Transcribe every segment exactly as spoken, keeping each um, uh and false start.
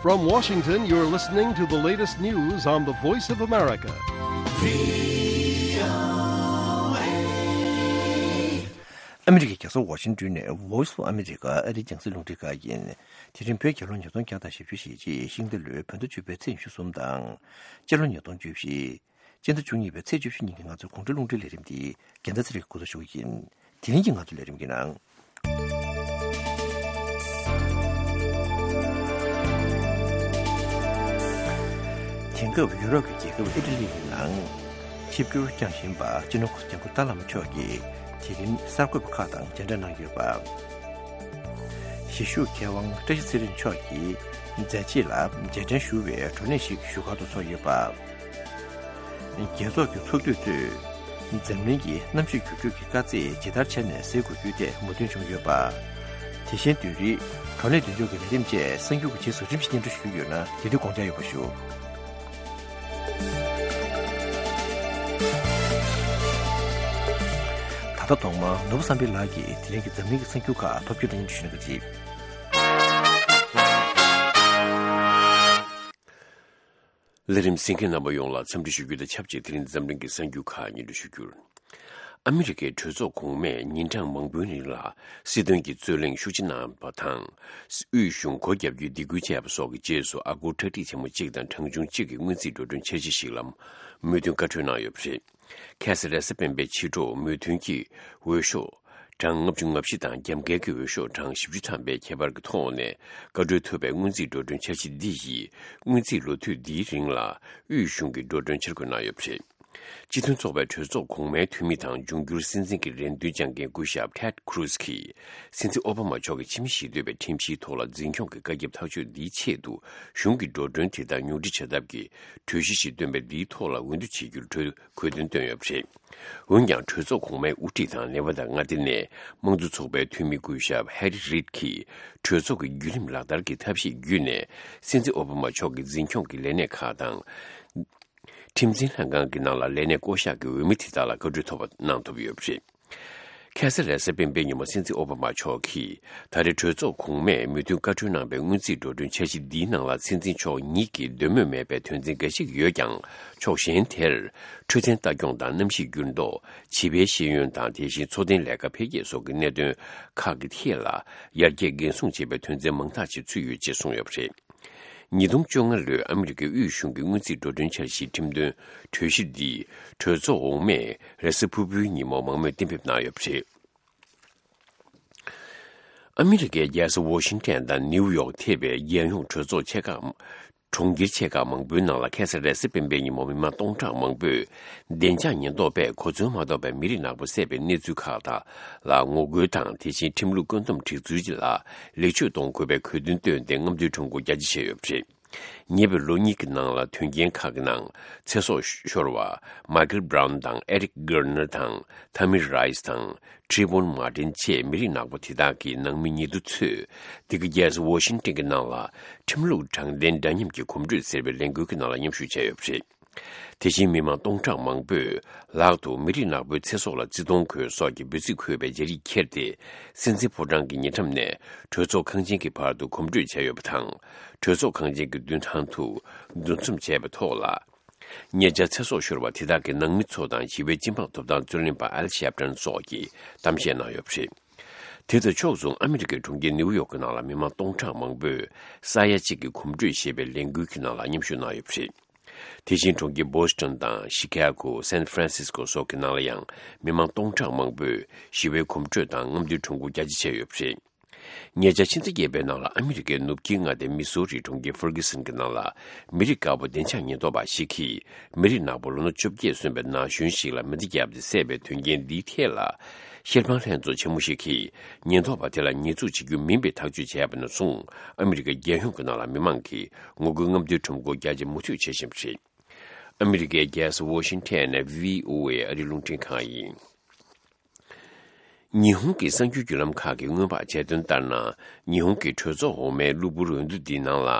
From Washington, you're listening to the latest news on the Voice of America. ཨ་མི་རི་ཀའི་རྒྱལ་ས་ཝ་ཤིང་ཏོན་ནས་Voice of America ཨ་རིའི་རྒྱང་སྲིང་རླུང་འཕྲིན་ཁང་ཡིན། དེ་རིང་བོད་རྒྱལ་ལོ་ཉིས་སྟོང་བརྒྱ་དང་བཞི་བཅུ་ཞེ་གཅིག་ཤིང་རྟ་ལོའི་བོད་ཟླ་བཅུ་པའི་ཚེས་ཉི་ཤུ་གསུམ་དང་། སྤྱི་ལོ་ཉིས་སྟོང་བཅུ་བཞི། སྤྱི་ཟླ་བཅུ་གཉིས་པའི་ཚེས་བཅུ་བཞི་ཉིན་གྱི་ང་ཚོའི་དགོང་དྲོའི་རླུང་འཕྲིན་ལས་རིམ་འདི་རྒྱལ་མཚན་ཚེ་རིང་འགོ་འཛུགས་ཞུ་གི་ཡིན། དེ་རིང་གི་ང་ཚོའི་ལས་རིམ་གྱི་ནང་། དེང་སྐབས་ཡུ་རོབ་ཀྱི་རྒྱལ་ཁབ་ཨི་ཊ་ལི་ཡི་ནང་ཆིབས་བསྒྱུར་བསྐྱངས་བཞིན་པ་སྤྱི་ནོར་གོང་ས་སྐྱབས་མགོན་ཏཱ་བླ་མ་མཆོག་གིས་དེ་རིང་གསར་འགོད་པ་ཁག་དང་མཇལ་འཕྲད་གནང་ཡོད་པ། གཞིས་བཞུགས་མཁས་དབང་བཀྲ་ཤིས་ཚེ་རིང་མཆོག་གིས་མཛད་རྗེས་ལ་རྗེས་དྲན་ཞུ་བའི་བགྲོ་གླེང་ཞིག་བཞུགས་སྒར་དུ་ཚོགས་ཡོད་པ། རྒྱལ་ཚོགས་ཀྱི་ཚོགས་འདུས་ཚོས་འཛམ་གླིང་གི་གནམ་གཤིས་འགྱུར་འགྲོས་ཀྱི་དཀའ་ཚེགས་ཇི་ལྟར་བྱས་ནས་སེལ་དགོས་རྒྱུའི་ཐད་མོས་མཐུན་བྱུང་ཡོད་པ། དེ་བཞིན་བདུན་རེའི་བགྲོ་གླེང་མདུན་ལྕོག་གི་ལས་རིམ་བཅས་གསར་འགྱུར་གྱི་རྗེས་སུ་རིམ་བཞིན་སྙན་སྒྲོན་ཞུ་རྒྱུ་ཡོད་ན་དེ་དུས་དགོངས་འཇགས་ཡོད་པ་ཞུ། ད་ལྟ་ཐོག་མར་ནོར་བུ་བསམ་འཕེལ་ལགས་ཀྱིས་དེ་རིང་གི་འཛམ་གླིང་གི་གསར་འགྱུར་ཁག་ཕབ་སྒྱུར་དང་སྙན་སྒྲོན་ཞུ་གནང་གི་རེད། ལས་རིམ་གཟིགས་མཁན་རྣམ་པ་ཡོངས་ལ་འཚམས་འདྲི་ཞུ་རྒྱུ་དང་ཆབས་ཅིག་དེ་རིང་འཛམ་གླིང་གི་གསར་འགྱུར་ཁག་སྙན་སྒྲོན་ཞུ་རྒྱུར། ཨ་མི་རི་ཀའི་གྲོས་ཚོགས་གོང་མས་ཉིན་གྲངས་མང་པོའི་རིང་ལ་སྲིད་དོན་གྱི་རྩོད་གླེང་ཤུགས་ཆེ་གནང་བ་དང་། དབུས་གཞུང་སྒོ་བརྒྱབ་རྒྱུའི་སྡིགས་སྐུལ་བྱས་པ་སོགས་ཀྱི་རྗེས་སུ་ཨ་སྒོར་ཁྲག་ཁྲིག་ཆེན་མོ་གཅིག་དང་གྲངས་ཆུང་གཅིག་གི་སྔོན་རྩིས་འགྲོ་གྲོན་འཆར་གཞི་ཞིག་ལ་མོས་མཐུན་བཀའ་འཁྲོལ་གནང་ཡོད་པ་རེད། ཁ་སང་རེས་གཟའ་སྤེན་པའི་ཕྱི་དྲོ་མོས་མཐུན་གྱི་འོས་ཤོག་གྲངས་ལྔ་བཅུ་ང་བཞི་དང་རྒྱབ་འགལ་གྱི་འོས་ཤོག་གྲངས་བཞི་བཅུ་ཐམ་པའི་ཁྱད་པར་གྱི་ཐོག་ནས་བཀའ་འཁྲོལ་ཐུབ་པའི་སྔོན་རྩིས་འགྲོ་གྲོན་འཆར་གཞི་འདི་ཡིས་སྔོན་རྩིས་ལོ་དུས་འདིའི་རིང་ལ་དབུས་གཞུང་གི་འགྲོ་གྲོན་འཆར་འགོད་གནང་ཡོད་པ་རེད། སྤྱི་མཐུན་ཚོགས་པའི་གྲོས་ཚོགས་གོང་མའི་འཐུས་མི་དང་འབྱུང་འགྱུར་སྲིད་འཛིན་གྱི་རེ་འདུན་བཅངས་མཁན་སྐུ་ཞབས་Ted Cruz་གྱིས་སྲིད་འཛིན་ཨོ་བྷ་མ་མཆོག་གི་ཕྱི་མི་ཞི་གཏོད་པའི་ཁྲིམས་གཞིའི་ཐོག་ལ་འཛིན་སྐྱོང་གི་བཀའ་ཁྱབ་ཐག་གཅོད་འདིའི་ཆེད་དུ་གཞུང་གི་འགྲོ་གྲོན་དེ་དག་ཉུང་འཕྲི་བྱ་ཐབས་ཀྱི་གྲོས་གཞི་ཞིག་བཏོན་པས་འདིའི་ཐོག་ལ་འོས་བསྡུ་བྱེད་རྒྱུར་གྲོས་དགོས་འདུན་བཏོན་ཡོད་པ་རེད། འོན་ཀྱང་གྲོས་ཚོགས་གོང་མའི་དབུ་ཁྲིད་དང་ནེ་ཝ་དཱ་མངའ་སྡེ་ནས་དམངས་གཙོ་ཚོགས་པའི་འཐུས་མི་སྐུ་ཞབས་Harry Reid་གྱིས་གྲོས་ཚོགས་ཀྱི་བརྒྱུད་རིམ་ལག་བསྟར་གྱི་ཐབས་ཤེས་བརྒྱུད་ནས་སྲིད་འཛིན་ཨོ་བྷ་མ་མཆོག་གི་འཛིན་སྐྱོང་གི་ལས་གནས་ཁག་དང་། ཁྲིམས་འཛིན་ལྷན་ཁང་གི་ནང་ལ་ལས་གནས་བསྐོ་གཞག་གི་འོས་མི་དེ་དག་ལ་བཀའ་འཁྲོལ་ཐོབ་པ་གནང་ཐུབ་ཡོད་པ་རེད། ཁ་སང་རེས་གཟའ་སྤེན་པའི་ཉིན་མོ་སྲིད་འཛིན་ཨོ་བྷ་མ་མཆོག་གིས་ད་རེས་གྲོས་ཚོགས་གོང་མས་མོས་མཐུན་བཀའ་འཁྲོལ་གནང་པའི་སྔོན་རྩིས་འགྲོ་གྲོན་འཆར་གཞི་འདིའི་ནང་ལ་སྲིད་འཛིན་མཆོག་ཉིད་ཀྱིས་འདོད་མོས་མེད་པའི་དོན་ཚན་འགའ་ཞིག་ཡོད་ཀྱང་། ཕྱོགས་གཞན་དེར་འཕྲོད་བསྟེན་ལྟ་སྐྱོང་དང་གནམ་གཤིས་འགྱུར་ལྡོག་བྱིས་པའི་ཤེས་ཡོན་དང་དེ་བཞིན་འཚོ་རྟེན་ལས་ཀ་འཕེལ་རྒྱས་སོགས་ཀྱི་གནད་དོན་ཁག་གི་ཐད་ལ་ཡར་རྒྱས་འགན་སྲུང་བྱེད་པའི་དོན་ཚན་མང་དག་ཅིག་ཚུད་ཡོད་ཅེས་གསུངས་ཡོད་པ་རེད། ཉིས་སྟོང་བཅོ་ལྔ་ལོའི་ཨ་མི་རི་ཀའི་དབུས་གཞུང་གི་སྔོན་རྩིས་འགྲོ་གྲོན་འཆར་གཞིའི་ཁྲིམས་དོན་གྲོས་གཞི་འདི་གྲོས་ཚོགས་འོག་མས་རེས་གཟའ་ཕུར་བུའི་ཉིན་མོ་མང་མོས་གཏན་འབེབས་གནང་ཡོད་པ་རེད། ཨ་མི་རི་ཀའི་རྒྱལ་ས་ཝོ་ཤིང་ཊོན་དང་ནིའུ་ཡོག་ཐེ་བའི་རྒྱལ་ཡོངས་གྲོས་ཚོགས་ཆེ་ཁག་གྲོང་ཁྱེར་ཆེ་ཁག་མང་པོའི་ནང་ལ་ཁ་སང་རེས་གཟའ་སྤེན་པའི་ཉིན་མོ་མི་མང་སྟོང་ཕྲག་མང་པོས་བདེ་འཇགས་ཉེན་རྟོག་པས་གོ་མཚོན་མ་ཐོབ་པའི་མི་རིགས་ནག་པོ་བསད་པའི་གནས་ཚུལ་ཁག་དག་ལ་ངོ་རྒོལ་དང་། དེ་བཞིན་ཁྲིམས་ལུགས་བཀོད་འདོམས་སྒྲིག་འཛུགས་ལ་ལེགས་བཅོས་གཏོང་དགོས་པའི་གྲོས་འདུན་བཏོན་ཏེ་རྔམ་སྟོན་ཁྲོམ་སྐོར་རྒྱ་ཆེ་བྱས་ཡོད་པ་རེད། ཉེ་བའི་ལོ་གཉིས་ཀྱི་ནང་ལ་དོན་རྐྱེན་ཁག་གི་ནང་ཚེ་སྲོག་ཤོར་བ་མཱི་ཀལ་བྷ་རའུན་དང་ཨེ་རིག་གྷར་ནར་དང་ཐ་མི་རའི་སི་དང་ཊི་བོན་མར་ཏིན་བཅས་མི་རིགས་ནག་པོ་དེ་དག་གི་ནང་མི་ཉེ་དུ་ཚོས་འདི་ག་རྒྱལ་ས་ཝོ་ཤིང་ཊོན་གྱི་ནང་ལ་ཁྲིམས་ལུགས་དྲང་བདེན་འདྲ་མཉམ་གྱི་གོམ་བགྲོད་ཟེར་བའི་ལས་འགུལ་གྱི་ནང་ལ་མཉམ་ཞུགས་བྱས་ཡོད་པ་རེད། དེ་བཞིན་མི་མང་སྟོང་ཕྲག་མང་པོས་ལག་ཏུ་མི་རིགས་ནག་པོའི་ཚེ་སྲོག་ལ་བརྩི་མཐོང་དགོས་སོགས་ཀྱི་འབོད་ཚིག་འཁོད་པའི་རྒྱ་རིགས་ཁྱེར་ཏེ། སྲིད་འཛིན་ཕོ་བྲང་གི་ཉེ་འགྲམ་ནས་གྲོས་ཚོགས་ཁང་ཆེན་གྱི་བར་དུ་གོམ་བགྲོད་བྱས་ཡོད་པ་དང་། གྲོས་ཚོགས་ཁང་ཆེན་གྱི་མདུན་ཐང་དུ་འདུ་འཛོམས་བྱས་པའི་ཐོག་ལ། ཉེ་ཆར་ཚེ་སྲོག་ཤོར་བ་དེ་དག་གི་ནང་མི་ཚོ་དང་ཞི་བའི་སྤྱི་འབངས་ཐོབ་ཐང་རྩོད་ལེན་པ་ཨལ་ཤེབ་ཏན་སོགས་ཀྱིས་གཏམ་བཤད་གནང་ཡོད་པ་རེད། དེ་དང་ཕྱོགས་མཚུངས་ཨ་མི་རི་ཀའི་གྲོང་ཁྱེར་ནིའུ་ཡོག་གི་ནང་ལ་མི་མང་སྟོང་ཕྲག་མང་པོས་ས་ཡ་གཅིག་གི་གོམ་བགྲོད་ཞེས་པའི་ལས་འགུལ་གྱི་ནང་ལ་མཉམ་ཞུགས་གནང་ཡོད་པ་རེད། དེ་བཞིན་གྲོང་ཁྱེར་བོ་སི་ཊོན་དང་ཤི་ཀ་གོ། སན་ཧྥ་རན་སིས་ཀོ་སོགས་ཀྱི་ནང་ལ་ཡང་མི་མང་སྟོང་ཕྲག་མང་པོས་ཞི་བའི་གོམ་བགྲོད་དང་རྔམ་སྟོན་ཁྲོམ་སྐོར་རྒྱ་ཆེ་བྱས་ཡོད་པ་རེད། ཉེ་ཆར་ཕྱི་ཟླ་བརྒྱད་པའི་ནང་ལ་ཨ་མི་རི་ཀའི་ནུབ་དཀྱིལ་མངའ་སྡེ་མི་སོ་རིའི་གྲོང་ཁྱེར་ཧྥར་གྷི་སན་གྱི་ནང་ལ་མི་རིགས་དཀར་པོ་བདེ་འཇགས་ཉེན་རྟོག་པ་ཞིག་གིས་མི་རིགས་ནག་པོ་ལོ་ན་བཅོ་བརྒྱད་སོན་པའི་ན་གཞོན་ཞིག་ལ་མེ་མདའ་བརྒྱབ་སྟེ་བསད་པའི་དོན་རྐྱེན་འདིའི་ཐད་ལ། ཤེལ་དཔང་ལྷན་ཚོགས་ཆེན་མོ་ཞིག་གིས་ཉེན་རྟོག་པ་དེ་ལ་ཉེས་འཛུགས་བྱེད་རྒྱུ་མིན་པའི་ཐག་གཅོད་བྱས་པ་ནས་བཟུང་ཨ་མི་རི་ཀའི་རྒྱལ་ཡོངས་ཀྱི་ནང་ལ་མི་མང་གིས་ངོ་རྒོལ་རྔམ་སྟོན་ཁྲོམ་སྐོར་རྒྱ་ཆེ་མུ་མཐུད་བྱེད་བཞིན་པ་རེད། ཨ་མི་རི་ཀའི་རྒྱལ་ས་ཝོ་ཤིང་ཊོན་ནས་བྷི་ཨོ་ཨེ་ཨ་རིའི་རླུང་འཕྲིན་ཁང་ཡིན། ཉི་ཧོང་གི་གསར་འགྱུར་བརྒྱུད་ལམ་ཁག་གིས་སྔོན་དཔག་བྱས་དོན་ལྟར་ན། ཉི་ཧོང་གི་གྲོས་ཚོགས་འོག་མའི་གློ་བུར་འོས་བསྡུ་འདིའི་ནང་ལ་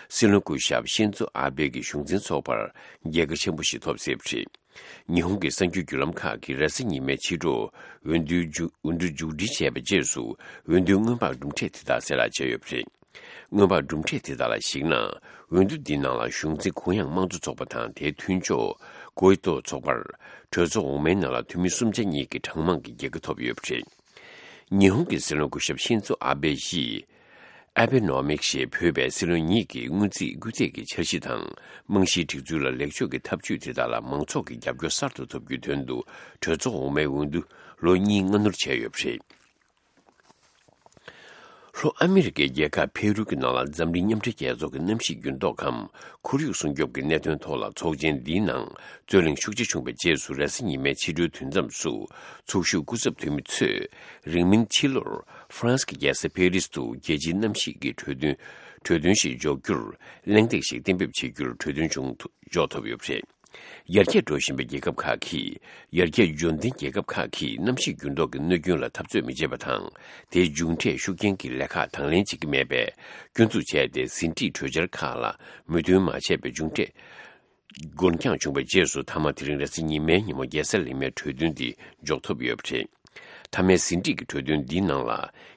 སྲིད་བློན་སྐུ་ཞབས་ཤིན་ཛོ་ཨ་བྷེ་གི་གཞུང་འཛིན་ཚོགས་པར་རྒྱལ་ཁ་ཆེན་པོ་ཞིག་ཐོབ་སྲིད་པ་རེད། ཉི་ཧོང་གི་གསར་འགྱུར་བརྒྱུད་ལམ་ཁག་གིས་རེས་གཟའ་ཉི་མའི་ཕྱི་དྲོ་འོས་བསྡུའི་མཇུག་འོས་བསྡུ་མཇུག་སྒྲིལ་བྱས་པའི་རྗེས་སུ་འོས་བསྡུའི་སྔོན་དཔག་གྲུབ་འབྲས་དེ་དག་གསལ་བསྒྲགས་བྱས་ཡོད་པ་རེད། སྔོན་དཔག་གྲུབ་འབྲས་དེ་དག་ལ་གཞིགས་ན། འོས་བསྡུ་འདིའི་ནང་ལ་གཞུང་འཛིན་གུ་ཡངས་དམངས་གཙོ་ཚོགས་པ་དང་དེའི་མཐུན་ཕྱོགས་ཀོའི་ཏོ་ཚོགས་པར་གྲོས་ཚོགས་འོག་མའི་ནང་ལ་འཐུས་མི་གསུམ་ཆ་གཉིས་ཀྱི་གྲངས་མང་གི་རྒྱལ་ཁ་ཐོབ་ཡོད་པ་རེད། ཉི་ཧོང་གི་སྲིད་བློན་སྐུ་ཞབས་ཤིན་ཛོ་ཨ་བྷེ་ཡིས། ཨ་བྷེ་ནོ་མིག་ཞེས་འབོད་པའི་སྲིད་བློན་ཉིད་ཀྱི་སྔོན་རྩིས་སྐུལ་འདེད་ཀྱི་འཆར་གཞི་དང་རྨང་གཞིའི་སྒྲིག་འཛུགས་ལ་ལེགས་བཅོས་ཀྱི་ཐབས་ཇུས་དེ་དག་ལ་མང་ཚོགས་ཀྱི་རྒྱབ་སྐྱོར་གསར་དུ་ཐོབ་རྒྱུའི་དོན་དུ་གྲོས་ཚོགས་འོག་མའི་འོས་བསྡུ་ལོ་གཉིས་སྔ་སྣུར་བྱས་ཡོད་པ་རེད། ལྷོ་ཨ་མི་རི་ཀའི་རྒྱལ་ཁབ་ཕེ་རུ་གྱི་ནང་ལ་འཛམ་གླིང་མཉམ་འབྲེལ་རྒྱལ་ཚོགས་ཀྱི་གནམ་གཤིས་འགྱུར་ལྡོག་གམ་ཁོར་ཡུག་སྲུང་སྐྱོབ་ཀྱི་གནད་དོན་ཐོག་ལ་ཚོགས་ཆེན་འདིའི་ནང་རྩོད་གླེང་ཤུགས་ཆེ་བྱུང་བའི་རྗེས་སུ་རེས་གཟའ་ཉི་མའི་ཕྱི་དྲོའི་དུས་མཚམས་སུ་ཚོགས་ཞུགས་སྐུ་ཚབ་འཐུས་མི་ཚོས་རིང་མིན་ཕྱི་ལོར་ཧྥ་རན་སི་གི་རྒྱལ་ས་པེ་རིས་དུ་རྒྱལ་སྤྱིའི་གནམ་གཤིས་ཀྱི་གྲོས་མཐུན་གྲོས་མཐུན་ཞིག་འཇོག་རྒྱུར་གླེང་སྟེགས་ཤིག་གཏན་འབེབས་བྱེད་རྒྱུར་གྲོས་མཐུན་བྱུང་ཐུབ་འཇོག་ཐུབ་ཡོད་པ་རེད། ཡར་རྒྱས་འགྲོ་བཞིན་པའི་རྒྱལ་ཁབ་ཁག་གིས། ཡར་རྒྱས་འབྱོར་ལྡན་རྒྱལ་ཁབ་ཁག་གིས་གནམ་གཤིས་འགྱུར་ལྡོག་གི་གནོད་སྐྱོན་ལ་འཐབ་རྩོད་མི་བྱེད་པ་དང་། དེའི་མཇུག་འབྲས་ཤུགས་རྐྱེན་གྱི་ལས་ཁག་དང་ལེན་བྱེད་ཀྱི་མེད་པའི་སྐྱོན་འཛུགས་བྱས་ཏེ། ཟིན་བྲིས་གྲོས་འཆར་ཁག་ལ་མོས་མཐུན་མ་བྱས་པའི་མཇུག་འབྲས་འགོར་འགྱངས་བྱུང་བའི་རྗེས་སུ། མཐའ་མ་དེ་རིང་རེས་གཟའ་ཉི་མའི་ཉིན་མོ་རྒྱལ་ས་ལི་མའི་གྲོས་མཐུན་འདི་འཇོག་ཐུབ་ཡོད་པ་རེད། མཐའ་མའི་ཟིན་བྲིས་ཀྱི་གྲོས་མཐུན་འདིའི་ནང་ལ།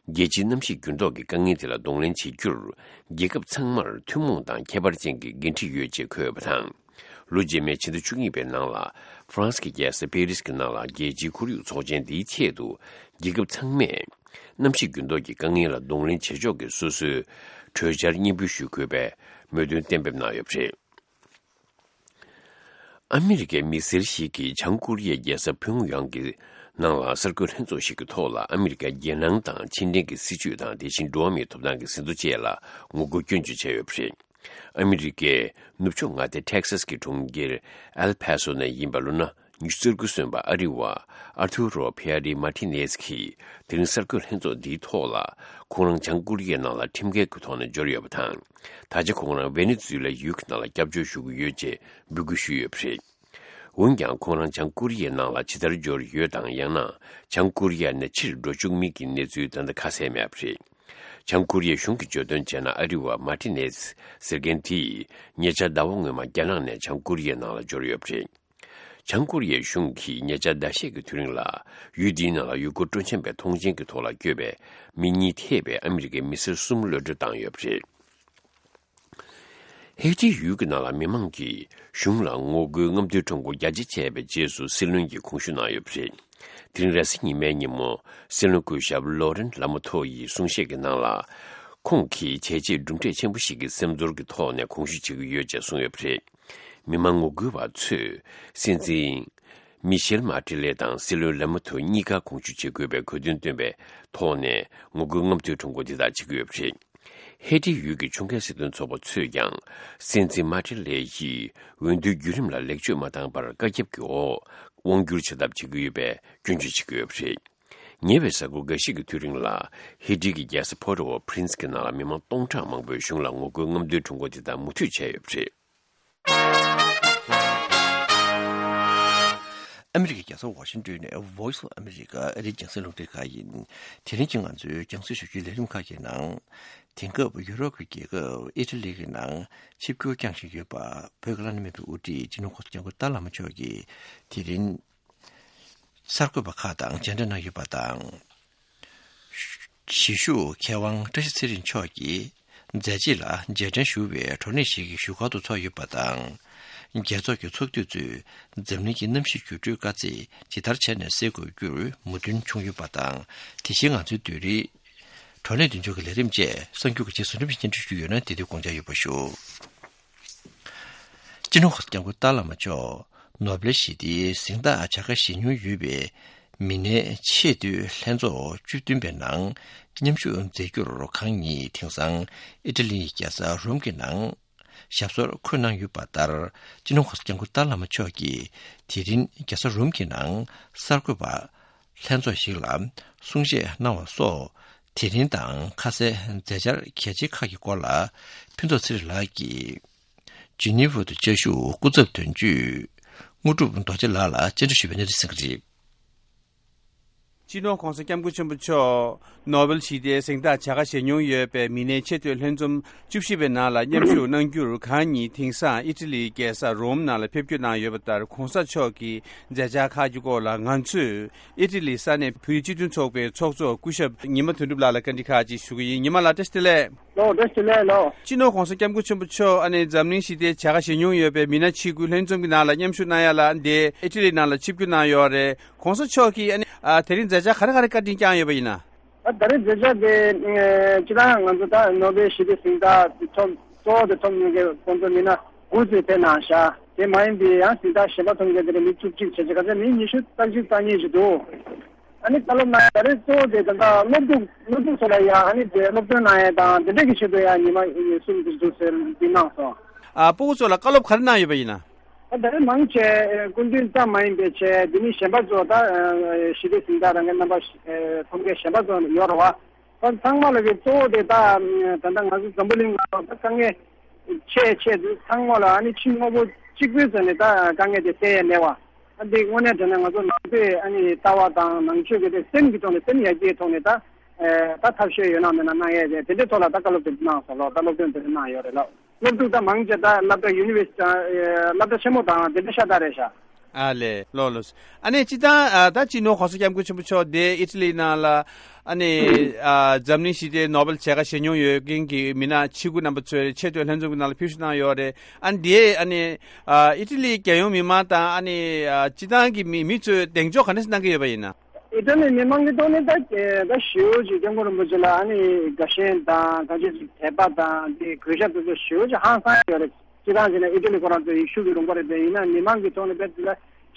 རྒྱལ་སྤྱིའི་གནམ་གཤིས་འགྱུར་ལྡོག་གི་དཀའ་ངལ་དེ་ལ་གདོང་ལེན་བྱེད་རྒྱུར། རྒྱལ་ཁབ་ཚང་མར་ཐུན་མོང་དང་ཁྱད་པར་ཅན་གྱི་འགན་འཁྲི་ཡོད་ཅེས་འཁོད་ཡོད་པ་དང་། ལོ་རྗེས་མའི་ཕྱི་ཟླ་བཅུ་གཉིས་པའི་ནང་ལ། ཧྥ་རན་སི་གི་རྒྱལ་ས་པེ་རིས་ཀྱི་ནང་ལ། རྒྱལ་སྤྱིའི་ཁོར་ཡུག་ཚོགས་ཆེན་འདིའི་ཆེད་དུ། རྒྱལ་ཁབ་ཚང་མས། གནམ་གཤིས་འགྱུར་ལྡོག་གི་དཀའ་ངལ་ལ་གདོང་ལེན་བྱེད་ཕྱོགས་ཀྱི་སོ་སོའི་གྲོས་འཆར་སྙན་འབུལ་ཞུ་དགོས་པའི་མོས་མཐུན་གཏན་འབེབས་གནང་ཡོད་པ་རེད། ཨ་མི་རི་ཀའི་མི་སེར་ཞིག་གིས་བྱང་ཀོ་རི་ཡའི་རྒྱལ་ས་ཕུའུ་ཡང་གི་ནང་ལ་གསར་འགོད་ལྷན་ཚོགས་ཤིག་གི་ཐོག་ལ། ཨ་མི་རི་ཀའི་རྒྱལ་ནང་དང་ཕྱི་འབྲེལ་གྱི་སྲིད་བྱུས་དང་། དེ་བཞིན་འགྲོ་བ་མིའི་ཐོབ་ཐང་གི་ཟིན་ཐོ་བཅས་ལ་ངོ་རྒོལ་སྐྱོན་བརྗོད་བྱས་ཡོད་པ་རེད། ཨ་མི་རི་ཀའི་ནུབ་ཕྱོགས་མངའ་སྡེ་ཊེག་སཱས་ཀྱི་གྲོང་ཁྱེར་ཨེལ་ཕ་སོ་ནས་ཡིན་པ། ལོ་ན་ཉི་ཤུ་རྩ་དགུ་སོན་པ་ཨ་རི་བ་ཨར་ཐུ་རོ་ཕེ་ཨ་རི་མཱ་ཏི་ནེས་ཀྱིས། དེ་རིང་གསར་འགོད་ལྷན་ཚོགས་འདིའི་ཐོག་ལ། ཁོང་རང་བྱང་ཀོ་རི་ཡའི་ནང་ལ་ཁྲིམས་འགལ་གྱི་ཐོག་ནས་འབྱོར་ཡོད་པ་དང་། ད་ཆ་ཁོང་རང་ཝེ་ནེ་ཛུ་ལ་ཡུལ་གྱི་ནང་ལ་སྐྱབས་བཅོལ་ཞུ་གི་ཡོད་ཅེས་འབོད་སྐུལ་ཞུས་ཡོད་པ་རེད། འོན་ཀྱང་། ཁོང་རང་བྱང་ཀོ་རི་ཡའི་ནང་ལ་ཇི་ལྟར་འབྱོར་ཡོད་དང་། ཡང་ན། བྱང་ཀོ་རི་ཡ་ནས་ཕྱིར་འགྲོ་བཅུག་མིན་གྱི་གནས་ཚུལ་ད་ལྟ་ཁ་གསལ་མེད་པ་རེད། བྱང་ཀོ་རི་ཡའི་གཞུང་གིས་བརྗོད་དོན་བྱས་ན། ཨ་རི་བ་མཱ་ཏི་ནེས་ཟེར་མཁན་དེས། ཉེ་ཆར་ཟླ་བ་སྔོན་མ་རྒྱ་ནག་ནས་བྱང་ཀོ་རི་ཡའི་ནང་ལ་འབྱོར་ཡོད་པ་རེད། བྱང་ཀོ་རི་ཡའི་གཞུང་གིས་ཉེ་ཆར་ཟླ་ཤས་ཀྱི་དུས་རིང་ལ། ཡུལ་འདིའི་ནང་ལ་ཡུལ་སྐོར་སྤྲོ་འཆམ་པའི་ཐོངས་མཆན་གྱི་ཐོག་ལ་བསྐྱོད་པའི་མི་གཉིས་ཐེ་བའི་ཨ་མི་རི་ཀའི་མི་སེར་གསུམ་གློད་གྲོལ་བཏང་ཡོད་པ་རེད། ཧེ་ཏི་ཡུལ་གྱི་ནང་ལ་མི་མང་གིས་གཞུང་ལ་ངོ་རྒོལ་རྔམ་སྟོན་ཁྲོམ་སྐོར་རྒྱ་ཆེ་བྱས་པའི་རྗེས་སུ། སྲིད་བློན་གྱིས་དགོངས་ཞུ་གནང་ཡོད་པ་རེད། དེ་རིང་རེས་གཟའ་ཉི་མའི་ཉིན་མོ། སྲིད་བློན་སྐུ་ཞབས་ལོ་རན་ལ་མོ་ཐོ་ཡི་གསུང་བཤད་ཀྱི་ནང་ལ། ཁོང་གིས་བྱས་རྗེས་གྲུབ་འབྲས་ཆེན་པོ་ཞིག་གི་སེམས་ཚོར་གྱི་ཐོག་ནས་དགོངས་ཞུ་བྱེད་ཀྱི་ཡོད་ཅེས་གསུངས་ཡོད་པ་རེད། མི་མང་ངོ་རྒོལ་བ་ཚོས་སྲིད་འཛིན་མི་ཤེལ་མར་ཏི་ལེ་དང་སྲིད་བློན་ལ་མོ་ཐོ་གཉིས་ཀ་དགོངས་ཞུ་བྱེད་དགོས་པའི་གོ་དོན་བཏོན་པའི་ཐོག་ནས། ངོ་རྒོལ་རྔམ་སྟོན་ཁྲོམ་སྐོར་འདི་དག་བྱེད་ཀྱི་ཡོད་པ་རེད། ཧེ་ཏི་ཡུལ་གྱི་ཕྱོགས་འགལ་སྲིད་དོན་ཚོགས་པ་ཚོས་ཀྱང་། སྲིད་འཛིན་མར་ཏི་ལེ་ཡིས་འོས་བསྡུའི་བརྒྱུད་རིམ་ལ་ལེགས་བཅོས་མ་བཏང་བར། བཀའ་ཁྱབ་ཀྱི་འོག་དབང་བསྒྱུར་བྱ་ཐབས་བྱེད་ཀྱི་ཡོད་པའི་སྐྱོན་བརྗོད་བྱེད་ཀྱི་ཡོད་པ་རེད། ཉེ་བའི་གཟའ་འཁོར་འགའ་ཤས་ཀྱི་དུས་རིང་ལ། ཧེ་ཏི་གི་རྒྱལ་ས་པོ་ཊོ་ཨོ་པྲིན་སི་གི་ནང་ལ་མི་མང་སྟོང་ཕྲག་མང་པོས་གཞུང་ལ་ངོ་རྒོལ་རྔམ་སྟོན་ཁྲོམ་སྐོར་དེ་དག་མུ་མཐུད་བྱས་ཡོད་པ་རེད། ཨ་མི་རི་ཀའི་རྒྱལ་ས་ཝ་ཤིང་ཏོན་ནས་Voice of America ཨ་རིའི་རྒྱང་སྲིང་རླུང་འཕྲིན་ཁང་ཡིན། དེ་རིང་གི་ང་ཚོའི་རྒྱང་སྲིང་ཞུ་རྒྱུའི་ལས་རིམ་ཁག་གི་ནང་། དེང་སྐབས་ཡུ་རོབ་ཀྱི་རྒྱལ་ཁབ་ཨི་ཊ་ལི་གི་ནང་ཆིབས་བསྒྱུར་བསྐྱངས་བཞིན་ཡོད་པ། བོད་ཀྱི་བླ་ན་མེད་པའི་དབུ་ཁྲིད་སྤྱི་ནོར་༸གོང་ས་༸སྐྱབས་མགོན་ཏཱ་བླ་མ་མཆོག་གིས་དེ་རིང་གསར་འགོད་པ་ཁག་དང་མཇལ་འཕྲད་གནང་ཡོད་པ་དང་། གཞིས་བཞུགས་མཁས་དབང་བཀྲ་ཤིས་ཚེ་རིང་མཆོག་གིས་མཛད་རྗེས་ལ་རྗེས་དྲན་ཞུ་བའི་བགྲོ་གླེང་ཞིག་བཞུགས་སྒར་དུ་ཚོགས་ཡོད་པ་དང་། རྒྱལ་ཚོགས་ཀྱི་ཚོགས་འཐུས་ཚོས་འཛམ་གླིང་གི་གནམ་གཤིས་འགྱུར་འགྲོས་དཀའ་ཚེགས་ཇི་ལྟར་བྱས་ནས་སེལ་དགོས་རྒྱུར་མོས་མཐུན་བྱུང་ཡོད་པ་དང་། དེ་བཞིན་ང་ཚོའི་བདུན་རེའི་བགྲོ་གླེང་མདུན་ལྕོག་གི་ལས་རིམ་བཅས་གསར་འགྱུར་གྱི་རྗེས་སུ་འགྲེམས་སྤེལ་སྙན་སྒྲོན་ཞུས་ཡོད་ན་དེ་དུས་དགོངས་འཇགས་ཡོད་པ་ཞུ། སྤྱི་ནོར་༸གོང་ས་༸སྐྱབས་མགོན་ཏཱ་བླ་མ་མཆོག་ནོ་བེལ་ཞི་བདེའི་གཟེངས་རྟགས་བྱ་དགའ་བཞེས་མྱོང་ཡོད་པའི་མི་སྣའི་ཆེས་མཐོའི་ལྷན་ཚོགས་བཅུ་བདུན་པའི་ནང་མཉམ་ཞུགས་མཛད་རྒྱུར་གང་ཉིད་དེང་སང་ཨི་ཊ་ལིའི་རྒྱལ་ས་རོམ་གྱི་ནང་ཞབས་སོར་འཁོད་གནང་ཡོད་པ་ལྟར། སྤྱི་ནོར་༸གོང་ས་༸སྐྱབས་མགོན་ཏཱ་བླ་མ་མཆོག་གིས་དེ་རིང་རྒྱལ་ས་རོམ་གྱི་ནང་གསར་འགོད་པ་ལྷན་ཚོགས་ཤིག་ལ་གསུང་བཤད་གནང་བ་སོགས། དེ་རིང་དང་ཁ་གསལ་མཛད་འཆར་གལ་ཆེ་ཁག་གི་སྐོར་ལ་ཕུན་ཚོགས་ཚེ་རིང་ལགས་ཀྱིས་ཇི་ནི་ཝ་དུ་བཅའ་བཞུགས་སྐུ་ཚབ་དོན་གཅོད་དངོས་གྲུབ་རྡོ་རྗེ་ལགས་ལ་བཅར་འདྲི་ཞུས་པའི་གནས་ཚུལ་གསན་གྱི་རེད། སྤྱི་ནོར་༸གོང་ས་༸སྐྱབས་མགོན་ཆེན་པོ་མཆོག་ནོ་བེལ་ཞི་བདེའི་གཟེངས་རྟགས་བྱ་དགའ་བཞེས་མྱོང་ཡོད་པའི་མི་སྣའི་ཆེས་མཐོའི་ལྷན་འཛོམས་བཅུ་བཞི་པའི་ནང་ལ་མཉམ་ཞུགས་གནང་རྒྱུར་གང་ཉིད་དེང་སང་ཨི་ཊ་ལིའི་རྒྱལ་ས་རོམ་ནང་ལ་ཕེབས་སྐྱོད་གནང་ཡོད་པ་ལྟར། གོང་ས་མཆོག་གི་མཛད་འཆར་ཁག་གི་སྐོར་ལ་ང་ཚོས་ཨི་ཊ་ལིའི་ས་གནས་བོད་རིགས་སྤྱི་མཐུན་ཚོགས་པའི་ཚོགས་གཙོ་སྐུ་ཞབས་ཉི་མ་དོན་གྲུབ་ལགས་ལ་བཀའ་འདྲི་ཁག་ཅིག་ཞུ་གི་ཡིན། ཉི་མ་ལགས་བཀྲ་ཤིས་བདེ་ལེགས། ལོ། བཀྲ་ཤིས་བདེ་ལེགས་ལོ། སྤྱི་ནོར་༸གོང་ས་༸སྐྱབས་མགོན་ཆེན་པོ་མཆོག་ཨ་ནི་འཛམ་གླིང་ཞི་བདེའི་བྱ་དགའ་བཞེས་མྱོང་ཡོད་པའི་མི་སྣ་ཆིག་སྒོའི་ལྷན་འཛོམས་ཀྱི་ནང་ལ་མཉམ་ཞུགས་གནང་ཡ་ལ་འདི་ཨི་ཊ་ལི་ནང་ལ་ཆིབས་བསྒྱུར་གནང་ཡོད་རེད། ༸གོང་ས་མཆོག་གིས་ཨ་ནི་ཨ་དེ་རིང་མཛད་འཆར་ག་རེ་ག་རེ་བཀའ་དྲིན་བསྐྱངས་ཡོད་པ་ཡིན་ན། ད་ད་རེས་མཛད་འཆར་དེ་ཨ་སྤྱིར་བཏང་ང་ཚོ་ད་ནོ་བེལ་ཞི་བདེ་གཟེངས་རྟགས་ཐོབ་གཙོ་བོ་དེ་ཐོབ་མྱོང་མཁན་ཁོང་ཚོ་མི་སྣ་དགུ་ཙམ་ཕེབས་གནང་ཤག་དེ་མ་ཡིན་པའི་ཡང་གཟེངས་རྟགས་གཞན་པ་ཐོབ་མཁན་དེ་འདྲ་མི་བཅུ་གཅིག་བྱས་བྱས་ག་ཚད་མི་ཉི་ཤུ་རྩ་གཅིག་རྩ་གཉིས་ཅིག་འདུག་ཨ་ནི་བཀའ་སློབ་གནང་ཡ་ད་རེས་གཙོ་བོ་དེ་ད་ལྟ་སློབ་ཕྲུག་སློབ་ཕྲུག་ཚོ་ལ་ཡ་ཨ་ནི་དེ་སློབ་སྟོན་གནང་ཡ་དང་དེ་འདྲས་ཀྱི་ཆེད་དུ་ཡ་ཉི་མ་ཉི་གསུམ་དེ་འདུག་ཟེར་འདི་གནང་སོང་། ཨ་སྤུ་གུ་ཚོ་ལ་བཀའ་སློབ་ག་རེ་གནང་ཡོད་པ་ཡིན་ན། ད་ད་རེས་མང་ཆེ་སྐུ་མདུན་ཙམ་མ་ཡིན་པའི་ཆེད་འདི་ནི་གཞན་པ་ཚོ་ད་ཞི་བདེ་གཟེངས་རྟགས་རང་གི་རྣམ་པ་ཐོབ་མཁན་གཞན་པ་ཚོ་ཡོད་རེད་བ། ད་ཚང་མ་ལ་གི་གཙོ་བོ་དེ་ད་ད་ལྟ་ང་ཚོ་འཛམ་བུ་གླིང་ལ་ད་དཀའ་ངལ་ཆེ་ཆེ་དུས་ཚང་མ་ལ་ཨ་ནི་ཕྱི་དངོས་པོ་གཅིག་པུའི་ཐོག་ནས་ད་དཀའ་ངལ་དེ་སེལ་ཡ་མེད་བ། ཨ་འདི་དངོས་གནས་དྲང་གནས་ང་ཚོ་ནང་པའི་ཨ་ནི་ལྟ་བ་དང་ནང་ཆོས་ཀྱི་དེ་སེམས་ཀྱི་ཐོག་ནས་སེམས་ཡར་རྒྱས་ཐོག་ནས་ད་ད་ཐབས་ཤེས་ཡོད་ན་མེད་ན་གནང་ཡས་དེ་དེ་འདྲའི་ཐོག་ལ་ད་བཀའ་སློབ་དེ་གནང་སོང་ལོ། ད་སློབ་སྟོན་དེ་འདྲ་གནང་ཡོད་རེད་ལོ། སློབ་ཕྲུག་ད་མང་ཆེ་ད་སློབ་གྲྭ་ཡུ་ནི་ཝར་སི་ཊི་སློབ་གྲྭ་ཆེན་མོ་དང་དེ་འདྲ་ཤ་སྟག་རེད་ཤག་ཨ་ལས་ལོ་ལོ། ཨ་ནས་སྤྱི་བཏང་ཨ་ད་སྤྱི་ནོར་༸གོང་ས་༸སྐྱབས་མགོན་ཆེན་པོ་མཆོག་དེ་ཨི་ཊ་ལི་ནང་ལ་ཨ་ནས་ཨ་འཛམ་གླིང་ཞི་བདེའི་ནོ་བེལ་བྱ་དགའ་བཞེས་མྱོང་ཡོད་མཁན་གྱི་མི་སྣ་ཆིག་སྒོ་རྣམ་པ་ཚོའི་ཆེས་མཐོའི་ལྷན་འཛོམས་ཀྱི་ནང་ལ་ཕེབས་བསུ་གནང་ཡོད་རེད། ཨ་ནས་དེ་ཨ་ནས་ཨ་ཨི་ཊ་ལིའི་རྒྱལ་ཡོངས་མི་མང་དང་ཨ་ནས་ཨ་སྤྱི་བཏང་གི་མི་མི་ཚོས་གདེང་འཇོག་ག་འདྲ་ཞིག་གནང་གི་ཡོད་པ་ཡིན་ན། ཨི་ཊ་ལི་མི་མང་གི་ཐོག་ནས་ད་ད་ཞེ་པོ་ཅིག་སྐྱབས་མགོན་རིན་པོ་ཆེ་ལ་ཨ་ནི་དགའ་ཞེན་དང་གང་ཅི་ཞིག་དད་པ་དང་དེ་གུས་ཞབས་དེ་ཚོ་ཞེ་པོ་ཅིག་ཧང་སང་ཡོད་རེད། སྤྱིར་བཏང་བྱས་ན་ཨི་ཊ་ལི་ཁོ་རང་ཚོ་ཡེ་ཤུ་གི་ལུང་པ་རེད་པས། ཡིན་ན་མི་མང་གི་ཐོག་ནས་དཔེ་དེ་ལ་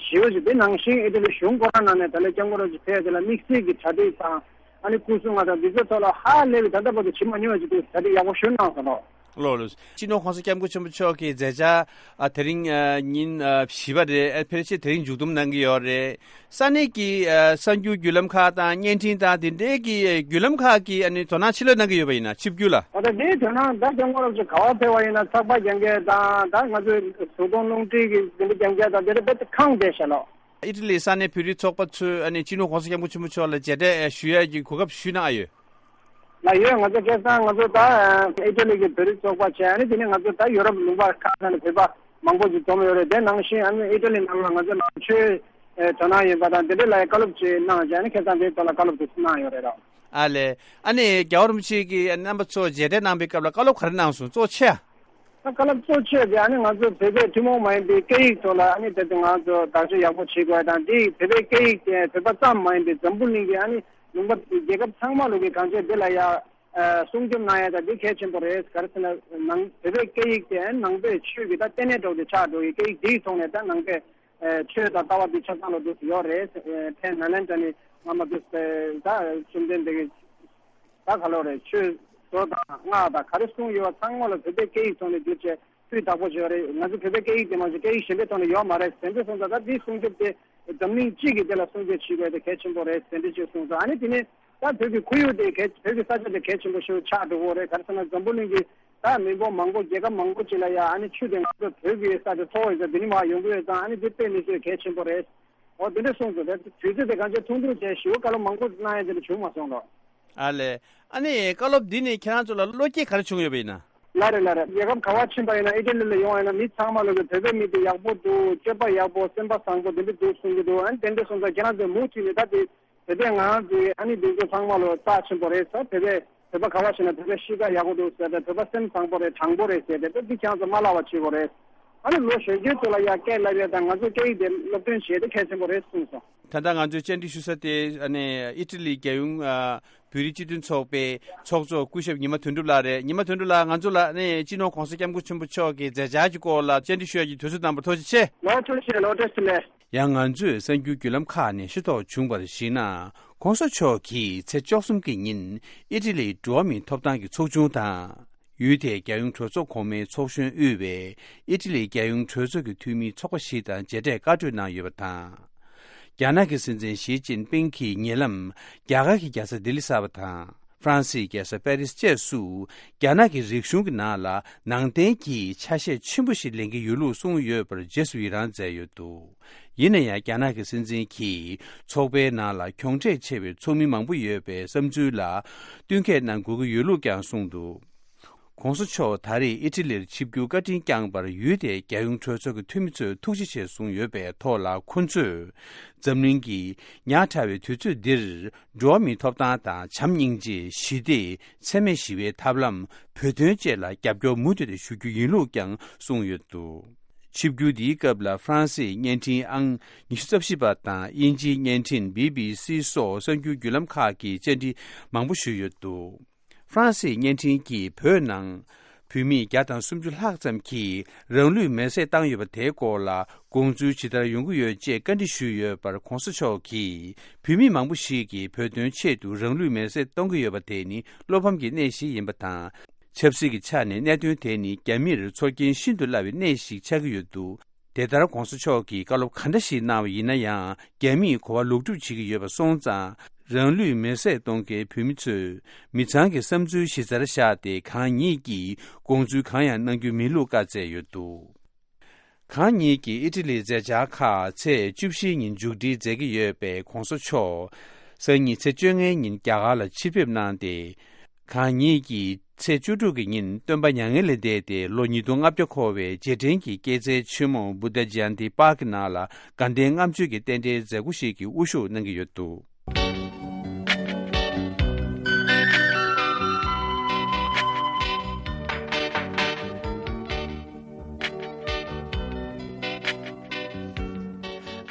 ཞེ་པོ་ཅིག་དེ་ནང་བཞིན་ཨི་ཊ་ལི་གཞུང་ཁོ་རང་ནང་ནས་ད་ལོ་སྐྱབས་མགོན་རིན་པོ་ཆེ་ཕེབས་དེ་ལ་དམིགས་བསལ་གྱི་གྲ་སྒྲིག་དང་ཨ་ནི་སྐུ་སྲུང་ང་དང་འདི་ཚོ་ཐོག་ལ་ཧ་ལས་པའི་ད་ལྟ་བར་དུ་བྱེད་མ་མྱོང་བ་ཅིག་དེ་གྲ་སྒྲིག་ཡག་པོ་ཞེ་པོ་གནང་སོང་ལོ། ལོ་ལོ། སྤྱི་ནོར་༸གོང་ས་༸སྐྱབས་མགོན་ཆེན་པོ་མཆོག་གི་མཛད་འཆར་ཨ་དེ་རིང་ཨ་ཉིན་ཨ་བཞི་པ་རེད། ཨ་ཕལ་ཆེར་དེ་རིང་མཇུག་བསྡོམས་གནང་གི་ཡོད་རེད། ས་གནས་ཀྱི་ཨ་གསར་འགྱུར་བརྒྱུད་ལམ་ཁག་དང་བརྙན་འཕྲིན་དང་དེ་འདྲའི་གི་བརྒྱུད་ལམ་ཁག་གིས་ཨ་ནི་དོ་སྣང་ཆེ་ལོས་གནང་གི་ཡོད་པ་ཡིན་ན་ཆིབས་བསྒྱུར་ལ། ད་ལྟ་དེའི་དོན་དག་ད་སྐྱབས་མགོན་རིན་པོ་ཆེ་ག་པར་ཕེབས་པ་ཡིན་ན་ཚགས་པར་རྒྱག་མཁན་དང་ད་ང་ཚོའི་བཟོ་ཚོང་རླུང་འཕྲིན་གྱི་དེ་འདྲ་རྒྱག་མཁན་དང་དེ་འདྲ་དཔེ་ཁེངས་བསྡད་ཤག་ལོ། ཨི་ཊ་ལིའི་ས་གནས་བོད་རིགས་ཚོགས་པ་ཚོས་ཨ་ནི་སྤྱི་ནོར་༸གོང་ས་༸སྐྱབས་མགོན་ཆེན་པོ་མཆོག་ལ་མཇལ་འཕྲད་ཞུ་ཡས་ཀྱི་གོ་སྐབས་ཞུས་གནང་ཨ་ཡོད། ལ་ཡོད། ང་ཚོ་ཁ་སང་ང་ཚོ་ད་ཨི་ཊ་ལི་གི་བོད་རིགས་ཚོགས་པ་བྱས། ཨ་ནི་དེ་ནས་ང་ཚོ་ད་ཡོ་རོབ་ལུང་པ་ཁག་ཁག་ནས་བོད་པ་མང་པོ་ཞིག་འཛོམས་ཡོད་རེད། དེ་ནང་བཞིན་ཨ་ནི་ཨི་ཊ་ལི་ནང་ལ་ང་ཚོ་ནང་ཆོས་དོ་སྣང་ཡོད་པ་དང་དེ་འདྲ་ལ་བཀའ་སློབ་ཅིག་གནང་བྱས། ཨ་ནི་ཁ་སང་དེའི་ཐོག་ལ་བཀའ་སློབ་དེ་ཚོ་གནང་ཡོད་རེད་རོ། ཨ་ལས། ཨ་ནི་རྒྱལ་བ་རིན་པོ་ཆེ་གིས་རྣམ་པ་ཚོ་མཇལ་འཕྲད་གནང་པའི་སྐབས་ལ་བཀའ་སློབ་ག་རེ་གནང་སོང་། གཙོ་ཆེ་ཨ། ད་བཀའ་སློབ་གཙོ་ཆེ་དེ་ཨ་ནི་ང་ཚོ་བོད་པའི་ཐུན་མོང་མ་ཡིན་པའི་སྐད་ཡིག་ཐོག་ལ་ཨ་ནི་ད་ལྟ་ང་ཚོ་བདག་སྐྱོང་ཡག་པོ་བྱེད་དགོས་དང་། དེ་བོད་པའི་སྐད་ཡིག་དེ་བོད་པ་ཙམ་མ་ཡིན་པའི་འཛམ་བུ་གླིང་གི་ཨ་ནི་ལུང་པ་རྒྱལ་ཁབ་ཚང་མ་ལོ་གི་གང་ཅི་འདི་ལ་ཡ་ཨ་སྲུང་སྐྱོབ་གནང་ཡ་ད་འདི་གལ་ཆེན་པོ་རེད། ག་རེ་ཟེར་ན་ནང་བོད་པའི་སྐད་ཡིག་དེ་ཨ་ནི་ནང་པའི་ཆོས་ཀྱི་ད་ལྟེ་གནས་འདྲ་བོ་དེ་ཆགས་འགྲོ་གི་སྐད་ཡིག་འདིའི་ཐོག་ནས་ད་ནང་པའི་ཨ་ཆོས་དང་ལྟ་བ་འདི་ཆ་ཚང་ལ་འདུག་ཡོད་རེད། ཨ་ཕན་ནཱ་ལེནྡྲ་ནས་སྔ་མ་འདུག་ད་བཅོམ་ལྡན་འདས་ཀྱི་ད་ག་ལོ་རེད། ཆོས་མདོ་དང་སྔགས་དང་ག་རེ་གསུངས་ཡོད་པ་ཚང་མ་ལ་བོད་པའི་སྐད་ཡིག་ཐོག་ནས་བསྒྱུར་བྱས་སྤུས་དག་པོ་བྱས་པ་རེད། ང་ཚོ་བོད་པའི་སྐད་ཡིག་དེ་མ་གཏོགས་སྐད་ཡིག་གཞན་པའི་ཐོག་ནས་ཡོད་མ་རེད། དེ་འདྲ་སོང་ཙང་ད་དེའི་སྲུང་སྐྱོབ་དེ་འཛམ་གླིང་སྤྱི་གི་དེ་ལ་སྲུང་སྐྱོབ་བྱེད་དགོས་དེ་གལ་ཆེན་པོ་རེད། དེ་འདྲ་ཅིག་གསུངས་ཙང་ཨ་ནི་དེ་ནས་ད་བོད་ཀྱི་ཁོར་ཡུག་དེ་གལ་བོད་ཀྱི་ས་ཆ་དེ་གལ་ཆེན་པོ་ཞིག་ཆགས་འགྲོ་གི་རེད། ག་རེ་ཟེར་ན་འཛམ་བུ་གླིང་གི་ད་མི་འབོར་མང་པོ་རྒྱལ་ཁབ་མང་པོ་ཅིག་ལ་ཡ་ཨ་ནི་ཆུ་དེ་ང་ཚོ་བོད་ཀྱི་ས་དེ་ཐོག་ཡོད་ཙང་དེ་ནས་མར་ཡོང་གི་ཡོད་ཙང་ཨ་ནི་དེ་དཔེ་མི་སྲིད་གལ་ཆེན་པོ་རེད། འོ་དེ་འདྲ་གསུངས་སོང་། དེ་དུས་ཚོད་དེ་གང་ཅི་ཐུང་ཐུང་བྱས་ཞེ་པོ་བཀའ་སློབ་མང་པོ་གནང་ཡ་དེ་འདྲ་བྱུང་མ་སོང་ལོ། ཨ་ལས། ཨ་ནི་བཀའ་སློབ་འདི་ནི་ཁྱེད་རང་ཚོ་ལ་བློ་སྐྱེད་ག་རེ་བྱུང་ཡོད་པ་ཡིན་ན། ལགས་རེད་ལགས་རེད། རྒྱལ་ཁབ་ག་པར་ཕྱིན་པ་ཡིན་ན་ཨི་ཊ་ལི་ལ་ཡོང་བ་ཡིན་ན་མི་ཚང་མ་ལོ་གི་བོད་པའི་མི་དེ་ཡག་པོ་འདུག་སྤྱོད་པ་ཡག་པོ་སེམས་པ་བཟང་པོ་དེ་འདྲ་འདུག་གསུང་གི་འདུག་ཨ་ནི་དེ་འདྲ་སོང་ཙང་ཁྱེད་རང་ཚོས་མུ་མཐུད་ནས་ད་དེ་བོད་པའི་ངང་དེ་ཨ་ནི་འདི་ཚོ་ཚང་མ་ལོ་རྩ་ཆེན་པོ་རེད་ཟེར། བོད་པའི་བོད་པ་ག་པར་ཕྱིན་ན་བོད་པའི་གཤིས་ཀ་ཡག་པོ་འདུག་ཟེར་ཏེ་བོད་པ་སེམས་བཟང་པོ་རེད་དྲང་པོ་རེད་ཟེར་ཏེ་དེ་འདི་ཁྱེད་རང་ཚོ་མ་བརླག་པ་བྱེད་དགོས་རེད། ཨ་ནི་ལོ་གཞོན་སྐྱེས་ཚོ་ལ་ཡང་སྐད་ལབ་ཡས་དང་ང་ཚོ་སྐད་ཡིག་དེ་སློབ་སྟོན་བྱེད་དེ་གལ་ཆེན་པོ་རེད་གསུངས་སོང་། ད་ལྟ་ང་ཚོས་བཅར་འདྲི་ཞུ་ས་དེ་ཨ་ནི་ཨི་ཊ་ལི་རྒྱལ་ཡོངས་ཨ་བོད་རིགས་སྤྱི་མཐུན་ཚོགས་པའི་ཚོགས་གཙོ་སྐུ་ཞབས་ཉི་མ་དོན་གྲུབ་ལགས་རེད། ཉི་མ་དོན་གྲུབ་ལགས། ང་ཚོ་ལ་ཨ་ནི་སྤྱི་ནོར་༸གོང་ས་༸སྐྱབས་མགོན་ཆེན་པོ་མཆོག་གི་མཛད་འཆར་གྱི་སྐོར་ལ་བཅར་འདྲི་ཞུ་ཡ་གི་དུས་ཚོད་གནང་བར་ཐུགས་རྗེ་ཆེ། ལོ་ཐུགས་རྗེ་ཆེ་ལོ། བཀྲ་ཤིས་བདེ་ལེགས། ཡང་ང་ཚོས་གསར་འགྱུར་བརྒྱུད་ལམ་ཁག་ནས་ཤེས་རྟོགས་བྱུང་བར་གཞིགས་ན། ༸གོང་ས་མཆོག་གིས་ཚེས་བཅུ་གསུམ་གྱི་ཉིན་ཨི་ཊ་ལིའི་འགྲོ་བ་མིའི་ཐོབ་ཐང་གི་ཚོགས་ཆུང་དང་། ཡུལ་དེའི་རྒྱལ་ཡོངས་གྲོས་ཚོགས་གོང་མའི་ཚོགས་གཞོན་དབུས་པའི་ཨི་ཊ་ལིའི་རྒྱལ་ཡོངས་གྲོས་ཚོགས་ཀྱི་འཐུས་མིའི་ཚོགས་པ་ཞིག་དང་མཇལ་འཕྲད་བཀའ་གྲོས་གནང་ཡོད་པ་དང་། རྒྱ་ནག་གི་སྲིད་འཛིན་ཞི་ཅིན་ཕིང་གིས་ཉེ་ལམ་རྒྱ་གར་གྱི་རྒྱལ་ས་ལྡི་ལི་གསར་པ་དང་། ཧྥ་རན་སིའི་རྒྱལ་ས་པེ་རིས་བཅས་སུ་རྒྱ་ནག་གི་རིག་གཞུང་གི་ནང་ལ་ནང་བསྟན་གྱི་ཆ་ཤས་ཆེན་པོ་ཞིག་ལེན་གྱི་ཡོད་ལུགས་གསུངས་ཡོད་པར་རྗེས་སུ་ཡི་རང་མཛད་ཡོད་འདུག་ཡིན་ན་ཡང་རྒྱ་ནག་གི་སྲིད་འཛིན་གྱིས་ཚོགས་པའི་ནང་ལ་གྱོང་ཁྲལ་ཆེ་བའི་ཚོགས་མི་མང་པོ་ཡོད་པའི་བསམ་ཚུལ་ལ་བསྟུན་མཁས་གནང་དགོས་ཀྱི་ཡོད་ལུགས་ཀྱང་གསུངས་འདུག ྋགོང་ས་མཆོག་ད་རེས་ཨི་ཊ་ལིར་ཆིབས་བསྒྱུར་བཀའ་དྲིན་བསྐྱངས་པར་ཡུལ་དེའི་རྒྱལ་ཡོངས་གྲོས་ཚོགས་ཀྱི་འཐུས་མི་ཚོས་ཐུགས་རྗེ་ཆེ་གསུངས་ཡོད་པའི་ཐོག་ལ། ཁོ་ཚོས་འཛམ་གླིང་གི་ཉག་ཕྲ་བའི་དུས་ཚོད་འདིར་འགྲོ་བ་མིའི་ཐོབ་ཐང་དང་། བྱམས་སྙིང་རྗེ། ཞི་བདེ། འཚེ་མེད་ཞི་བའི་ཐབས་ལམ་བོད་དོན་བཅས་ལ་རྒྱབ་སྐྱོར་མུ་མཐུད་དེ་ཞུ་རྒྱུ་ཡིན་ལུགས་ཀྱང་གསུངས་ཡོད་འདུག་ཆིབས་བསྒྱུར་འདིའི་སྐབས་ལ་ཧྥ་རན་སིའི་བརྙན་འཕྲིན་ཨང་ཉི་ཤུ་རྩ་བཞི་པ་དང་། དབྱིན་ཇིའི་བརྙན་འཕྲིན་བྷི་བྷི་སི་སོགས་གསར་འགྱུར་བརྒྱུད་ལམ་ཁག་གིས་བཅར་འདྲི་མང་པོ་ཞུས་ཡོད་འདུག་ཧྥ་རན་སིའི་བརྙན་འཕྲིན་གྱིས་བོད་ནང་བོད་མི་བརྒྱ་དང་སུམ་ཅུ་ལྷག་ཙམ་གྱིས་རང་ལུས་མེར་སྲེག་བཏང་ཡོད་པ་དེའི་སྐོར་ལ། དགོངས་ཚུལ་ཇི་ལྟར་ཡོང་གི་ཡོད་ཅེས་བཀའ་འདྲི་ཞུས་ཡོད་པར། ྋགོང་ས་མཆོག་གིས་བོད་མི་མང་པོ་ཞིག་གིས་བོད་དོན་ཆེད་དུ་རང་ལུས་མེར་སྲེག་གཏོང་གི་ཡོད་པ་དེ་ནི་བློ་ཕམ་གྱི་གནས་ཤིག་ཡིན་པ་དང་། ཆབ་སྲིད་ཀྱི་ཆ་ནས་གནད་དོན་དེ་ནི་རྒྱ་མིར་ཚོར་སྐྱེན་ཤིན་ཏུ་སླ་བའི་གནས་ཤིག་ཆགས་ཀྱི་ཡོད་འདུག་དེ་ལྟར་ྋགོང་ས་མཆོག་གིས་བཀའ་སློབ་ག་འདྲ་ཞིག་གནང་བ་ཡིན་ན་ཡང་། རྒྱ་མིས་གོ་བ་ལོག་སྒྲུབ་བྱེད་ཀྱི་ཡོད་པ་སོང་ཙང་། རང་ལུས་མེར་སྲེག་གཏོང་མཁན་བོད་མི་ཚོས་མི་ཚང་གི་བསམ་ཚུལ་གཞི་རྩར་བཞག་སྟེ། གང་ཉིད་ཀྱིས་དགོངས་ཚུལ་གང་ཡང་གནང་རྒྱུ་མིན་ལུགས་བཀའ་སྩལ་ཡོད་འདུག་གང་ཉིད་ཀྱིས་ཨི་ཊ་ལིའི་མཛད་འཆར་ཁག་ཚེས་བཅུ་བཞིའི་ཉིན་མཇུག་སྒྲིལ་མཛད་ཀྱི་ཡོད་པས། ྋགོང་ས་མཆོག་སང་ཉིན་ཚེས་བཅོ་ལྔའི་ཉིན་རྒྱ་གར་ལ་ཕྱིར་ཕེབས་གནང་སྟེ། གང་ཉིད་ཀྱིས་ཚེས་བཅུ་དྲུག་གི་ཉིན་སྟོན་པ་མྱ་ངན་ལས་འདས་ཏེ་ལོ་ཉིས་སྟོང་ལྔ་བརྒྱ་འཁོར་བའི་རྗེས་དྲན་གྱི་སྐྱེས་ཚལ་ཆེན་མོ་Buddha Jayanti Park གི་ནང་ལ་དགའ་ལྡན་ལྔ་མཆོད་ཀྱི་རྟེན་འབྲེལ་མཛད་སྒོ་ཞིག་གི་དབུ་བཞུགས་གནང་གི་ཡོད་འདུག་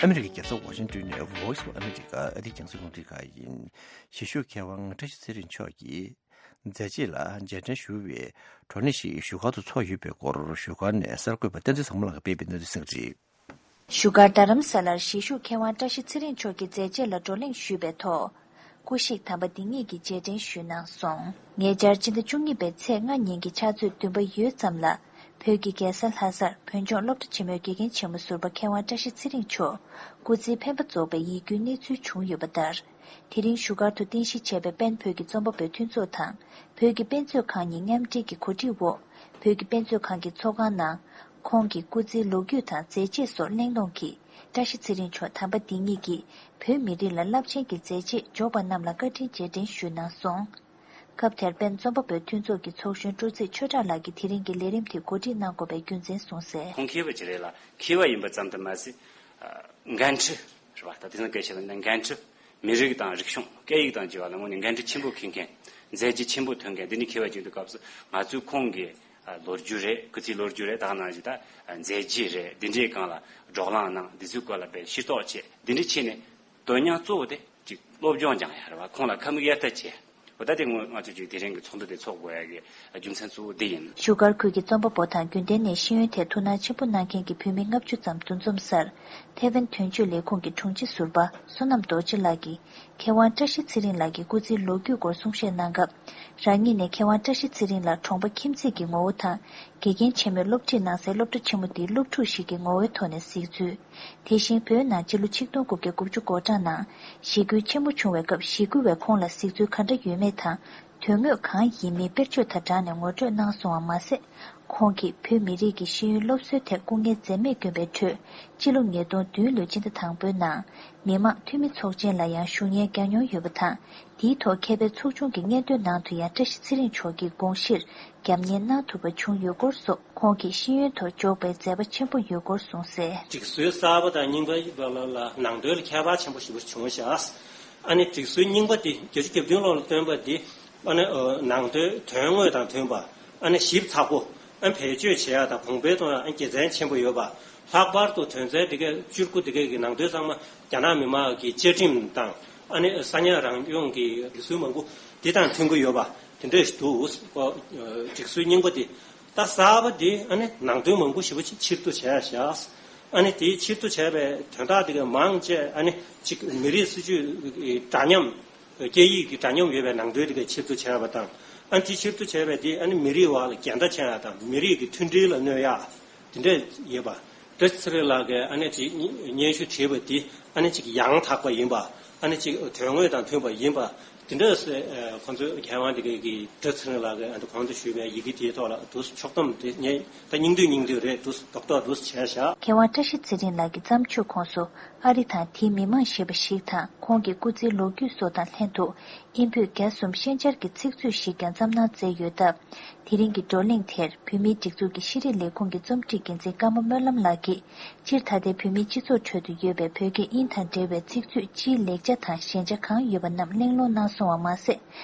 ཨ་མི་རི་ཀའི་རྒྱལ་ས་ཝ་ཤིང་ཏོན་ནས་Voice of America ཨ་རིའི་རྒྱང་སྲིང་རླུང་འཕྲིན་ཁང་ཡིན། གཞིས་བཞུགས་མཁས་དབང་བཀྲ་ཤིས་ཚེ་རིང་མཆོག་གིས། མཛད་རྗེས་ལ་རྗེས་དྲན་ཞུ་བའི་བགྲོ་གླེང་ཞིག་བཞུགས་སྒར་དུ་ཚོགས་ཡོད་པའི་སྐོར། བཞུགས་སྒར་ནས་གསར་འགོད་པ་བསྟན་འཛིན་བཟང་མོ་ལགས་ཀྱིས་སྤེལ་བའི་གནས་ཚུལ་གསན་གྱི་རེད། བཞུགས་སྒར་རྡ་རམ་ས་ལར་གཞིས་བཞུགས་མཁས་དབང་བཀྲ་ཤིས་ཚེ་རིང་མཆོག་གི་མཛད་རྗེས་ལ་བགྲོ་གླེང་ཞུས་པའི་ཐོག་སྐུ་གཤེགས་དམ་པ་འདི་ཉིད་ཀྱི་རྗེས་དྲན་ཞུས་གནང་སོང་། ཉེ་ཆར་སྤྱི་ཟླ་བཅུ་གཉིས་པའི་ཚེས་ལྔ་ཉིན་གྱི་ཕྱག་ཚོད་བདུན་པ་ཡོལ་ཙམ་ལ། བོད་ཀྱི་རྒྱལ་ས་ལྷ་སར་བོད་ལྗོངས་སློབ་གྲྭ་ཆེན་མོའི་དགེ་རྒན་ཆེན་མོ་ཟུར་པ་མཁས་དབང་བཀྲ་ཤིས་ཚེ་རིང་མཆོག་སྐུ་ཚེའི་འཕེན་པ་རྫོགས་པའི་ཡིད་སྐྱོའི་གནས་ཚུལ་བྱུང་ཡོད་པ་ལྟར། དེ་རིང་བཞུགས་སྒར་དུ་རྟེན་གཞི་བྱས་པའི་པེན་བོད་ཀྱི་རྩོམ་པ་པོའི་མཐུན་ཚོགས་དང་། བོད་ཀྱི་དཔེ་མཛོད་ཁང་གཉིས་མཉམ་འབྲེལ་གྱི་གོ་སྒྲིག་འོག་བོད་ཀྱི་དཔེ་མཛོད་ཁང་གི་ཚོགས་ཁང་ནང་། ཁོང་གི་སྐུ་ཚེའི་ལོ་རྒྱུས་དང་མཛད་རྗེས་སོགས་གླེང་སློང་གིས། བཀྲ་ཤིས་ཚེ་རིང་མཆོག་དམ་པ་འདི་ཉིད་ཀྱིས་བོད་མི་རིགས་ལ་རླབས་ཆེན་གྱི་མཛད་རྗེས་འཇོག་པ་རྣམས་ལ་བཀའ་དྲིན་རྗེས་དྲན་ཞུས་གནང་སོང་། སྐབས་དེར་པེན་རྩོམ་པ་པོའི་མཐུན་ཚོགས་ཀྱི་ཚོགས་གཞོན་སྤྲོ་ཚེ་ཆོས་གྲགས་ལགས་ཀྱིས་དེ་རིང་གི་ལས་རིམ་དེ་གོ་སྒྲིག་གནང་དགོས་པའི་རྒྱུ་མཚན་གསུངས་གསལ། ཁོང་མཁས་པ་ཅིག་རེད་ལ། མཁས་པ་ཡིན་པ་ཙམ་དུ་མ་ཟད། ཨ། འགན་འཁྲི་རེད་བ། ད་དེང་སང་སྐད་ཆ་ལ་ན་འགན་འཁྲི། མི་རིགས་དང་རིག་གཞུང་། སྐད་ཡིག་དང་བཅས་པ་ལ་དངོས་གནས་འགན་འཁྲི་ཆེན་པོ་འཁྱེར་མཁན། མཛད་རྗེས་ཆེན་པོ་ཐོན་མཁན་འདི་འདྲའི་མཁས་པ་ཅིག་འདུག་སྐབས་སུ། ང་ཚོས་ཁོང་གི་ཨ་ལོ་རྒྱུས་རེད། སྐུ་ཚེའི་ལོ་རྒྱུས་རེད། ད་ག་ནང་བཞིན་ད་མཛད་རྗེས་རེད། འདི་འདྲའི་སྒང་ལ་བགྲོ་གླེང་གནང་། འདི་ཚོའི་སྐོར་ལ་དཔེ་ཤེས་རྟོགས་བྱས། འདི་འདྲ་བྱས་ནས་དོན་སྙིང་གཙོ་བོ་དེ་ཅིག་སློབ་སྦྱོང་སྦྱང་ཡ་རེད་བ། ཁོང་ལ་ཁ་མིག་གཡར་ལྟ་བྱས། འོ་ད་དེ་ངོ་ང་ཚོས་ཅིག་དེ་རིང་གི་ཚོགས་འདུ་དེ་ཚོགས་དགོས་ཡ་གི་རྒྱུ་མཚན་གཙོ་བོ་འདི་ཡིན། བཞུགས་སྒར་ཁུལ་གྱི་རྩོམ་པ་པོ་དང་རྒྱུན་ལྡན་ནས་ཤེས་ཡོན་ཐད་ཐུགས་སྣང་ཆེན་པོ་གནང་མཁན་གྱི་བོད་མི་ལྔ་བཅུ་ཙམ་འདུ་འཛོམས་སར། ཐེ་ཝན་དོན་གཅོད་ལས་ཁུངས་ཀྱི་དྲུང་ཆེ་ཟུར་པ་བསོད་ནམས་རྡོ་རྗེ་ལགས་ཀྱིས། མཁས་དབང་བཀྲ་ཤིས་ཚེ་རིང་ལགས་ཀྱི་སྐུ་ཚེའི་ལོ་རྒྱུས་སྐོར་གསུང་བཤད་གནང་སྐབས། རང་ཉིད་ནས་མཁས་དབང་བཀྲ་ཤིས་ཚེ་རིང་ལགས་གྲོང་པ་ཁྱིམ་མཚེས་ཀྱི་ངོ་བོ་དང་། དགེ་རྒན་ཆེན་མོས་སློབ་ཁྲིད་གནང་སའི་སློབ་གྲྭ་ཆེན་མོ་འདིའི་སློབ་ཕྲུག་ཞིག་གི་ངོ་བོའི་ཐོག་ནས་གཟིགས་ཚུལ། དེ་བཞིན་བོད་ནང་སྤྱི་ལོ་ཆིག་སྟོང་དགུ་བརྒྱ་དགུ་བཅུ་གོ་གྲངས་ནང་ཞི་རྒོལ་ཆེན་པོ་བྱུང་བའི་སྐབས་ཞི་རྒོལ་བས་ཁོང་ལ་གཟིགས་ཚུལ་ག་འདྲ་ཡོད་མེད་དང་། དོན་དངོས་གང་ཡིན་མིན་དཔེར་བརྗོད་དང་སྦྲགས་ནས་ངོ་སྤྲོད་གནང་སོང་བ་མ་ཟད། ཁོང་གིས་བོད་མི་རིགས་ཀྱི་ཤེས་ཡོན་སློབ་གསོའི་ཐད་སྐུ་ངལ་འཛེམས་མེད་བསྐྱོན་པའི་ཁྲོད། སྤྱི་ལོ་ཉིས་སྟོང་བདུན་ལོའི་སྤྱི་ཟླ་དང་པོའི་ནང་། མི་དམངས་འཐུས་མི་ཚོགས་ཆེན་ལ་ཡང་ཞུགས་མཁན་བསྐྱངས་མྱོང་ཡོད་པ་དང་། དེའི་ཐོག་མཁས་པའི་ཚོགས་ཆུང་གི་སྙན་ཐོའི་ནང་དུ་ཡང་བཀྲ་ཤིས་ཚེ་རིང་མཆོག་གི་དགོངས་གཞིར་རྒྱབ་གཉེར་གནང་ཐུབ་པ་བྱུང་ཡོད་སྐོར་སོགས། ཁོང་གིས་ཤེས་ཡོན་ཐོག་འཇོག་པའི་མཛད་པ་ཆེན་པོ་ཡོད་སྐོར་གསུངས་གསལ། སྒྲིག་སྲོལ་གསར་པ་དང་རྙིང་པ་ལ་ལ་ནང་དོན་ལ་ཁྱད་པར་ཆེན་པོ་ཞེ་པོ་བྱུང་བཞག་ཨ་ནི་སྒྲིག་སྲོལ་རྙིང་པ་འདི་བརྒྱད་ཅུ་གྱ་བདུན་ལོ་ལ་བཏོན་པ་འདི། ཨ་ནི་ནང་དོན་དོན་དངོས་དང་མཐུན་པ། ཨ་ནི་ཞིབ་ཚགས་པོ། ཨ་ནི་བེད་སྤྱོད་བྱེད་ཡ་དང་གོང་འཕེལ་གཏོང་ཡ་ཨ་ནི་དགེ་མཚན་ཆེན་པོ་ཡོད་པ། ལྷག་པར་དུ་དོན་ཚན་འདི་གའི་བཅུ་དགུ་འདི་གའི་གི་ནང་དོན་ཚང་མ་རྒྱ་ནག་མི་དམངས་ཀྱི་བཅའ་ཁྲིམས་དང་། ཨ་ནི་ས་གནས་རང་སྐྱོང་གི་སྒྲིག་སྲོལ་མང་པོ་འདི་དང་མཐུན་གྱི་ཡོད་པ་དེ་འདྲ་ཞིག་འདུག་ཨོ། སྒྲིག་སྲོལ་རྙིང་པ་འདི། ད་གསར་པ་འདི་ཨ་ནི་ནང་དོན་མང་པོ་ཞེ་པོ་ཅིག་ཕྱིར་བསྡུ་བྱས་བཞག་ཨ་ནི་དེའི་ཕྱིར་བསྡུ་བྱས་པའི་དོན་དག་འདི་གའི་མང་ཆེ་ཨ་ནི་ཅིག་མི་རིགས་སྲིད་ཇུས་འདྲ་མཉམ། སྐད་ཡིག་གི་འདྲ་མཉམ་ཡོད་པའི་ནང་དོན་དེ་གའི་ཕྱིར་བསྡུ་བྱས་པ་དང་། ཨ་ནི་དེ་ཕྱིར་བསྡུ་བྱས་པའི་དེ་ཨ་ནི་མི་རིགས་བར་ལ་འགལ་ཟླ་ཆགས་ཡ་དང་མི་རིགས་ཀྱི་མཐུན་སྒྲིལ་ལ་གནོད་ཡ་དེ་འདྲ་ཡོད་པ། བཀྲ་ཤིས་ཚེ་རིང་ལགས་ཀྱིས་ཨ་ནི་དེ་སྙན་ཞུ་བྲིས་པ་དེ་ཨ་ནི་ཅིག་ཡང་དག་པ་ཡིན་པ། ཨ་ནི་ཅིག་དོན་དངོས་དང་མཐུན་པ་ཡིན་པ། དེ་འདྲ་སེ་ཁོང་ཚོས་མཁས་དབང་དེ་གའི་གི་བཀྲ་ཚེ་རིང་ལགས་ཀྱིས་ཨ་ནི་གོང་དུ་ཞུས་པའི་ཡི་གེ་དེའི་ཐོག་ལ་དུ་ཕྱོགས་བསྡོམས་དེ་ངས་ད་སྙིང་བསྡུས་སྙིང་བསྡུས་རེད་དུ་རྡོག་རྡོག་དུ་བྱས་བཞག་མཁས་དབང་བཀྲ་ཤིས་ཚེ་རིང་ལགས་ཀྱི་བརྩམས་ཆོས་ཁོངས་སུ་ཨ་རི་དང་དེའི་མི་མང་ཞེས་པ་ཞིག་དང་ཁོང་གི་སྐུ་ཚེའི་ལོ་རྒྱུས་སོགས་དང་ལྷན་དུ། དབྱིན་བོད་རྒྱ་གསུམ་ཤན་སྦྱར་གྱི་ཚིག་མཛོད་ཞིག་ཀྱང་བརྩམས་གནང་མཛད་ཡོད་སྟབས། དེ་རིང་གི་བགྲོ་གླེང་དེར་བོད་མིའི་སྒྲིག་འཛུགས་ཀྱི་ཤེས་རིག་ལས་ཁུངས་ཀྱི་རྩོམ་སྒྲིག་འགན་འཛིན་ཀརྨ་སྨོན་ལམ་ལགས་ཀྱིས། སྤྱིར་ད་ལྟའི་བོད་མིའི་སྤྱི་ཚོགས་ཁྲོད་དུ་ཡོད་པའི་བོད་སྐད་དབྱིན་དང་འབྲེལ་བའི་ཚིག་མཛོད་སྤྱིའི་ལེགས་ཆ་དང་ཞན་ཆ་གང་ཡོད་པ་རྣམས་གླེང་སློང་གནང་སོང་བ་མ་ཟད།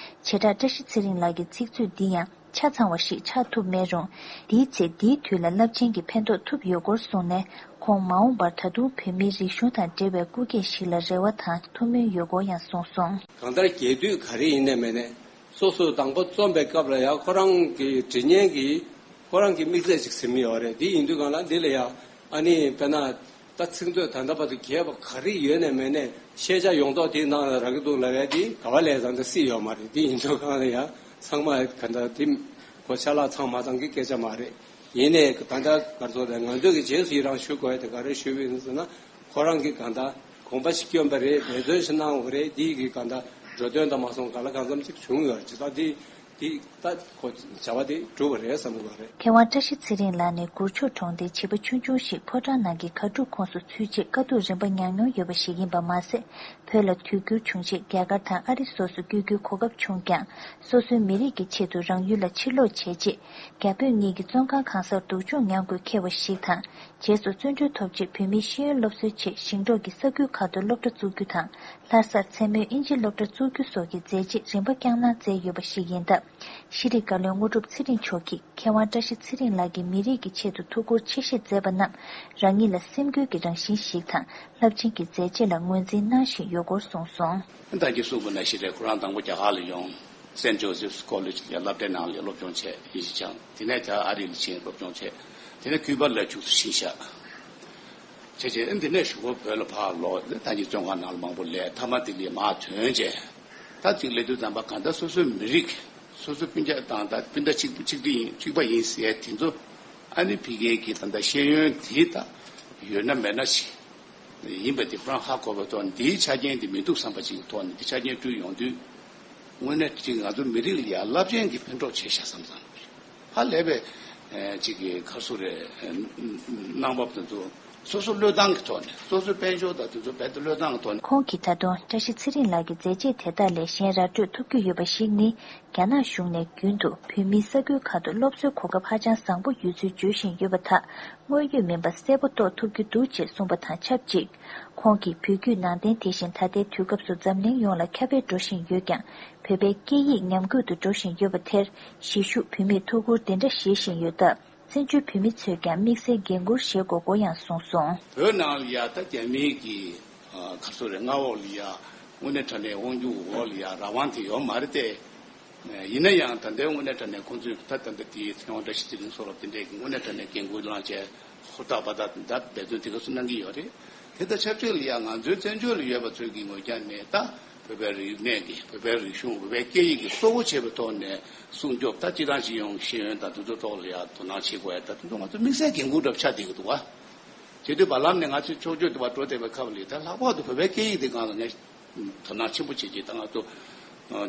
བྱེ་བྲག་བཀྲ་ཤིས་ཚེ་རིང་ལགས་ཀྱི་ཚིག་མཛོད་འདི་ཡང་ཆ་ཚང་བ་ཞིག་ཆགས་ཐུབ་མེད་རུང་། འདིའི་ཚེ་འདིའི་དུས་ལ་རླབས་ཆེན་གྱི་ཕན་ཐོགས་ཐུབ་ཡོད་སྐོར་གསུངས་ནས། ཁོང་མ་འོངས་པར་ད་དུང་བོད་མིའི་རིག་གཞུང་དང་འབྲེལ་བའི་སྐུ་སྐྱེ་ཞིག་ལ་རེ་བ་དང་ཐུགས་སྨོན་ཡོད་སྐོར་ཡང་གསུངས་སོང་། གང་ལྟར་རྒྱས་བསྡུས་ག་རེ་ཡིན་ནའི་མིན་ནའི་སོ་སོས་དང་པོ་རྩོམ་པའི་སྐབས་ལ་ཡང་ཁོ་རང་གི་འབྲི་མཁན་གྱིས་ཁོ་རང་གི་དམིགས་བསལ་ཅིག་ཟིན་ཡོད་རེད། འདི་ཡིན་དུས་གང་ལ་འདི་ལ་ཡང་ཨ་ནི་དཔེར་ན་ད་ཚིག་མཛོད་ད་ལྟ་བར་དུ་རྒྱས་པ་ག་རེ་ཡོད་ནའི་མིན་ནའི་ཤེས་བྱ་ཡོངས་རྫོགས་དེའི་ནང་ལ་རག་གི་འདུག་ལབ་ཡ་འདི་ག་བ་ལས་ཙང་ད་སྲིད་ཡོད་མ་རེད། འདི་ཡིན་དུས་གང་ལ་ཡང་ཚང་མ་ག་འདྲ་འདི་གོ་ཆ་ལག་ཚང་མ་ཚང་གི་སྐད་ཆ་མ་རེད། ཡིན་ནའི་ད་ལྟ་ག་རེ་ཟེར་དགོས་རེད། ང་ཚོས་ཀྱི་རྗེས་སུ་ཡི་རང་ཞུ་དགོས་ཡ་དེ་ག་རེ་ཞུས་པ་ཡིན་ཟེར་ན། ཁོ་རང་གིས་གང་ལྟར་དགོངས་པ་ཞིག་བསྐྱོན་པ་རེད། འབད་བརྩོན་ཞིག་གནང་བ་རེད། འདི་གིས་གང་ལྟར་འགྲོ་དོན་དང་མ་སོང་གང་ལ་གང་འཚམ་ཅིག་བྱུང་ཡོད་རེད། ཇི་ལྟར་འདི་འདི་ད་ཁོ་བྱ་བ་དེ་གྲུབ་པ་རེད་བསམ་གྱི་ཡོད་རེད། མཁས་དབང་བཀྲ་ཤིས་ཚེ་རིང་ལགས་ནི་གུར་མཆོག་གྲོང་སྡེའི་བྱིས་པ་ཆུང་ཆུང་ཞིག་ཕོ་བྲང་ནང་གི་གར་སྒྲུབ་ཁོངས་སུ་ཚུད་རྗེས་དཀའ་སྡུག་རིམ་པ་མྱངས་མྱོང་ཡོད་པ་ཞིག་ཡིན་པ་མ་ཟད། བོད་ལ་དུས་འགྱུར་བྱུང་རྗེས་རྒྱ་གར་དང་ཨ་རི་སོགས་སུ་བསྐྱོད་རྒྱུའི་གོ་སྐབས་བྱུང་ཀྱང་། སོ་སོའི་མི་རིགས་ཀྱི་ཆེད་དུ་རང་ཡུལ་ལ་ཕྱིར་ལོག་བྱས་རྗེས། རྒྱ་བོད་གཉིས་ཀྱི་བཙོན་ཁང་གང་སར་སྡུག་སྦྱོང་མྱངས་དགོས་འཁེལ་བ་ཞིག་དང་། རྗེས་སུ་བཙོན་གྲོལ་ཐོབ་རྗེས་བོད་མིའི་ཤེས་ཡོན་སློབ་གསོའི་ཆེད་ཞིང་འབྲོག་གི་ས་ཁུལ་ཁག་ཏུ་སློབ་གྲྭ་བཙུགས་རྒྱུ་དང་། ལྷ་སར་མཚན་མོའི་དབྱིན་ཇིའི་སློབ་གྲྭ་བཙུགས་རྒྱུ་སོགས་ཀྱི་མཛད་རྗེས་རིམ་པ་བསྐྱངས་གནང་མཛད་ཡོད་པ་ཞིག་ཡིན་སྟབས། ཤེས་རིག་བཀའ་བློན་དངོས་གྲུབ་ཚེ་རིང་མཆོག་གིས་མཁས་དབང་བཀྲ་ཤིས་ཚེ་རིང་ལགས་ཀྱིས་མི་རིགས་ཀྱི་ཆེད་དུ་ཐུགས་ཁུར་ཆེ་བཞེས་མཛད་པ་རྣམས་རང་ཉིད་ལ་སེམས་འགུལ་གྱི་རང་བཞིན་ཞིག་དང་། རླབས་ཆེན་གྱི་མཛད་རྗེས་ལ་ངོས་འཛིན་གནང་བཞིན་ཡོད་སྐོར་གསུངས་སོང་། ད་གིན་གསུངས་པ་ནང་བཞིན་རེད། ཁོ་རང་དང་པོ་རྒྱ་གར་ལ་ཡོང་། སེན་ཇོ་སེབ་ཀོ་ལེཇ་ལ་སློབ་གྲྭའི་ནང་ལ་སློབ་སྦྱོང་བྱས། དབྱིན་ཇི་སྦྱངས། དེ་ནས་ད་ཨ་རི་ལ་ཕྱིན་སློབ་སྦྱོང་བྱས། དེ་ནས་ཁུ་པ་ལ་ཁྱུག་ཙམ་ཕྱིན་ཤག་བྱས་རྗེས་འདི་ནས་གཞུག་གུ་བོད་ལ་ཕར་ལོག་ད་གིན་བཙོན་ཁང་ནང་ལ་མང་པོ་ལས་མཐའ་མ་དེ་ལས་མར་ཐོན་རྗེས། ད་ཅིག་སླེབས་དུས་ཙམ་པ་གང་ལྟར་སོ་སོའི་མི་རིགས་སོ་སོ་སྤུན་ཀྱག་དང་ད་སྤུན་ཟླ་གཅིག་གཅིག་སྒྲིལ་ཡིན་གཅིག་པ་ཡིན་ཟེར་དེ་ཚོ་ཨ་ནི་ཕ་གིའི་གི་ད་ལྟ་ཤེས་ཡོན་དེ་ད་ཡོད་ན་མེད་ན་ཞིག་ཡིན་པ་དེ་ཁོ་རང་ཧ་གོ་བའི་ཐོག་ནས་འདིའི་ཆ་རྐྱེན་དེ་མི་འདུག་བསམ་པ་ཅིག་གི་ཐོག་ནས་འདི་ཆ་རྐྱེན་བསྐྲུན་ཡོང་དུས། དངོས་གནས་ཅིག་ང་ཚོ་མི་རིགས་ལ་ཡང་རླབས་ཆེན་གྱི་ཕན་ཐོགས་བྱས་ཤག་བསམ་བསམ་ཧ་ལས་པའི་ཅིག་གི་ཁ་སོ་རེ་གནང་བབ་དེ་ཚོ་སོ་སོ་བློས་བཏང་གི་ཐོག་ནས་སོ་སོའི་དཔལ་འབྱོར་དང་དེ་ཚོ་རྦད་དེ་བློས་བཏང་གི་ཐོག་ནས། ཁོང་གིས་ད་དུང་བཀྲ་ཤིས་ཚེ་རིང་ལགས་ཀྱི་མཛད་རྗེས་དེ་དག་ལས་གཞན་ར་སྤྲོད་ཐུབ་ཀྱི་ཡོད་པ་ཞིག་ནི། རྒྱ་ནག་གཞུང་ནས་རྒྱུན་དུ་བོད་མིའི་ས་ཁུལ་ཁག་ཏུ་སློབ་གསོའི་གོ་སྐབས་ཧ་ཅང་བཟང་པོ་ཡོད་ཚུལ་བརྗོད་བཞིན་ཡོད་པ་དག་དངོས་ཡོད་མིན་པ་གསལ་པོ་རྟོགས་ཐུབ་ཀྱི་འདུག་ཅེས་གསུངས་པ་དང་ཆབས་ཅིག་ཁོང་གིས་བོད་བརྒྱུད་ནང་བསྟན་དེ་བཞིན་ད་ལྟའི་དུས་སྐབས་སུ་འཛམ་གླིང་ཡོངས་ལ་ཁྱབ་སྤེལ་འགྲོ་བཞིན་ཡོད་ཀྱང་། བོད་པའི་སྐད་ཡིག་ཉམས་རྒུད་དུ་འགྲོ་བཞིན་ཡོད་པ་དེར་གཞིས་བཞུགས་བོད་མིས་ཐུགས་ཁུར་འདི་འདྲ་བཞེས་བཞིན་ཡོད་སྟབས། བཙན་བྱོལ་བོད་མི་ཚོས་ཀྱང་དམིགས་བསལ་འགན་འཁུར་བཞེས་དགོས་སྐོར་ཡང་གསུངས་སོང་། བོད་ནང་ལ་ཡ་ད་རྒྱ་མིའི་གི་ཁ་སོ་རེ་མངའ་འོག་ལ་ཡ་དངོས་གནས་དྲང་གནས་དབང་སྒྱུར་འོག་ལ་ཡ་རང་དབང་དེ་ཡོད་མ་རེད་དེ། ཡིན་ན་ཡང་ད་ལྟའི་དངོས་གནས་དྲང་གནས་ཁོང་ཚོས་ད་ད་ལྟ་དེའི་ཚེ་དབང་བཀྲ་ཤིས་ཚེ་རིང་སོགས་ལ་དེ་འདྲས་ཀྱི་དངོས་གནས་དྲང་གནས་འགན་འཁུར་བླངས་བྱས་ཧུར་ཐག་འབད་ཐག་ད་འབད་བརྩོན་དེ་ག་ཚོད་གནང་གི་ཡོད་རེད། དེ་དང་ཆབས་ཅིག་ལ་ཡང་ང་ཚོའི་བཙན་བྱོལ་ལ་ཡོད་པ་ཚོས་ཀྱི་ངོས་རྒྱ་ནས་ད་བོད་པའི་རིག་གནས་ཀྱི་བོད་པའི་རིག་གཞུང་བོད་པའི་སྐད་ཡིག་གི་གཙོ་བོ་བྱས་པའི་ཐོག་ནས་སྲུང་སྐྱོབ་ད་སྤྱི་བཏང་སྤྱི་ཡོངས་ཤེས་ཡོན་དང་དེ་ཚོའི་ཐོག་ལ་ཡང་དོ་སྣང་བྱེད་དགོས་ཡ་ད་དེ་ཚོ་ང་ཚོ་དམིགས་བསལ་འགན་འཁུར་འདྲ་ཆགས་བསྡད་ཀྱི་འདུག་བ། བྱེད་དུས་བར་ལམ་ནས་ང་ཚོས་ཕྱོགས་བསྐྱོད་དུ་བ་འགྲོ་བསྡད་པའི་སྐབས་ལ་ད་ལྷག་པར་དུ་བོད་པའི་སྐད་ཡིག་དེ་སྒང་ལ་ངས་དོ་སྣང་ཆེན་པོ་བྱེད་ཀྱི་ད་ང་ཚོ་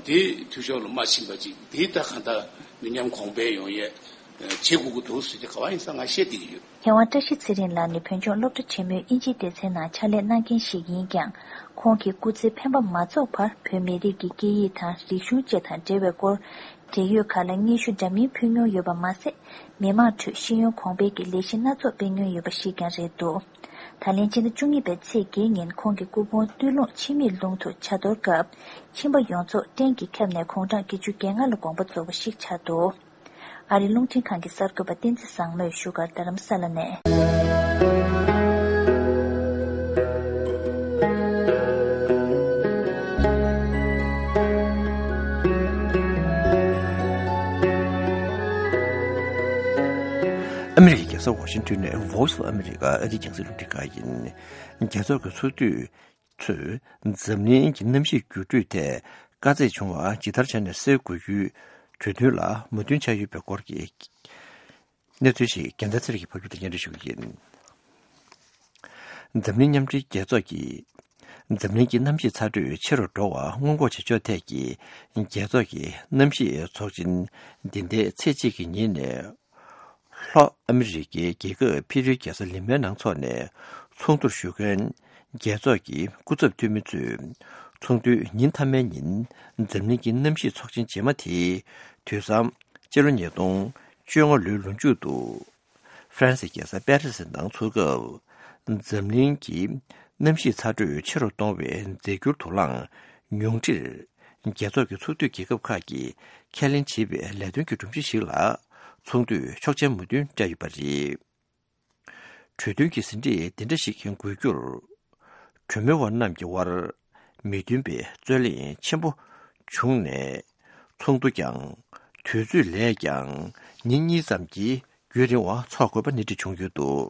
དེའི་འཐུས་ཤོར་ལ་མ་ཕྱིན་པ་ཅིག་དེའི་ད་གང་ལྟར་མི་ཉམས་གོང་འཕེལ་ཡོང་ཡས་བྱེད་དགོས་ཀྱི་འདུག་ཟེར་གྱི་ག་བ་ཡིན་ས་ང་བཤད་བསྡད་ཀྱི་ཡོད། མཁས་དབང་བཀྲ་ཤིས་ཚེ་རིང་ལགས་ནི་བོད་ལྗོངས་སློབ་གྲྭ་ཆེན་མོའི་དབྱིན་ཇིའི་སྡེ་ཚན་ནང་ཕྱག་ལས་གནང་མཁན་ཞིག་ཡིན་ཀྱང་། ཁོང་གིས་སྐུ་ཚེ་འཕེན་པ་མ་རྫོགས་བར་བོད་མི་རིགས་ཀྱི་སྐད་ཡིག་དང་རིག་གཞུང་བཅས་དང་འབྲེལ་བའི་སྐོར། འབྲེལ་ཡོད་ཁག་ལ་སྙན་ཞུ་འདྲ་མིན་ཕུལ་མྱོང་ཡོད་པ་མ་ཟད། མི་མང་ཁྲོད་ཤེས་ཡོན་གོང་འཕེལ་གྱི་ལས་གཞི་སྣ་ཚོགས་སྤེལ་མྱོང་ཡོད་པ་ཞིག་ཀྱང་རེད་འདུག་ད་ལན་སྤྱི་ཟླ་བཅུ་གཉིས་པའི་ཚེས་བརྒྱད་ཉིན་ཁོང་གི་སྐུ་ཕུང་སྟོད་ལུང་འཆི་མེད་ལུང་དུ་ཇ་གཏོར་སྐབས། ཁྱིམ་པ་ཡོངས་རྫོགས་སྐྲན་གྱིས་ཁྱབ་ནས་དགུང་གྲངས་བརྒྱད་ཅུ་གྱ་ལྔ་ལ་དགོངས་པ་རྫོགས་པ་ཞིག་ཆགས་འདུག་ཨ་རིའི་རླུང་འཕྲིན་ཁང་གི་གསར་འགོད་པ་བསྟན་འཛིན་བཟང་མོས་བཞུགས་སྒར་རྡ་རམ་ས་ལ་ནས། ཨ་མི་རི་ཀའི་རྒྱལ་ས་ཝ་ཤིང་ཏོན་ནས་Voice of America ཨ་རིའི་རྒྱང་སྲིང་རླུང་འཕྲིན་ཁང་ཡིན། རྒྱལ་ཚོགས་ཀྱི་ཚོགས་འདུས་ཚོས་འཛམ་གླིང་གི་གནམ་གཤིས་འགྱུར་འགྲོས་ཐད་དཀའ་ཚེགས་བྱུང་བ་ཇི་ལྟར་བྱས་ནས་སེལ་དགོས་རྒྱུའི་གྲོས་མཐུན་ལ་མོས་མཐུན་བྱས་ཡོད་པའི་སྐོར་གྱི་གནས་ཚུལ་ཞིག་རྒྱལ་མཚན་ཚེ་རིང་གིས་ཕབ་སྒྱུར་དང་སྙན་སྒྲོན་ཞུ་གི་ཡིན། འཛམ་གླིང་མཉམ་འབྲེལ་རྒྱལ་ཚོགས་ཀྱིས་ འཛམ་གླིང་གི་གནམ་གཤིས་ཚ་དྲོད་ཆེ་རུ་འགྲོ་བ་སྔོན་འགོག་བྱེད་ཕྱོགས་ཐད་ཀྱི་རྒྱལ་ཚོགས་ཀྱི་གནམ་གཤིས་ཚོགས་ཆེན་འདི་ཟླའི་ཚེས་གཅིག་གི་ཉིན་ནས་ལྷོ་ཨ་མི་རི་ཀའི་རྒྱལ་ཁབ་ཕི་རུའི་རྒྱལ་ས་ལི་མའི་ནང་འཚོགས་ནས་ཚོགས་འདུར་ཞུགས་མཁན་རྒྱལ་ཚོགས་ཀྱི་སྐུ་ཚབ་འཐུས་མི་ཚོས་ཚོགས་འདུའི་ཉིན་མཐའ་མའི་ཉིན་འཛམ་གླིང་གི་གནམ་གཤིས་ཚོགས་ཆེན་རྗེས་མ་དེའི་དུས་བཟང་སྤྱི་ལོ་ཉིས་སྟོང་བཅོ་ལྔ་ལོའི་ལོ་མཇུག་ཏུ། ཧྥ་རན་སིའི་རྒྱལ་ས་པེ་རི་སི་ནང་འཚོགས་སྐབས། འཛམ་གླིང་གི་གནམ་གཤིས་ཚ་དྲོད་ཆེ་རུ་གཏོང་བའི་རྫས་འགྱུར་དུག་རླངས་ཉུང་འཕྲིར། རྒྱལ་ཚོགས་ཀྱི་ཚོགས་འཐུས་རྒྱལ་ཁབ་ཁག་གིས་ཁས་ལེན་བྱས་པའི་ལས་དོན་གྱི་སྒྲོམ་གཞི་ཞིག་ལ་ཚོགས་འདུས་ཆོག་མཆན་མོས་མཐུན་སྤྲད་ཡོད་པ་རེད། གྲོས་མཐུན་གྱི་ཟིན་བྲིས་འདི་འདྲ་ཞིག་འགོད་རྒྱུར། གྲོས་མོལ་བ་རྣམས་ཀྱི་དབར་མི་མཐུན་པའི་རྩོད་གླེང་ཆེན་པོ་བྱུང་ནས། ཚོགས་འདུ་ཀྱང་དུས་ཚོད་ལས་ཀྱང་ཉིན་གཉིས་ཙམ་གྱི་རྒྱུན་རིང་བ་འཚོགས་དགོས་པ་སྣེ་ཁྲིད་བྱུང་ཡོད་འདུག་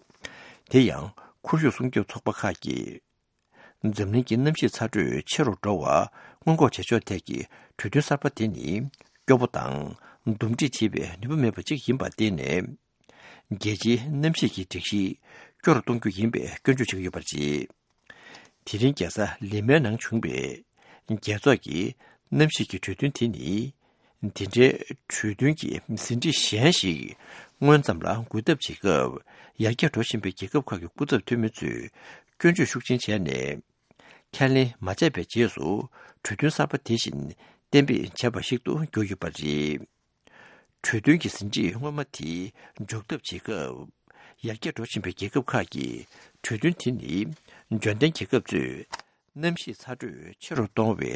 དེ་ཡང་ཁོར་ཡུག་སྲུང་སྐྱོབ་ཚོགས་པ་ཁག་གིས། འཛམ་གླིང་གི་གནམ་གཤིས་ཚ་དྲོད་ཆེ་རུ་འགྲོ་བ་སྔོན་འགོག་བྱེད་ཕྱོགས་ཐད་ཀྱི་གྲོས་མཐུན་གསར་པ་དེ་ནི་སྐྱོ་པོ་དང་འདུམ་འགྲིག་བྱེད་པའི་ནུས་པ་མེད་པ་ཅིག་ཡིན་པར་བརྟེན་ནས། རྒྱལ་སྤྱིའི་གནམ་གཤིས་ཀྱི་སྒྲིག་གཞི་སྐྱོ་རུ་གཏོང་རྒྱུ་ཡིན་པའི་སྐྱོན་བརྗོད་བྱེད་ཀྱི་ཡོད་པ་རེད། དེ་རིང་རྒྱལ་ས་ལི་མའི་ནང་བྱུང་བའི་རྒྱལ་ཚོགས་ཀྱི་གནམ་གཤིས་ཀྱི་གྲོས་མཐུན་དེ་ནི། འདི་འདྲའི་གྲོས་མཐུན་གྱི་ཟིན་བྲིས་གཞན་ཞིག་སྔོན་ཙམ་ལ་འགོད་ཐབས་བྱེད་སྐབས། ཡར་རྒྱས་འགྲོ་བཞིན་པའི་རྒྱལ་ཁབ་ཁག་གི་སྐུ་ཚབ་འཐུས་མི་ཚོས་སྐྱོན་བརྗོད་ཤུགས་ཆེན་བྱས་ནས། ཁས་ལེན་མ་བྱས་པའི་རྗེས་སུ་གྲོས་མཐུན་གསར་པ་དེ་བཞིན་གཏན་འབེབས་བྱས་པ་ཞིག་ཏུ་གྱུར་ཡོད་པ་རེད། གྲོས་མཐུན་གྱི་ཟིན་བྲིས་སྔོན་མ་དེ་འཇོག་ཐབས་བྱེད་སྐབས། ཡར་རྒྱས་འགྲོ་བཞིན་པའི་རྒྱལ་ཁབ་ཁག་གིས་གྲོས་མཐུན་དེ་ནི་འབྱོར་ལྡན་རྒྱལ་ཁབ་ཚོས་གནམ་གཤིས་ཚ་དྲོད་ཆེ་རུ་གཏོང་བའི་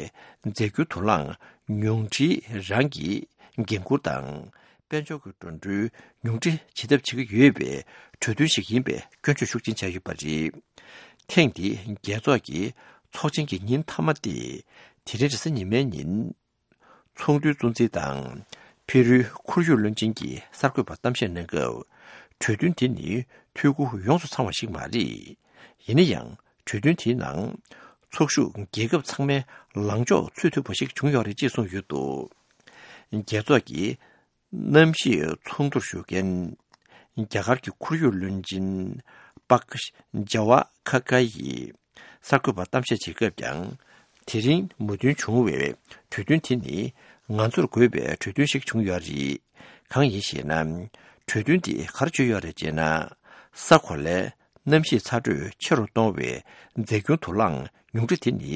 རྫས་འགྱུར་དུག་རླངས་ཉུང་འཕྲིའི་རང་གི་འགན་འཁུར་དང་། དཔལ་འབྱོར་གྱི་འགྲོ་གྲོན་ཉུང་འཕྲི་བྱེད་ཐབས་བྱེད་ཀྱི་ཡོད་པའི་གྲོས་མཐུན་ཞིག་ཡིན་པའི་སྐྱོན་བརྗོད་ཤུགས་ཆེན་བྱས་ཡོད་པ་རེད། ཐེངས་འདིའི་རྒྱལ་ཚོགས་ཀྱི་ཚོགས་ཆེན་གྱི་ཉིན་མཐའ་མ་སྟེ། དེ་རིང་རེས་གཟའ་ཉི་མའི་ཉིན། ཚོགས་འདུའི་གཙོ་འཛིན་དང་། ཕི་རུའི་ཁོར་ཡུག་བློན་ཆེན་གྱིས་གསར་འགོད་པར་གཏམ་བཤད་གནང་སྐབས། གྲོས་མཐུན་དེ་ནི་འཐུས་སྒོ་ཡོངས་སུ་ཚང་བ་ཞིག་མ་རེད། ཡིན་ན་ཡང་། གྲོས་མཐུན་དེའི་ནང་། ཚོགས་ཞུགས་རྒྱལ་ཁབ་ཚང་མའི་ལངས་ཕྱོགས་ཚུད་ཐུབ་པ་ཞིག་བྱུང་ཡོད་རེད་ཅེས་གསུངས་ཡོད་འདུག་རྒྱལ་ཚོགས་ཀྱི་གནམ་གཤིས་ཚོགས་འདུར་ཞུགས་མཁན། རྒྱ་གར་གྱི་ཁོར་ཡུག་བློན་ཆེན་པག་ཇ་ཝ་ཁ་ཁ་ཡིས་གསར་འགོད་པར་གཏམ་བཤད་བྱེད་སྐབས་ཀྱང་། དེ་རིང་མོས་མཐུན་བྱུང་བའི་གྲོས་མཐུན་དེ་ནི་ང་ཚོར་དགོས་པའི་གྲོས་མཐུན་ཞིག་བྱུང་ཡོད་རེད། གང་ཡིན་ཞེ་ན། གྲོས་མཐུན་དེ་ག་རེ་བརྗོད་ཡོད་རེད་ཅེ་ན། ས་གོ་ལའི་གནམ་གཤིས་ཚ་དྲོད་ཆེ་རུ་གཏོང་བའི་རྫས་འགྱུར་དུག་རླངས་ཉུང་འཕྲི་དེ་ནི་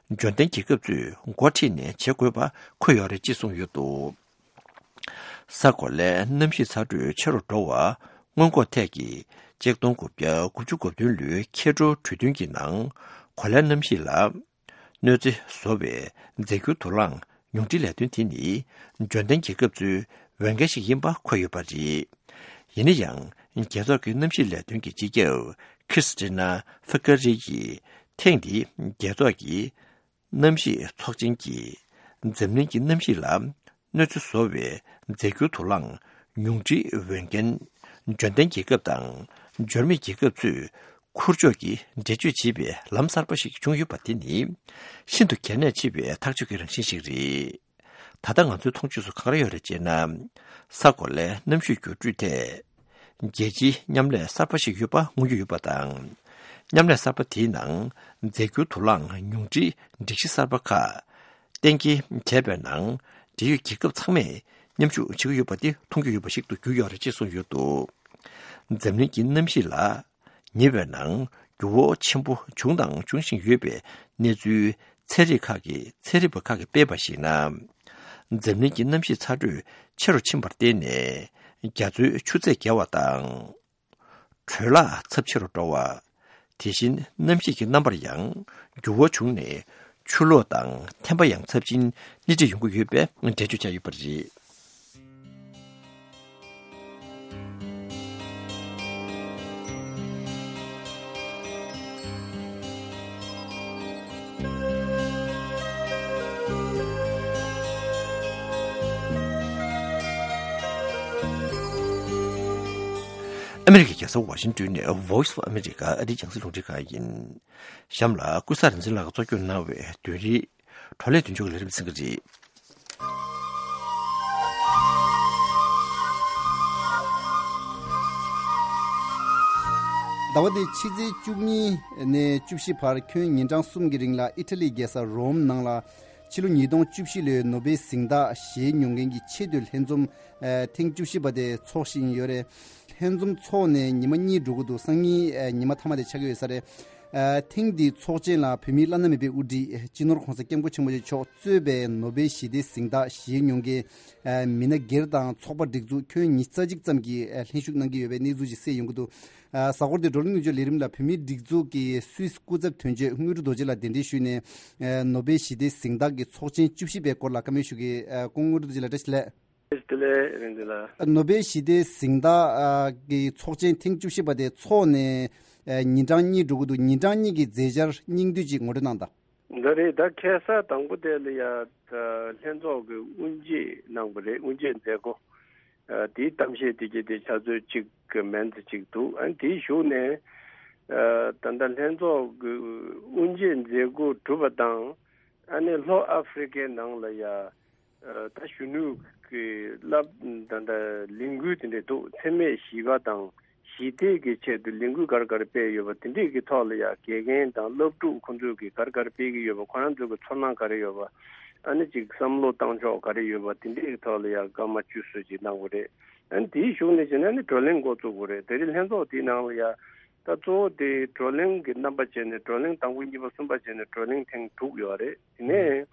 འབྱོར་ལྡན་རྒྱལ་ཁབ་ཚོས་འགོ་ཁྲིད་ནས་བྱེད་དགོས་པ་འཁོད་ཡོད་རེད་ཅེས་གསུངས་ཡོད་འདུག་ས་གོ་ལའི་གནམ་གཤིས་ཚ་དྲོད་ཆེ་རུ་འགྲོ་བ་སྔོན་འགོག་ཐད་ཀྱི་ཆིག་སྟོང་དགུ་བརྒྱ་དགུ་བཅུ་གོ་བདུན་ལོའི་ཁྱད་འཕགས་གྲོས་མཐུན་གྱི་ནང་། གོ་ལའི་གནམ་གཤིས་ལ་གནོད་འཚེ་བཟོ་བའི་རྫས་འགྱུར་དུག་རླངས་ཉུང་འཕྲིའི་ལས་དོན་དེ་ནི་འབྱོར་ལྡན་རྒྱལ་ཁབ་ཚོའི་འོས་འགན་ཞིག་ཡིན་པ་འཁོད་ཡོད་པ་རེད། ཡིན་ན་ཡང་། རྒྱལ་ཚོགས་ཀྱི་གནམ་གཤིས་ལས་དོན་གྱི་སྤྱི་ཁྱབ་ཁི་སི་ཏི་ན་ཧྥི་ཀ་རི་ཡིས་ཐེངས་འདིའི་རྒྱལ་ཚོགས་ཀྱི་གནམ་གཤིས་ཚོགས་ཆེན་གྱིས་འཛམ་གླིང་གི་གནམ་གཤིས་ལ་གནོད་འཚེ་བཟོ་བའི་རྫས་འགྱུར་དུག་རླངས་ཉུང་འཕྲིའི་འོས་འགན་འབྱོར་ལྡན་རྒྱལ་ཁབ་དང་འབྱོར་མེད་རྒྱལ་ཁབ་ཚོས་འཁུར་ཕྱོགས་ཀྱི་འགྲེལ་བརྗོད་བྱེད་པའི་ལམ་གསར་པ་ཞིག་བྱུང་ཡོད་པ་དེ་ནི་ཤིན་ཏུ་གལ་གནད་ཆེ་བའི་ཐག་གཅོད་ཀྱི་རང་བཞིན་ཞིག་རེད། ད་ལྟ་ང་ཚོའི་མཐོང་ཆོས་སུ་ག་རེ་ཡོད་རེད་ཅེ་ན། ས་གོ་ལའི་གནམ་གཤིས་འགྱུར་འགྲོས་ཐད། རྒྱལ་སྤྱིའི་མཉམ་ལས་གསར་པ་ཞིག་ཡོད་པ་མངོན་གྱི་ཡོད་པ་དང་། མཉམ་ལས་གསར་པ་དེའི་ནང་རྫས་འགྱུར་དུག་རླངས་ཉུང་འཕྲིའི་སྒྲིག་གཞི་གསར་པ་ཁག་གཏན་འཁེལ་བྱས་པའི་ནང་། འབྲེལ་ཡོད་རྒྱལ་ཁབ་ཚང་མས་མཉམ་ཞུགས་བྱེད་ཀྱི་ཡོད་པ་དེ་མཐོང་རྒྱུ་ཡོད་པ་ཞིག་ཏུ་གྱུར་ཡོད་རེད་ཅེས་གསུངས་ཡོད་འདུག་འཛམ་གླིང་གི་གནམ་གཤིས་ལ་ཉེ་བའི་ནང་འགྱུར་བ་ཆེན་པོ་བྱུང་དང་འབྱུང་བཞིན་ཡོད་པའི་གནས་ཚུལ་ཚན་རིག་ཁག་གི་ཚན་རིག་པ་ཁག་གིས་སྤེལ་བར་གཞིགས་ན། འཛམ་གླིང་གི་གནམ་གཤིས་ཚ་དྲོད་ཆེ་རུ་ཕྱིན་པར་བརྟེན་ནས། རྒྱ་མཚོའི་ཆུ་ཚད་བརྒལ་བ་དང་། དྲོད་ལྷགས་ཚབས་ཆེ་རུ་འགྲོ་བ། དེ་བཞིན་གནམ་གཤིས་ཀྱི་རྣམ་པར་ཡང་འགྱུར་བ་བྱུང་ནས། ཆུ་ལོག་དང་ཐན་པ་ཡང་ཚབས་ཆེན་སྣེ་ཁྲིད་ཡོང་གི་ཡོད་པའི་འགྲེལ་བརྗོད་བྱས་ཡོད་པ་རེད། ཨ་མེ་རི་ཁའི་རྒྱལ་ས་ཝ་ཤིང་ཏོན་ནས་Voice of America ཨ་རིའི་རྒྱང་སྲིང་རླུང་འཕྲིན་ཁང་ཡིན། གཤམ་ལ་ཀུན་བཟང་རིག་འཛིན་ལགས་ཀྱིས་གཙོ་སྐྱོང་གནང་བའི་བདུན་རེའི་བགྲོ་གླེང་མདུན་ལྕོག་ལས་རིམ་གསན་གྱི་རེད། ཟླ་བ་འདིའི་ཕྱི་ཚེས་བཅུ་གཉིས་ནས་བཅུ་བཞི་བར་ཁྱོན་ཉིན་གྲངས་གསུམ་གྱི་རིང་ལ་ཨི་ཊ་ལིའི་རྒྱལ་ས་རོམ་ནང་ལ་ཕྱི་ལོ་ཉིས་སྟོང་བཅུ་བཞི་ལོའི་ནོ་བེལ་གཟེངས་རྟགས་བཞེས་མྱོང་མཁན་གྱི་ཆེས་མཐོའི་ལྷན་འཛོམས་ཨ་ཐེངས་བཅུ་བཞི་པ་དེ་ཚོགས་བཞིན་ཡོད་རེད། ལྷན་འཛོམས་ཚོགས་ནས་ཉི་མ་གཉིས་འགྲོ་གི་འདུག་སང་ཉིན་ཨ་ཉི་མ་མཐའ་མ་དེ་ཆགས་ཀྱི་ཡོད་ས་རེད། ཨ་ཐེངས་འདིའི་ཚོགས་ཆེན་ལ་བོད་མིའི་བླ་ན་མེད་པའི་དབུ་ཁྲིད་སྤྱི་ནོར་༸གོང་ས་༸སྐྱབས་མགོན་ཆེན་པོ་མཆོག་གཙོས་པའི་ནོ་བེལ་ཞི་བདེའི་གཟེངས་རྟགས་བཞེས་མྱོང་མཁན་ཨ་མི་སྣ་སྒེར་དང་ཚོགས་པ་སྒྲིག་འཛུགས་ཁྱོན་ཉི་ཤུ་རྩ་གཅིག་ཙམ་གྱིས་ཨ་ལྷན་ཞུགས་གནང་གི་ཡོད་པའི་གནས་ཚུལ་ཞིག་གསལ་ཡོང་གི་འདུག་ཨ་གཟའ་འཁོར་འདིའི་བགྲོ་གླེང་མདུན་ལམ་ལས་རིམ་ལ་བོད་མིའི་སྒྲིག་འཛུགས་ཀྱི་སུད་སི་སྐུ་ཚབ་དོན་གཅོད་དངོས་གྲུབ་རྡོ་རྗེ་ལགས་གདན་འདྲེན་ཞུས་ནས་ཨ་ནོ་བེལ་ཞི་བདེའི་གཟེངས་རྟགས་ཀྱི་ཚོགས་ཆེན་བཅུ་བཞི་པའི་སྐོར་ལ་བཀའ་མོལ་ཞུ་གི། ཨ་སྐུ་ངོ་དངོས་གྲུབ་རྡོ་རྗེ་ལགས་བཀྲ་ཤིས་བདེ་ལེགས། བདེ་ལེགས་རིན་འཛིན་ལགས། ནོ་བེལ་ཞི་བདེའི་གཟེངས་རྟགས་ཨ་གི་ཚོགས་ཆེན་ཐེངས་བཅུ་བཞི་པ་དེ་ཚོགས་ནས་ཨ་ཉིན་གྲངས་གཉིས་འགྲོ་གི་འདུག་ཉིན་གྲངས་གཉིས་ཀྱི་མཛད་འཆར་སྙིང་བསྡུས་ཅིག་ངོ་སྤྲོད་གནང་དང་། འདི་རེད། ད་ཁ་སང་དང་པོ་དེ་ལ་ཡ་ད་ལྷན་ཚོགས་ཀྱི་དབུ་འབྱེད་གནང་བ་རེད། དབུ་འབྱེད་མཛད་སྒོ་ཨ་དེའི་གཏམ་བཤད་དེ་གྱད་དེ་ཆུ་ཚོད་གཅིག་གི་མན་ཙམ་ཅིག་འདུག་ཨ་དེའི་གཞུག་ནས་ཨ་ད་ལྟ་ལྷན་ཚོགས་ཀྱི་དབུ་འབྱེད་མཛད་སྒོ་གྲུབ་པ་དང་ཨ་ནི་ལྷོ་ཨ་ཧྥེ་རི་ཀའི་ནང་ལ་ཡ། ད་གཞོན་ནུ་གི་བསླབ་ད་ལྟ་ལས་འགུལ་དེ་འདྲ་འདུག་འཚེ་མེད་ཞི་བ་དང་ཞི་བདེ་གི་ཆེད་དུ་ལས་འགུལ་ག་རེ་ག་རེ་སྤེལ་ཡོད་པ་དེ་འདྲས་ཀྱི་ཐོག་ལ་ཡ་དགེ་རྒན་དང་སློབ་ཕྲུག་ཁོང་ཚོས་ཀྱི་ག་རེ་ག་རེ་སྤེལ་གྱི་ཡོད་པ། ཁོ་རང་ཚོས་ཀྱི་ཚོར་སྣང་ག་རེ་ཡོད་པ། ཨ་ནི་ཅིག་བསམ་བློ་བཏང་ཕྱོགས་ག་རེ་ཡོད་པ་དེ་འདྲས་ཀྱི་ཐོག་ལ་ཡ་སྐར་མ་བཅུ་ཙམ་ཅིག་གནང་བ་རེད། ཨ་ནི་དེའི་གཞུག་ནས་བྱས་ན་ནི་བགྲོ་གླེང་འགོ་བཙུགས་པ་རེད། དེ་རིང་ལྷན་ཚོགས་དེའི་ནང་ལ་ཡ། ད་གཙོ་བོ་དེ་བགྲོ་གླེང་གི་རྣམ་པ་བྱས་ནས་བགྲོ་གླེང་དང་པོ་གཉིས་པ་གསུམ་པ་བྱས་ནས་བགྲོ་གླེང་ཐེངས་དྲུག་ཡོད་རེད། དེ་ནས་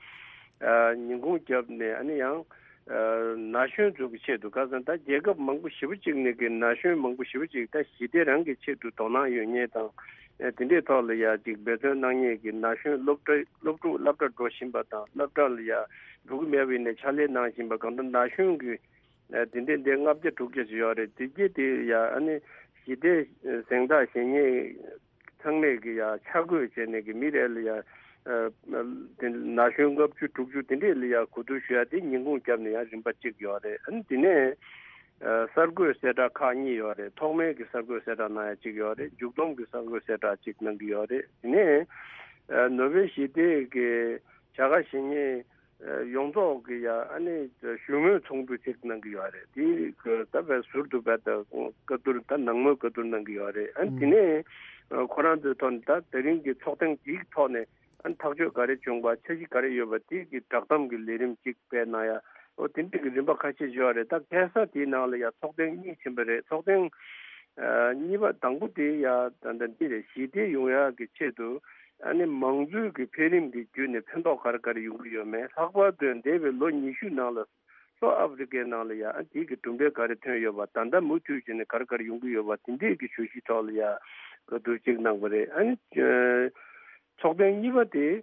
ཨ་ཉིན་གུང་བརྒྱབ་ནས་ཨ་ནི་ཡང་ཨ་ན་གཞོན་ཚོ་གི་ཆེད་དུ། ཁ་སང་ད་རྒྱལ་ཁབ་མང་པོ་ཞེ་པོ་ཅིག་ནས་ཀྱི་ན་གཞོན་མང་པོ་ཞེ་པོ་ཅིག་ད་ཞི་བདེ་རང་གི་ཆེད་དུ་དོ་སྣང་ཡོད་མཁན་དང་ཨ་དེ་འདྲའི་ཐོག་ལ་ཡ་ཅིག་འབད་བརྩོན་གནང་མཁན་གྱི་ན་གཞོན་སློབ་གྲྭ་སློབ་ཕྲུག་སློབ་གྲྭ་འགྲོ་བཞིན་པ་དང་སློབ་གྲྭ་ལ་ཡ་འགྲོ་གི་མེད་པ་ཡིན་ནའི་ཕྱག་ལས་གནང་བཞིན་པ་གང་ལྟར་ན་གཞོན་གྱི་ཨ་དེ་འདྲས་འདི་ལྔ་བརྒྱ་དྲུག་བརྒྱ་ཞིག་ཡོད་རེད། དེ་རྗེས་དེ་ཡ་ཨ་ནི་ཞི་བདེ་གཟེངས་རྟགས་བཞེས་མཁན་ཚང་མས་ཀྱི་ཡ་ཆ་བགོས་བྱས་ནས་ཀྱི་མི་རེ་ལ་ཡ་ཨ་དེ་ན་གཞོན་ལྔ་བཅུ་དྲུག་ཅུ་དེ་འདྲས་ལ་ཡ་གོ་བསྡུར་ཞུ་ཡ་དེ་ཉིན་གུང་བརྒྱབ་ནས་ཡང་རིམ་པ་གཅིག་ཡོད་རེད། ཨ་ནི་དེ་ནས་ཨ་གསར་འགོད་གསལ་བསྒྲགས་ཁག་གཉིས་ཡོད་རེད། ཐོག་མའི་གི་གསར་འགོད་གསལ་བསྒྲགས་གནང་ཡ་གཅིག་ཡོད་རེད། མཇུག་བསྡོམས་ཀྱི་གསར་འགོད་གསལ་བསྒྲགས་གཅིག་གནང་གི་ཡོད་རེད། དེ་ནས་ཨ་ནོ་བེལ་ཞི་བདེ་གི་བྱ་དགའ་བཞེས་མཁན་ཡོངས་རྫོགས་ཀྱི་ཡ་ཨ་ནི་ཞུ་སྨོན་ཚོགས་འདུ་ཅིག་གནང་གི་ཡོད་རེད། དེ་ད་བས་ཟུར་དུ་བས་ད་བཀའ་བསྡུར་ད་ནང་མོལ་བཀའ་བསྡུར་གནང་གི་ཡོད་རེད། ཨ་ནི་དེ་ནས་ཁོ་རང་ཚོའི་ཐོག་ནས་ད་དེ་རིང་གི་ཚོགས་ཐེངས་འདིའི་ཐོག་ནས་ཨ་ནི་ཐག་གཅོད་ག་རེ་བྱུང་བ། འཆར་གཞི་ག་རེ་ཡོད་པ། དེ་གི་བསྒྲགས་གཏམ་གྱི་ལས་རིམ་ཅིག་སྤེལ་གནང་ཡ། ཨོ་དེ་འདྲ་གི་རིམ་པ་ཁ་ཤས་ཡོད་རེད། ད་ཁ་སང་དེའི་ནང་ལ་ཡ་ཚོགས་ཐེངས་གཉིས་ཕྱིན་པ་རེད། ཚོགས་ཐེངས་ཨ་གཉིས་པ་དང་པོ་དེ་ཡ་ད་ལྟ་འདི་རེད། ཞི་བདེ་ཡོང་ཡག་གི་ཆེད་དུ་ཨ་ནི་མང་གཙོའི་གི་འཕེལ་རིམ་གི་བརྒྱུད་ནས་ཕན་ཐོགས་ག་རེ་ག་རེ་ཡོང་གི་ཡོད་མེད། ལྷག་པར་དུ་འདས་པའི་ལོ་ཉི་ཤུ་ནང་ལ་ལྷོ་ཨ་ཧྥེ་རི་ཀའི་ནང་ལ་ཡ་ཨ་དེ་གི་གྲུབ་འབྲས་ག་རེ་ཐོན་ཡོད་པ། ད་ལྟ་མུ་མཐུད་བྱས་ནས་ག་རེ་ག་རེ་ཡོང་གི་ཡོད་པ། དེ་འདྲས་གི་བརྗོད་གཞི་ཐོག་ལ་ཡ་བཀའ་བསྡུར་ཅིག་གནང་བ་རེད། ཨ་ནི་ཚོགས་ཐེངས་གཉིས་པ་དེ།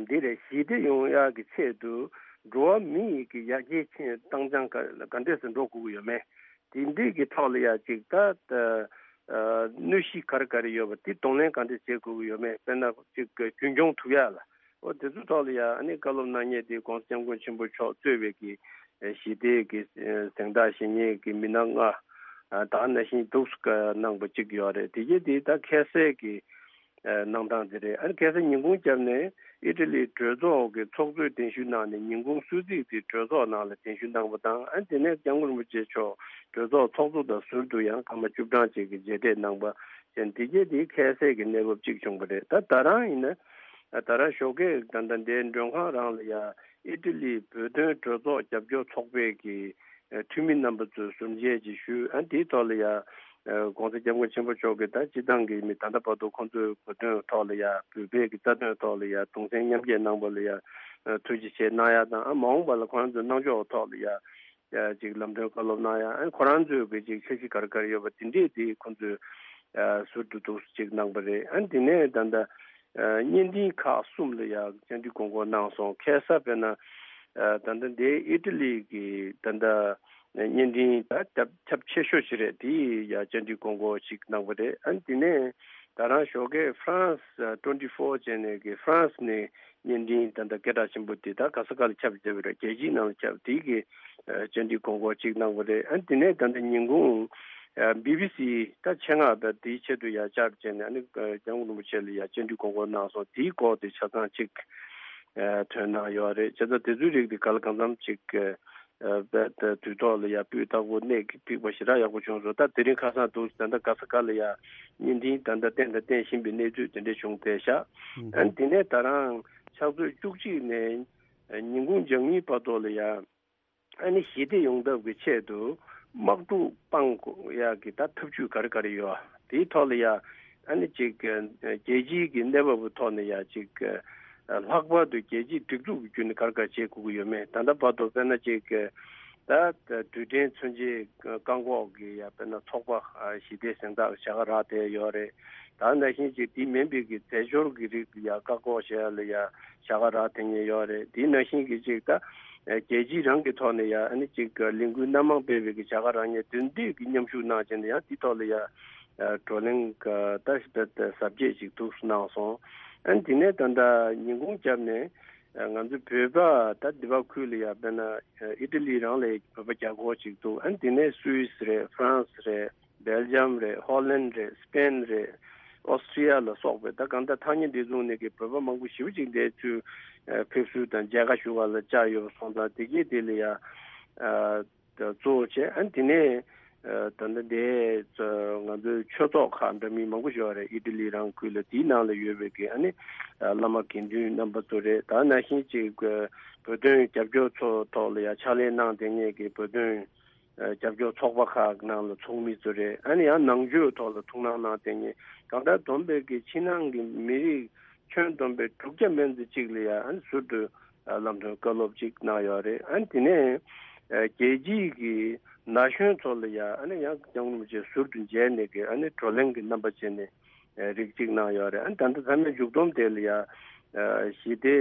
འདི་རེད། ཞི་བདེ་ཡོང་ཡག་གི་ཆེད་དུ་འགྲོ་བ་མི་ཡི་གི་ཡར་རྒྱས་ཆེན་བཏང་སྦྱང་ག་ག་འདྲས་སེ་འགྲོ་དགོས་ཀྱི་ཡོད་མེད། དེ་འདྲས་ཀྱི་ཐོག་ལ་ཡ་ཅིག་ད་ཨ་གནོད་གཞི་ག་རེ་ག་རེ་ཡོད་པ་དེ་གདོང་ལེན་ག་འདྲས་བྱེད་དགོས་ཀྱི་ཡོད་མེད། དཔེར་ན་ཅིག་རྒྱུན་འཁྱོངས་ཐུབ་ཡག་ལ། འོ་དེ་ཚོའི་ཐོག་ལ་ཡ་ཨ་ནི་བཀའ་སློབ་གནང་མཁན་དེ་༸གོང་ས་༸སྐྱབས་མགོན་ཆེན་པོ་མཆོག་གཙོས་པའི་གི་ཞི་བདེ་གི་གཟེངས་རྟགས་བཞེས་མཁན་གྱི་མི་སྣ་ལྔ་ད་ནང་བཞིན་འདུག་གནང་པ་གཅིག་ཡོད་རེད། དེ་གྱད་དེ་ད་ཁ་སང་གི་ཨ་གནང་སྟངས་དེ་རེད། ཨ་ནི་ཁ་སང་ཉིན་གུང་རྒྱབ་ནས་ཨི་ཊ་ལིའི་གྲོས་ཚོགས་ཀྱི་ཚོགས་གཙོས་གདན་ཞུ་གནང་ནས་ཉིན་གུང་གསོལ་ཚིགས་དེ་གྲོས་ཚོགས་ནང་ལ་གདན་ཞུ་གནང་བ་དང་། ཨ་ནི་དེ་ནས་༸སྐྱབས་མགོན་རིན་པོ་ཆེ་མཆོག་གྲོས་ཚོགས་ཚོགས་གཙོ་དང་ཟུར་དུ་ཡང་སྐར་མ་བཅུ་གྲངས་ཅིག་གི་མཇལ་འཕྲད་གནང་པ་བྱས། དེ་གྱད་དེ་ཁ་སང་གི་གནས་བབ་ཅིག་བྱུང་བ་རེད། ད་ད་རང་ཡིན་ན་ད་རང་ཞོགས་ཀས་ད་ལྟ་འདིའི་མགྲོན་ཁང་རང་ལ་ཡ་ཨི་ཊ་ལིའི་བོད་དོན་གྲོས་ཚོགས་རྒྱབ་སྐྱོར་ཚོགས་པའི་གི་འཐུས་མི་རྣམ་པ་ཚོའི་ཟུར་མཇལ་ཅིག་ཞུས། ཨ་དེའི་ཐོག་ལ་ཡ་༸གོང་ས་༸སྐྱབས་མགོན་ཆེན་པོ་མཆོག་གིས་ད་སྤྱི་བཏང་གི་མི་ད་ལྟ་བར་དུ་ཁོང་ཚོའི་བོད་དོན་ཐོག་ལ་ཡ་བོད་པའི་གི་རྩ་དོན་ཐོག་ལ་ཡ་གདུང་སེམས་མཉམ་སྐྱེད་གནང་བ་ལ་ཡ་ཐུགས་རྗེ་ཆེ་གནང་ཡ་དང་། ཨ་མ་འོངས་པ་ལ་ཁོང་ཚོའི་གནང་ཕྱོགས་ཐོག་ལ་ཡ་ཅིག་ལམ་སྟོན་བཀའ་སློབ་གནང་ཡ། ཨ་ཁོ་རང་ཚོའི་གི་ཅིག་འཆར་གཞི་ག་རེ་ག་རེ་ཡོད་པ་དེ་འདྲས་དེ་ཁོང་ཚོས་ཟུར་དུ་འདུག་ཅིག་གནང་པ་རེད། ཨ་དེ་ནས་ད་ལྟ་བརྙན་འཕྲིན་ཁག་གསུམ་ལ་ཡང་བཅར་འདྲི་དགོངས་སྐོར་གནང་སོང་། ཁ་སང་དཔེར་ན་ད་ལྟ་འདི་ཨི་ཊ་ལི་གི་ད་ལྟ་བརྙན་འཕྲིན་ད་ཁྱབ་ཁྱབ་ཆེ་ཤོས་ཤིག་རེད། དེ་ཡང་བཅར་འདྲི་དགོངས་སྐོར་ཞིག་གནང་པ་རེད། ཨ་དེ་ནས་ད་རང་ཞོགས་ཀས་France twenty-four བྱས་ནས་གི་France ནས་བརྙན་འཕྲིན་ད་ལྟ་སྐད་གྲགས་ཆེན་པོ་དེ་ད་ག་ས་ག་ལ་ཁྱབ་བསྡད་པ་རེད། རྒྱལ་སྤྱིའི་ནང་ལ་ཁྱབ། དེ་གི་བཅར་འདྲི་དགོངས་སྐོར་ཅིག་གནང་བ་རེད། ཨ་དེ་ནས་ད་ལྟ་ཉིན་གུང་བི་བི་སི་ད་ཆེད་མངགས་པ་དེའི་ཆེད་དུ་ཡ་བཅར་བྱས་ནས་ཨ་ནི་༸སྐྱབས་མགོན་རིན་པོ་ཆེ་ལ་ཡ་བཅར་འདྲི་དགོངས་སྐོར་གནང་སོང་། དེའི་སྐོར་དེ་ཆ་ཚང་ཅིག་ཐོན་གནང་ཡོད་རེད། བྱས་ཙང་དེ་ཚོའི་རིགས་དེ་ག་ལ་གང་འཚམ་ཅིག་ ཨ་པ་ད་དུས་ཐོག་ལ་ཡ་སྤུས་དག་པོ་གནད་ཕིགས་པ་ཞེ་དྲག་ཡག་པོ་བྱུང་སོང་། ད་དེ་རིང་ཁ་སང་འདུག་ད་ལྟ་ག་ས་ག་ལ་ཡ་བརྙན་འཕྲིན་ད་ལྟ་བསྟན་དང་བསྟན་བཞིན་པའི་གནས་ཚུལ་དེ་འདྲ་བྱུང་བསྡད་ཤག་ཨ་ནི་དེ་ནས་ད་རང་ཕྱག་ཚོད་བཅུ་གཅིག་ནས་ཉིན་གུང་ཞག་གཉིས་བར་དུ་ལ་ཡ། ཨ་ནི་ཞི་བདེ་ཡོང་ཐབས་ཀྱི་ཆེད་དུ་དམག་འཁྲུག་སྤང་དགོས་ཡག་གི་ད་ཐབས་ཇུས་ག་རེ་ག་རེ་ཡོད། དེའི་ཐོག་ལ་ཡ་ཨ་ནི་ཅིག་རྒྱལ་སྤྱིའི་གི་གནས་བབ་ཀྱི་ཐོག་ནས་ཡ་ཅིག་ལྷག་པར་དུ་རྒྱལ་སྤྱིའི་སྒྲིག་འཛུགས་ཀྱི་བརྒྱུད་ནས་ག་རེ་ག་རེ་བྱེད་དགོས་ཀྱི་ཡོད་མེད། ད་ལྟ་བར་དུ་དཔེར་ན་ཅིག་ད་རྡུལ་ཕྲན་མཚོན་ཆའི་བཀག་འགོག་གི་ཡ་དཔེར་ན་ཚོགས་པ་ཞི་བདེ་གཟེངས་རྟགས་བྱ་དགའ་རག་བསྡད་ཡོད་རེད། ད་ནང་བཞིན་ཅིག་དེ་མིན་པའི་གི་རྫས་སྦྱོར་གྱི་རིགས་ཡ་བཀག་འགོག་བྱེད་ཡ་ལ་ཡ་བྱ་དགའ་རག་བསྡད་མཁན་ཡོད་རེད། དེ་ནང་བཞིན་གྱི་ཅིག་ད་རྒྱལ་སྤྱི་རང་གི་ཐོག་ནས་ཡ་ཨ་ནི་ཅིག་ལས་འགུལ་སྣ་མང་སྤེལ་བའི་གི་བྱ་དགའ་རག་མཁན་དེ་འདྲས་ཀྱི་མཉམ་ཞུགས་གནང་བྱས་ནས་ཡང་དེ་ཐོག་ལ་ཡ་བགྲོ་གླེང་ད་ཟབ་རྒྱས་ཅིག་ཐུགས་སུ་གནང་སོང་། ཨ་ནི་དེ་ནས་ད་ལྟ་ཉིན་གུང་རྒྱབ་ནས་ང་ཚོའི་བོད་པ་ད་འདི་པ་ཁུལ་ལ་ཡ་དཔེར་ན་ཨི་ཏ་ལི་རང་ལ་བོད་པ་རྒྱ་སྒོར་ཅིག་འདུག་ཨ་ནི་དེ་ནས་སུད་སི་རེད། ཧྥ་རན་སི་རེད། སྦེལ་ཇམ་རེད། ཧོ་ལན་རེད། སི་པེན་རེད། ཨོ་སི་ཀྲི་ཡ་ལ་སོགས་པའི་ད་གང་ལྟར་ཐག་ཉེ་འདི་ཚོ་ནས་ཀྱི་བོད་པ་མང་པོ་ཞེ་པོ་ཅིག་འདིར་ཚུར་ཕེབས་བསུ་དང་མཇལ་ཁ་ཞུ་བ་ལ་བཅར་ཡོད་པ་སོང་ཙང་དེ་གས་དེ་ལ་ཡ་གཙོ་བོ་བྱས། ཨ་ནི་དེ་ནས་ད་ལྟ་འདི་ང་ཚོའི་ཆོས་ཚོགས་ཁག་འདྲ་མིན་མང་པོ་ཞིག་ཡོད་རེད། ཨི་ཏ་ལི་རང་ཁུལ་ལ་དེའི་ནང་ལ་ཡོད་པའི་གི་ཨ་ནི་བླ་མ་དགེ་འདུན་རྣམ་པ་ཚོ་རེད། ད་ནང་བཞིན་ཅིག་བོད་དོན་རྒྱབ་སྐྱོར་ཚོ་ཐོག་ལ་ཡ་ཕྱག་ལས་གནང་བསྡད་མཁན་གྱི་བོད་དོན་རྒྱབ་སྐྱོར་ཚོགས་པ་ཁག་ནང་ལ་ཚོགས་མི་ཚོ་རེད། ཨ་ནི་ཡང་ནང་ཆོས་ཐོག་ལ་ཐུགས་སྣང་གནང་བསྡད་མཁན་གང་ལྟར་བསྡོམས་པའི་གི་ཕྱི་ནང་གི་མི་རིགས་ཁྱོན་བསྡོམས་པའི་དྲུག་བརྒྱ་མན་ཙམ་ཅིག་ལ་ཡ་ཨ་ནི་ཟུར་དུ་ལམ་སྟོན་བཀའ་སློབ་ཅིག་གནང་ཡོད་རེད། ཨ་ནི་དེ་ནས་རྒྱལ་སྤྱིའི་གི་ན་གཞོན་ཚོ་ལ་ཡ་ཨ་ནི་ཡང་སྐྱབས་མགོན་རིན་པོ་ཆེ་ཟུར་དུ་མཇལ་ནས་གི་ཨ་ནི་བགྲོ་གླེང་གི་རྣམ་པ་བྱས་ནས་རིགས་གཅིག་གནང་ཡོད་རེད། ཨ་ནི་ད་ལྟ་ཚང་མའི་མཇུག་སྡོམ་དེ་ལ་ཡ་ཞི་བདེ་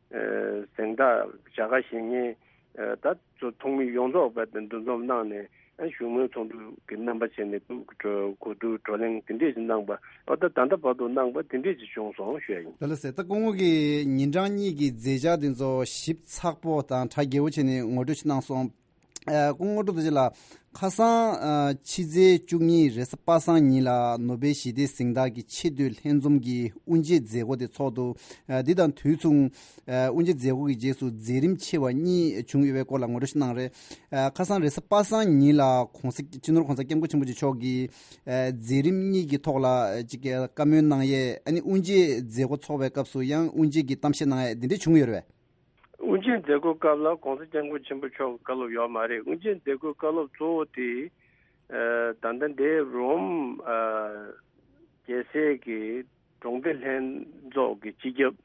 གཟེངས་རྟགས་བྱ་དགའ་བཞེས་མཁན་ད་ཚོ་ཚོགས་མི་ཡོངས་རྫོགས་པ་དེ་འདུ་འཛོམས་གནང་ནས་ཨ་བཞུགས་མོལ་ཚོགས་འདུ་གི་རྣམ་པ་བྱས་ནས་གོ་བསྡུར་བགྲོ་གླེང་དེ་འདྲས་ཅིག་གནང་པ། ཨོ་ད་ད་ལྟ་བར་དུ་གནང་པ་དེ་འདྲས་ཅིག་བྱུང་སོང་ཞུ་ཡ་ཡིན། ད་ལ་སེ་ད་སྐུ་ངོ་གི་ཉིན་གྲངས་གཉིས་ཀྱི་མཛད་འཆར་དེ་ཚོ་ཞིབ་ཚགས་པོ་དང་གྲ་རྒྱས་པོ་བྱས་ནས་ངོ་སྤྲོད་ཅིག་གནང་སོང་། ཨ་སྐུ་ངོ་ཀྲུག་རྡོ་རྗེ་ལགས། ཁ་སང་ཨ་ཕྱི་ཚེས་བཅུ་གཉིས་རེས་གཟའ་པ་སངས་ཉིན་ལ་ནོ་བེལ་ཞི་བདེའི་གཟེངས་རྟགས་ཀྱི་ཆེས་མཐོའི་ལྷན་འཛོམས་ཀྱི་དབུ་འབྱེད་མཛད་སྒོ་དེ་ཚོགས་འདུག་ཨ་འདི་དང་དུས་མཚུངས་ཨ་དབུ་འབྱེད་མཛད་སྒོ་གི་རྗེས་སུ་མཛད་རིམ་ཆེ་བ་གཉིས་བྱུང་ཡོད་པའི་སྐོར་ལ་ངོ་སྤྲོད་ཞིག་གནང་རེད། ཨ་ཁ་སང་རེས་གཟའ་པ་སངས་ཉིན་ལ་གོང་ས་སྤྱི་ནོར་གོང་ས་སྐྱབས་མགོན་ཆེན་པོ་མཆོག་གིས་ཨ་མཛད་རིམ་གཉིས་ཀྱི་ཐོག་ལ་ཅིག་བཀའ་མོལ་གནང་ཡས། ཨ་ནི་དབུ་འབྱེད་མཛད་སྒོ་ཚོགས་པའི་སྐབས་སུ་ཡང་དབུ་འབྱེད་ཀྱི་གཏམ་བཤད་གནང་ཡས་འདི་འདྲས་བྱུང་ཡོད་རེད་པས། དབུ་འབྱེད་མཛད་སྒོ་སྐབས་ལ་གོང་ས་སྐྱབས་མགོན་ཆེན་པོ་མཆོག་གི་བཀའ་སློབ་ཡོད་མ་རེད། དབུ་འབྱེད་མཛད་སྒོའི་བཀའ་སློབ་གཙོ་བོ་དེ་ཨ་ད་ལྟ་འདིའི་རོམ་ཨ་རྒྱལ་སའི་གི་གྲོང་སྡེ་ལྷན་ཚོགས་ཀྱི་སྤྱི་ཁྱབ།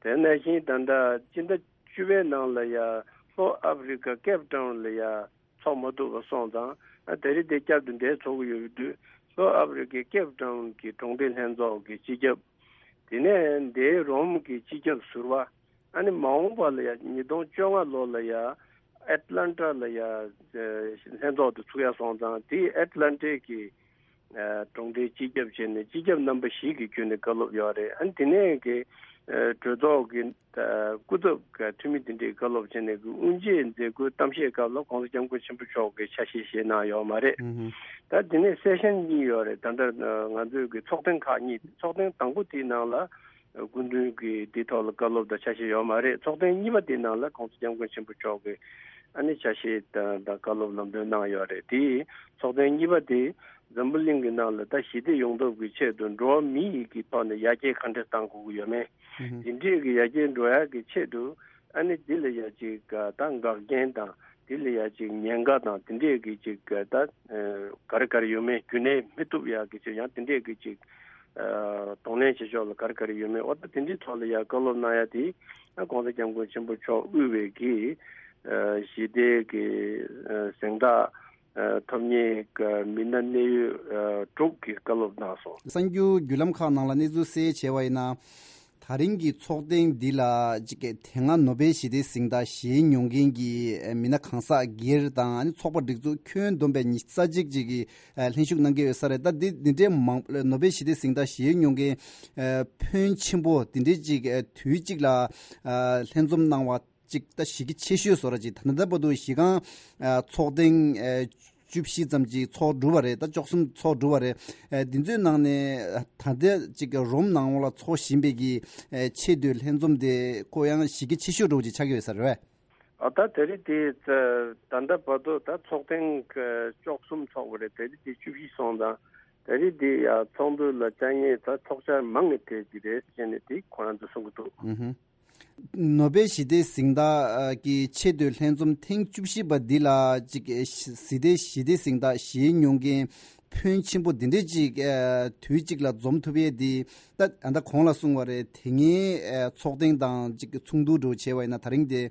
དེ་ནང་བཞིན་ད་ལྟ་སྤྱི་ཟླ་བཅུ་པའི་ནང་ལ་ཡ་ལྷོ་ཨ་ཕི་རི་ཀ་ཀེབ་ཊའུན་ལ་ཡ་ཚོགས་མ་ཐུབ་པ་སོང་ཙང་། ཨ་ད་རེས་དེ་བསྐྱར་དུ་འདིར་ཚོགས་ཀྱི་ཡོད་དུས་ལྷོ་ཨ་ཕི་རི་ཀའི་ཀེབ་ཊའུན་གྱི་གྲོང་སྡེ་ལྷན་ཚོགས་ཀྱི་སྤྱི་ཁྱབ། དེ་ནས་འདིའི་རོམ་གྱི་སྤྱི་ཁྱབ་ཟུར་པ། ཨ་ནི་མ་འོངས་པ་ལ་ཡ་ཉིས་སྟོང་བཅོ་ལྔ་ལོ་ལ་ཡ་ཨེཊ་ལན་ཊ་ལ་ཡ་ལྷན་ཚོགས་དེ་ཚུགས་ཡ་སོང་ཙང་། དེའི་ཨེཊ་ལན་ཊའི་གི་གྲོང་སྡེའི་སྤྱི་ཁྱབ་བྱས་ནས་སྤྱི་ཁྱབ་རྣམ་པ་བཞི་གི་བརྒྱུད་ནས་བཀའ་སློབ་ཡོད་རེད། ཨ་ནི་དེ་ནས་གི་གྲོས་ཚོགས་ཀྱི་སྐུ་ཚབ་འཐུས་མི་དེ་འདྲས་བཀའ་སློབ་བྱས་ནས་གི་དབུ་འབྱེད་མཛད་སྒོའི་གཏམ་བཤད་སྐབས་ལ་གོང་ས་སྐྱབས་མགོན་ཆེན་པོ་མཆོག་གིས་ཆ་ཤས་བཞེས་གནང་ཡོད་མ་རེད། ད་དེ་ནས་སེ་ཤན་གཉིས་ཡོད་རེད། ད་ལྟ་ང་ཚོའི་གི་ཚོགས་ཐེངས་ཁག་གཉིས། ཚོགས་ཐེངས་དང་པོ་དེའི་ནང་ལ་སྐུ་མདུན་གྱིས་དེའི་ཐོག་ལ་བཀའ་སློབ་དང་ཆ་ཤས་ཡོད་མ་རེད། ཚོགས་ཐེངས་གཉིས་པ་དེའི་ནང་ལ་གོང་ས་སྐྱབས་མགོན་ཆེན་པོ་མཆོག་གིས་ཨ་ནི་ཆ་ཤས་དང་དང་བཀའ་སློབ་ལམ་སྟོན་གནང་ཡོད་རེད། དེ་ཚོགས་ཐེངས་གཉིས་པ་དེ་འཛམ་བུ་གླིང་གི་ནང་ལ་ད་ཞི་བདེ་ཡོང་ཐབས་ཀྱི་ཆེད་དུ་འགྲོ་བ་མི་ཡི་གི་ཐོག་ནས་ཡར་རྒྱས་ག་འདྲས་གཏང་དགོས་ཀྱི་ཡོད་མེད། དེ་འདྲས་ཀྱི་ཡར་རྒྱས་འགྲོ་ཡག་གི་ཆེད་དུ་ཨ་ནི་འདི་ལ་ཡ་ཅིག་ད་འགག་རྐྱེན་དང་། དེ་ལ་ཡ་ཅིག་ཉེན་ཁ་དང་དེ་འདྲས་ཀྱི་ཅིག་ད་ག་རེ་ག་རེ་ཡོད་མེད། རྒྱུན་གནས་མི་ཐུབ་ཡག་གི་ཅིག་ཡང་དེ་འདྲས་ཀྱི་ཅིག་གདོང་ལེན་བྱེད་ཕྱོགས་ལ་ག་རེ་ག་རེ་ཡོད་མེད། འོ་ད་དེ་འདྲའི་ཐོག་ལ་ཡ་བཀའ་སློབ་གནང་ཡ་དེ་ཨ་གོང་ས་སྐྱབས་མགོན་ཆེན་པོ་མཆོག་དབུས་པའི་གི་ཞི་བདེ་གི་གཟེངས་རྟགས་ཐོབ་མཁན་གི་མི་སྣ་གནད་ཡོད་དྲུག་གི་བཀའ་སློབ་གནང་སོང་། གསར་འགྱུར་བརྒྱུད་ལམ་ཁག་ནང་ལ་གནས་ཚུལ་གསལ་བྱས་པ་ཡིན་ན། ད་རིང་གི་ཚོགས་ཐེངས་འདི་ལ་ཅིག་དེ་སྔ་ནོ་བེལ་ཞི་བདེའི་གཟེངས་རྟགས་བཞེས་མྱོང་མཁན་གྱི་མི་སྣ་གང་ཟག་སྒེར་དང་ཚོགས་པ་སྒྲིག་འཛུགས་ཁྱོན་བསྡོམས་པའི་ཉི་ཤུ་རྩ་གཅིག་ཅིག་གིས་ལྷན་ཞུགས་གནང་གི་ཡོད་ས་རེད། ད་འདི་འདི་འདྲའི་མང་ནོ་བེལ་ཞི་བདེའི་གཟེངས་རྟགས་བཞེས་མྱོང་མཁན་ཕོན་ཆེན་པོ་འདི་འདྲའི་ཅིག་དུས་གཅིག་ལ་ལྷན་འཛོམས་གནང་བ་ཅིག་ད་གཞི་རྒྱ་ཆེ་ཤོས་བཟོ་འདྲ་ཅིག་ད་ལྟ་བར་དུ་གཞི་རྐང་ཚོགས་ཐེངས་བཅུ་བཞི་ཙམ་ཅིག་ཚོགས་གྲུབ་པ་རེད། ད་བཅུ་གསུམ་ཚོགས་གྲུབ་པ་རེད། ཨ་འདི་ཚོའི་ནང་ནས་ད་ལྟ་ཅིག་རོམ་ནང་ལ་ཚོགས་བཞིན་པའི་གི་ཨ་ཆེས་མཐོའི་ལྷན་འཛོམས་དེ་ཁོ་ཡང་གཞི་རྒྱ་ཆེ་ཤོས་འདྲ་བོ་ཅིག་ཆགས་ཀྱི་ཡོད་ས་རེད་པས། ཨ་ད་དེ་རིང་དེ་ད་ད་ལྟ་བར་དུ་ད་ཚོགས་ཐེངས་བཅུ་གསུམ་ཚོགས་པ་རེད། དེ་རིང་དེ་བཅུ་བཞི་སོང་དང་། དེ་རིང་དེ་ཡ་ཚོགས་འདུ་ལ་བཅར་མཁན་ད་ཚོགས་བཅར་མང་ནས་ཕེབས་ཀྱི་རེད་ཟེར་ནས་དེ་ཁོ་རང་ཚོ་གསུང་གི་འདུག། ཨུ་ཧུ། ནོ་བེལ་ཞི་བདེའི་གཟེངས་རྟགས་ཀྱི་ཆེས་མཐོའི་ལྷན་འཛོམས་ཐེངས་བཅུ་བཞི་པ་འདི་ལ་ཅིག་ཞི་བདེ་ཞི་བདེའི་གཟེངས་རྟགས་བཞེས་མྱོང་མཁན་ཕོན་ཆེན་པོ་འདི་འདྲས་ཅིག་དུས་གཅིག་ལ་འཛོམས་ཐུབ་ཡས་འདི། ད་ད་ལྟ་གོང་ལ་གསུངས་པ་རེད། དེ་སྔའི་ཚོགས་ཐེངས་དང་ཅིག་མཚུངས་བསྡུར་འདྲ་བྱས་པ་ཡིན་ན། ད་རིང་དེ་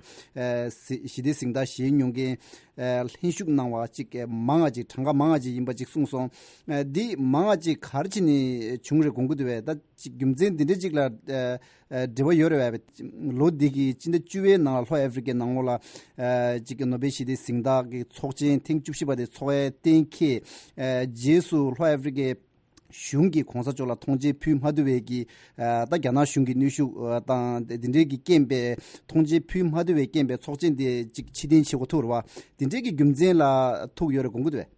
ཞི་བདེའི་གཟེངས་རྟགས་བཞེས་མྱོང་མཁན་ལྷན་ཞུགས་གནང་བ་ཅིག་མང་ང་ཅིག་གྲངས་ཀ་མང་ང་ཅིག་ཡིན་པ་ཅིག་གསུངས་སོང་། འདི་མང་ང་ཅིག་ག་རེ་བྱས་ནས་བྱུང་རེད་དགོངས་ཀྱི་འདུག་པས། ད་ཅིག་རྒྱུ་མཚན་འདི་འདྲ་ཅིག་ལ་འབྲེལ་བ་ཡོད་རེད་པས། ལོ་འདི་གི་སྤྱི་ཟླ་བཅུ་པའི་ནང་ལ་ལྷོ་ཨ་ཧྥེ་རི་ཀའི་ནང་ལོགས་ལ་ཅིག་ནོ་བེལ་ཞི་བདེའི་གཟེངས་རྟགས་ཀྱི་ཚོགས་ཆེན་ཐེངས་བཅུ་བཞི་པ་དེ་ཚོགས་ཡས་གཏན་འཁེལ། རྗེས་སུ་ལྷོ་ཨ་ཧྥེ་རི་ཀའི་གཞུང་གིས་གོང་ས་མཆོག་ལ་ཐོངས་མཆན་ཕུལ་མ་ཐུབ་པའི་གི། ད་རྒྱ་ནག་གཞུང་གི་གནོན་ཤུགས་དང་དེ་འདྲའི་གི་རྐྱེན་པས་ཐོངས་མཆན་ཕུལ་མ་ཐུབ་པའི་རྐྱེན་པས་ཚོགས་ཆེན་དེ་ཅིག་ཕྱིར་འཐེན་བྱེད་དགོས་ཐུག་རེད་པ། དེ་འདྲའི་གི་རྒྱུ་མཚན་ལ་ཐུག་ཡོད་རེད་དགོངས་ཀྱི་འདུག་པས།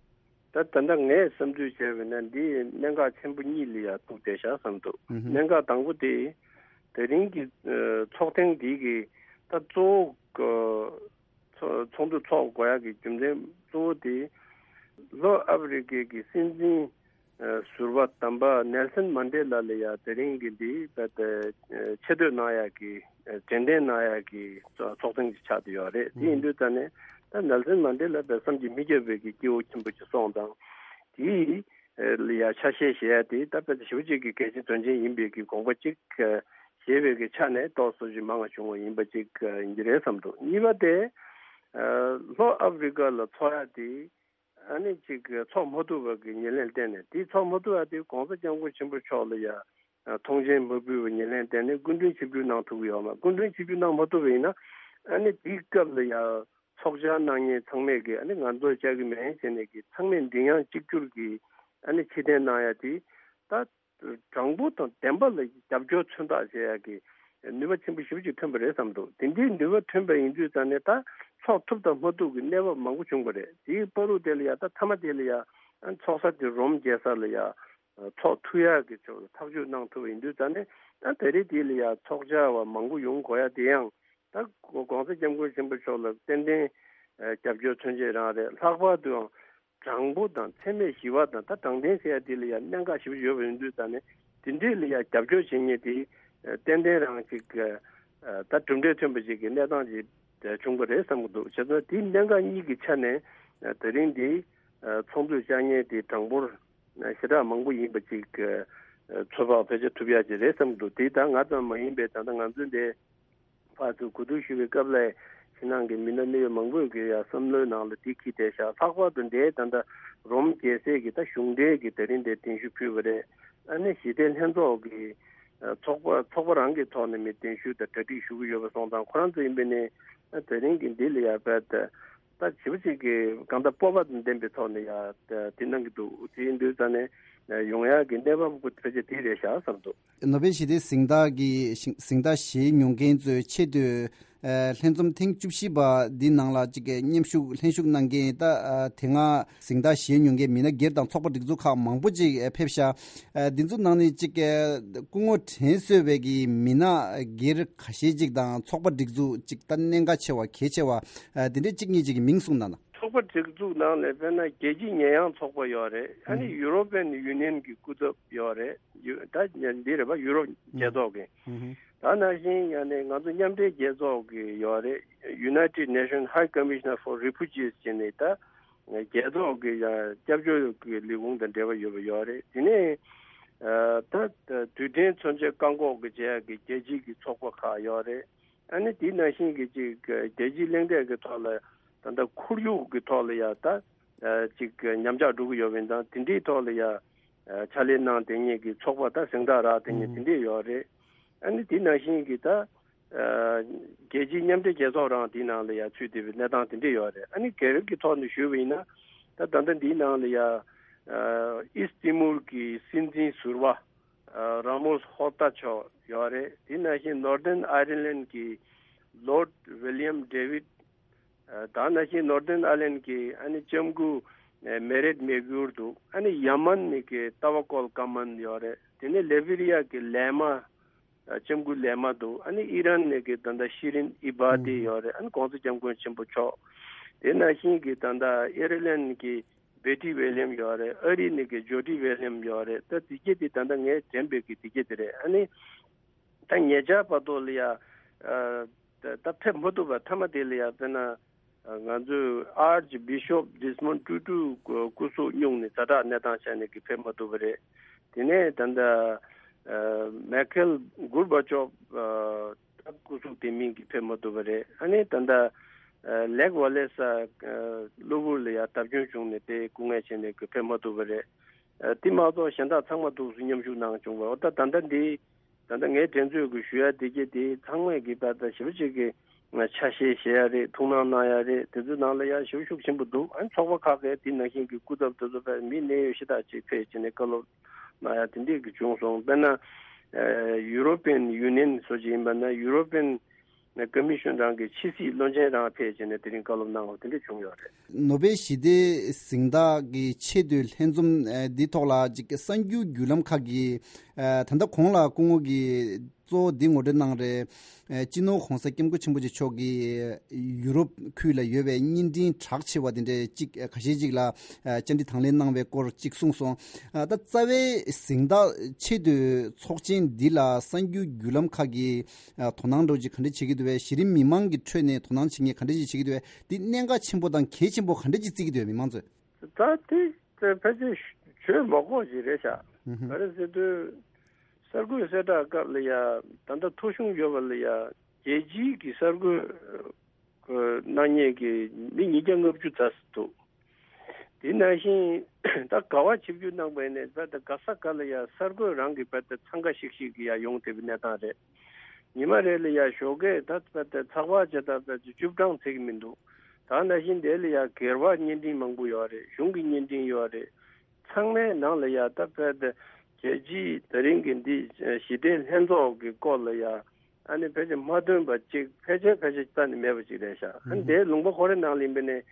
ད་ད་ལྟ་ངས་བསམ་ཚུལ་བྱས་པ་ཡིན་ན་འདི་གནད་འགག་ཆེན་པོ་གཉིས་ལ་ཡ་ཐུག་བསྡད་ཤག་བསམ་འདུག། ཨུ་ཧུ། གནད་འགག་དང་པོ་དེ་དེ་རིང་གི་ཚོགས་ཐེངས་འདི་གི་ད་གཙོ་བོ་ཚོགས་འདུ་ཚོགས་དགོས་ཡག་གི་རྒྱུ་མཚན་གཙོ་བོ་དེ། ལྷོ་ཨ་ཧྥེ་རི་ཀའི་གི་སྲིད་འཛིན་ཟུར་པ་དམ་པ་ནེལ་སན་མན་ཌེ་ལ་ལ་ཡ་དེ་རིང་གི་འདི་ད་ཆེ་བསྟོད་གནང་ཡག་གི་དྲན་རྟེན་གནང་ཡག་གི་ཚོགས་ཐེངས་ཅིག་ཆགས་བསྡད་ཡོད་རེད། དེ་ཡིན་དུས་ད་ནས་ད་ནེལ་སན་མན་ཌེ་ལ་བས་བསམ་གྱིས་མི་ཁྱབ་པའི་གི་སྐྱེ་བོ་ཆེན་པོ་ཅིག་སོང་དང་། དེའི་ལ་ཡ་ཆ་ཤས་བཞེས་ཡ་དེ་ད་དཔེ་ཞེ་པོ་ཅིག་གི་གལ་ཆེན་དོན་ཆེན་ཡིན་པའི་གི་དགོངས་པ་ཅིག་བཞེས་པའི་གི་ཆ་ནས་ཏོག་ཙམ་ཅིག་མང་བ་བྱུང་བ་ཡིན་པ་ཅིག་ཡིན་གྱི་རེད་བསམ་འདུག། གཉིས་པ་དེ་ལྷོ་ཨ་ཧྥེ་རི་ཀ་ལ་ཚོགས་ཡ་དེ་ཨ་ནི་ཅིག་ཚོགས་མ་ཐུབ་པ་གི་ཉེར་ལེན་བརྟེན་ནས། དེ་ཚོགས་མ་ཐུབ་ཡ་དེ་གོང་ས་སྐྱབས་མགོན་ཆེན་པོ་མཆོག་ལ་ཡ་ཐོངས་མཆན་མ་ཕུལ་བའི་ཉེར་ལེན་བརྟེན་ནས་སྐུ་མགྲོན་ཆིབས་བསྒྱུར་གནང་ཐུབ་ཀྱི་ཡོད་མ། སྐུ་མགྲོན་ཆིབས་བསྒྱུར་གནང་མ་ཐུབ་པ་ཡིན་ན་ཨ་ནི་དེའི་སྐབས་ལ་ཡ་ཚོགས་བཅར་གནང་མཁན་ཚང་མས་ཀྱི་ཨ་ནི་ང་ཚོ་བཅར་གི་མེད་ཟེར་ནས་ཀྱི་ཚང་མས་མགྲིན་དབྱངས་གཅིག་གྱུར་གྱི་ཨ་ནི་ཕྱིར་འཐེན་གནང་ཡ་དེ་ད་དྲང་པོ་དང་བདེན་པ་ལ་རྒྱབ་སྐྱོར་མཚོན་རྟགས་བྱེད་ཡ་གི་ནུས་པ་ཆེན་པོ་ཞེ་པོ་ཅིག་ཐོན་པ་རེད་བསམ་འདུག། དེ་འདྲའི་ནུས་པ་ཐོན་པ་ཡིན་དུས་ཙང་ནས་ད་ཚོགས་ཐུབ་དང་མ་ཐུབ་ཀྱི་གནས་བབ་མང་པོ་བྱུང་བ་རེད། དེའི་བར་དུ་དེ་ལ་ཡ་ད་མཐའ་མ་དེ་ལ་ཡ་ཨ་ཚོགས་ས་དེ་རོམ་རྒྱལ་ས་ལ་ཡ་ཚོགས་ཐུབ་ཡ་གི་ཕྱོགས་ལ་ཐག་གཅོད་གནང་ཐུབ་པ་ཡིན་དུས་ཙང་ནས་ཨ་དེ་རིང་དེ་ལ་ཡ་ཚོགས་བཅར་བ་མང་པོ་ཡོང་དགོས་ཡ་དེ་ཡང་། ད་གོང་ས་སྐྱབས་མགོན་ཆེན་པོ་མཆོག་ལ་ཏན་ཏན་རྒྱབ་སྐྱོར་མཚོན་བྱེད་རང་རེད། ལྷག་པར་དུ་ཡང་དྲང་པོ་དང་འཚེ་མེད་ཞི་བ་དང་ད་དྲང་བདེན་ཟེར་ཡ་དེ་ལ་ཡང་གནད་འགག་ཞེ་པོ་ཡོད་པ་ཡིན་དུས་ཙང་ནས་དེ་འདྲས་ལ་ཡང་རྒྱབ་སྐྱོར་བྱེད་མཁན་དེ་ཏན་ཏན་རང་ཅིག་ད་གྲུབ་འབྲས་ཐོན་པ་ཅིག་གི་གནས་སྟངས་ཅིག་བྱུང་པ་རེད་བསམ་གྱི་འདུག། བྱས་ཙང་དེའི་གནད་འགག་གཉིས་ཀྱི་ཆ་ནས་དེ་རིང་འདི་ཚོགས་འདུར་བཅར་མཁན་དེ་གྲངས་འབོར་ཞེ་དྲག་མང་པོ་ཡིན་པ་ཅིག་ཚོད་དཔག་ཕལ་ཆེར་ཐུབ་ཡ་ཅིག་རེད་བསམ་གྱི་འདུག། དེ་ད་ང་ཙམ་མ་ཡིན་པའི་ད་ལྟ་ང་ཚོའི་འདི་ཕར་ཚུར་གོ་བསྡུར་ཞུ་བའི་སྐབས་ལ་ཕྱི་ནང་གི་མི་སྣ་གནད་ཡོད་མང་པོས་ཀྱི་ཡ་བསམ་བློའི་ནང་ལ་དེ་འཁྱེར་བསྡད་ཤག། ལྷག་པར་དུ་འདིའི་ད་ལྟ་རོམ་རྒྱལ་སའི་གི་ད་གཞུང་འབྲེལ་གྱི་དེ་རིང་འདིར་གདན་ཞུ་ཕུལ་བ་རེད། ཨ་ནི་ཞི་བདེ་ལྷན་ཚོགས་ཀྱི་ཚོགས་པ་ཚོགས་པ་རང་གི་ཐོག་ནས་མི་གདན་ཞུ་དང་གྲ་སྒྲིག་ཞུ་གི་ཡོད་པ་སོང་ཙང་ཁོ་རང་ཚོ་ཡིན་པས་ནི་དེ་རིང་གི་འདི་ལ་ཡ་བལ་ད་ད་ཞེ་པོ་ཅིག་གི་གང་ལྟར་སྤོབས་པ་དང་ལྡན་པའི་ཐོག་ནས་ཡ་དེ་གནང་གི་འདུག། དེ་ཡིན་དུས་ཙང་ནས་ཡོང་ཡག་གི་གནས་བབ་ཕལ་ཆེར་དེ་རེད་ཤག་བསམ་འདུག། ནོ་བེལ་ཞི་བདེའི་གཟེངས་རྟགས་ཀྱི་གཟེངས་རྟགས་བཞེས་མྱོང་མཁན་ཚོའི་ཆེས་མཐོའི་ལྷན་འཛོམས་ཐེངས་བཅུ་བཞི་པ་འདི་ནང་ལ་ཅིག་མཉམ་ཞུགས་ལྷན་ཞུགས་གནང་མཁན་ད་དེ་སྔ་གཟེངས་རྟགས་བཞེས་མྱོང་མཁན་མི་སྣ་སྒེར་དང་ཚོགས་པ་སྒྲིག་འཛུགས་ཁག་མང་པོ་ཅིག་ཕེབས་ཤག། འདི་ཚོ་ནང་ནས་ཅིག་སྐུ་ངོ་དྲན་གསོས་པའི་གི་མི་སྣ་སྒེར་ཁ་ཤས་ཅིག་དང་ཚོགས་པ་སྒྲིག་འཛུགས་ཅིག་ད་གནད་འགག་ཆེ་བ་གལ་ཆེ་བ་འདི་འདྲའི་གཅིག་གཉིས་ཅིག་གི་མིང་གསུངས་གནང་ན། ཚོགས་པ་སྒྲིག་འཛུགས་ནང་ལ་དཔེར་ན་རྒྱལ་སྤྱིའི་ཉེས་ཡངས་ཚོགས་པ་ཡོད་རེད། ཨ་ནི་ཡུ་རོ་པན་ཡུ་ནི་ཡན་གྱི་སྐུ་ཚབ་ཡོད་རེད། ཡུ་ད་འདི་རེད་པ། ཡུ་རོབ་རྒྱལ་ཚོགས་ཀྱི། ད་ནང་བཞིན་ཡང་ནས་ང་ཚོ་མཉམ་འབྲེལ་རྒྱལ་ཚོགས་ཀྱི་ཡོད་རེད། United Nations High Commissioner for Refugees ཟེར་ནས་ད་རྒྱལ་ཚོགས་ཀྱི་ཡང་སྐྱབས་བཅོལ་གྱི་ལས་ཁུངས་དང་འབྲེལ་བ་ཡོད་པ་ཡོད་རེད། དེ་ནས་ད་རྡུལ་ཕྲན་མཚོན་ཆ་བཀག་འགོག་གི་བྱེད་ཡག་གི་རྒྱལ་སྤྱིའི་གི་ཚོགས་པ་ཁག་ཡོད་རེད། ཨ་ནི་དེ་ནང་བཞིན་གྱི་ཅིག་རྒྱལ་སྤྱིའི་གླེང་སྟེགས་ཀྱི་ཐོག་ལ་ད་ལྟ་ཁོར་ཡུག་གི་ཐོག་ལ་ཡ་ད་ཅིག་ཉམས་ཆག་འགྲོ་གི་ཡོད་པ་ཡིན་ཙང་དེ་འདྲའི་ཐོག་ལ་ཡ་ཕྱག་ལས་གནང་བསྡད་མཁན་གྱི་ཚོགས་པ་ད་གཟེངས་རྟགས་རག་བསྡད་མཁན་དེ་འདྲས་ཡོད་རེད། ཨ་ནི་དེ་ནང་བཞིན་གྱི་ད་རྒྱལ་སྤྱིའི་མཉམ་འབྲེལ་རྒྱལ་ཚོགས་རང་དེའི་ནང་ལ་ཡ་ཚུད་བསྡད་པའི་གནས་སྟངས་དེ་འདྲས་ཡོད་རེད། ཨ་ནི་སྒེར་གྱི་ཐོག་ནས་ཞུས་པ་ཡིན་ན་ད་ད་ལྟ་འདིའི་ནང་ལ་ཡ་ཨིསྟ་ཏི་མུལ་གྱི་སྲིད་འཛིན་ཟུར་པ། ར་མོས་ཧོར་ཏ་མཆོག་ཡོད་རེད། དེ་ནང་བཞིན་ནོར་ཐེརན་ཨའི་རི་ལན་གྱི་ལོརྡ་ཝི་ལི་ཡམ་ཌེ་ཝིད། ད་ནང་བཞིན་ནོར་ཐེརན་ཨའི་ལན་གྱི་ཨ་ནི་ལྕམ་སྐུ་མེ་རེད་མེག་གུར་འདུག། ཨ་ནི་ཡ་མན་ནི་གི་ཏ་བ་ཀོལ་ཀ་མན་ཡོད་རེད། དེ་ནས་ལེ་བྷི་རི་ཡ་གི་ལེ་མ། ལྕམ་སྐུ་ལེ་མ་འདུག་ཨ་ནི་ཨི་རན་ནས་གི་ད་ལྟ་ཤི་རིན་ཨི་བྷ་ཏི་ཡོད་རེད། ཨ་ནི་གོང་ས་སྐྱབས་མགོན་ཆེན་པོ་མཆོག་དེ་ནང་བཞིན་གི་ད་ལྟ་ཨེར་ལན་གི་བེ་ཏི་ཝེ་ལི་ཡམ་ཡོད་རེད། ཨ་རི་ནས་གི་ཇོ་ཌི་ཝེ་ལི་ཡམ་ཡོད་རེད། ད་དེ་གྱད་དེ་ད་ལྟ་ངས་དྲན་པའི་གི་དེ་གྱད་དེ་རེད། ཨ་ནི་ད་ཉེ་ཆར་བར་དུ་ལ་ཡ། ཨ། ད་ད་ཕེབས་མ་ཐུབ་པ་མཐའ་མ་དེ་ལ་ཡ་དཔེར་ན། ཨ། ང་ཚོའི་ཨར་ཅི་བི་ཤོབ་ཌི་སི་མོན་ཊུ་ཊུ་སྐུ་སྐུ་གཟུགས་སྙུང་ནས་ཛ་དྲག་གནས་སྟངས་ཆགས་ནས་ཀྱི་ཕེབས་མ་ཐུབ་པ་རེད། དེ་ནས་ད་ལྟ། ཨ། མེ་ཁེལ་གུར་བ་ཅོབ། ཨ། ད་སྐུ་གཟུགས་དེ་མིན་གྱི་ཕེབས་མ་ཐུབ་པ་རེད། ཨ་ནི་ད་ལྟ། ཨ། ལེག་ཝ་ལེ་ས། ཨ། གློ་བུར་ལ་ཡ་བརྡབ་སྐྱོན་བྱུང་ནས་དེ་སྐུ་ངལ་ཆེ་ནས་ཀྱི་ཕེབས་མ་ཐུབ་པ་རེད། ཨ། དེ་མ་གཏོགས་གཞན་དག་ཚང་མ་ཐུགས་སུ་མཉམ་ཞུགས་གནང་བྱུང་བ། འོ་ད་ད་ལྟ་འདི། ད་ལྟ་ངས་དྲན་ཚོད་ཀྱི་ཞུ་ཡ་དེ་གྱད་དེ་ཚང་མས་ཀྱི་ད་ལྟ་ཞེ་པོ་ཅིག་གི་ཆ་ཤས་བཞེས་ཡ་རེད། ཐུགས་སྣང་གནང་ཡ་རེད། དེ་ཚོའི་ནང་ལ་ཡ་ཞེ་པོ་ཤུགས་ཆེན་པོ་འདུག་ཨ་ནི་ཚོགས་པ་ཁག་གིས་དེ་ནང་བཞིན་གྱི་སྐུ་ཚབ་དེ་ཚོ་ཕེབས། མི་གནད་ཡོད་ཤ་སྟག་ཅིག་ཕེབས་བྱས་ནས་བཀའ་སློབ་གནང་ཡ་དེ་འདྲས་ཀྱི་བྱུང་སོང་། དཔེར་ན། ཨ། ཡུ་རོ་པི་ཡན་ཡུ་ནི་ཡན་སོགས་ཅིག་ཡིན་པ་ན་ཡུ་རོ་པི་ཡན་ཀོ་མི་ཤོན་རང་གི་ཕྱི་སྲིད་བློན་ཆེན་རང་ཕེབས་བྱས་ནས་དེ་རིང་བཀའ་སློབ་གནང་བ་དེ་འདྲས་བྱུང་ཡོད་རེད། ནོ་བེལ་ཞི་བདེའི་གཟེངས་རྟགས་ཀྱི་ཆེས་མཐོའི་ལྷན་འཛོམས་འདི་ཐོག་ལ་ཅིག་གསར་འགྱུར་བརྒྱུད་ལམ་ཁག་གིས། ཨ། ད་ལྟ་གོང་ལ་སྐུ་ངོ་གིས་གཙོ་བོ་འདི་ངོ་སྤྲོད་གནང་རེད། ཨ། སྤྱི་ནོར་༸གོང་ས་༸སྐྱབས་མགོན་ཆེན་པོ་མཆོག་གིས་ཡུ་རོབ་ཁུལ་ལ་ཡོད་པའི་བརྙན་འཕྲིན་གྲགས་ཆེ་བ་དེ་འདྲའི་གཅིག་ཁ་ཤས་ཅིག་ལ་བཅར་འདྲི་དང་ལེན་གནང་བའི་སྐོར་གཅིག་གསུངས་སོང་། ཨ། ད་རྩ་བའི་གཟེངས་རྟགས་ཆེད་དུ་ཚོགས་ཆེན་འདི་ལ་གསར་འགྱུར་བརྒྱུད་ལམ་ཁག་གིས་དོ་སྣང་འདྲ་བོ་ཅིག་ག་འདྲ་བྱེད་ཀྱི་འདུག་པས། གཞི་རིམ་མི་མང་གི་ཁྲོད་ནས་དོ་སྣང་བྱེད་མཁན་ག་འདྲ་ཅིག་བྱེད་ཀྱི་འདུག་པས། འདི་གནད་འགག་ཆེན་པོ་དང་གལ་ཆེན་པོ་ག་འདྲ་ཅིག་བརྩི་གི་འདུག་པས་མི་མང་ཚོས། ད་དེ་ཕལ་ཆེར་ཞུ་མ་དགོས་ཞིག་རེད་ཤག་ཧུམ་ཧུམ། ག་རེ་ཟེར་དུས། གསར་འགོད་གསལ་བསྒྲགས་སྐབས་ལ་ཡ། ད་ལྟ་ཐོ་གཞུང་ཡོད་པ་ལ་ཡ། རྒྱལ་སྤྱིའི་གི་གསར་འགོད་གནང་མཁན་གྱི་མི་ཉིས་བརྒྱ་ལྔ་བཅུ་ཙམ་འདུག་དེ་ནང་བཞིན་ད་ག་བ་ཆིབས་བསྒྱུར་གནང་པ་ཡིན་ནའི་བར་དུ་ག་ས་ག་ལ་ཡ་གསར་འགོད་རང་གི་བར་དུ་འཚང་ཁ་ཤིག་ཤིག་གི་ཡ་ཡོང་བསྡད་པའི་གནས་སྟངས་རེད། ཉི་མ་རེ་ལ་ཡ་ཞོགས་ཀས་ད་བར་དུ་ཚགས་པར་བྱེད་སྟངས་བར་དུ་བཅུ་གྲངས་ཚད་ཀྱི་མི་འདུག་ད་ནང་བཞིན་དེ་ལ་ཡ་སྒེར་པ་བརྙན་འཕྲིན་མང་པོ་ཡོད་རེད། གཞུང་གི་བརྙན་འཕྲིན་ཡོད་རེད། ཚང་མའི་ནང་ལ་ཡ་ད་བར་དུ་རྒྱལ་སྤྱིའི་ད་རིང་གི་འདི་ཞི་བདེ་ལྷན་ཚོགས་ཀྱི་སྐོར་ལ་ཡ། ཨ་ནི་ཕལ་ཆེར་མ་ཐོན་པ་གཅིག་ཕལ་ཆེར་ཕལ་ཆེར་རྩ་ནས་མེད་པ་ཅིག་རེད་ཤག་ཨ་ནི་དེའི་ལུང་པ་ཁོ་རའི་ནང་ལ་ཡིན་པ་ནས།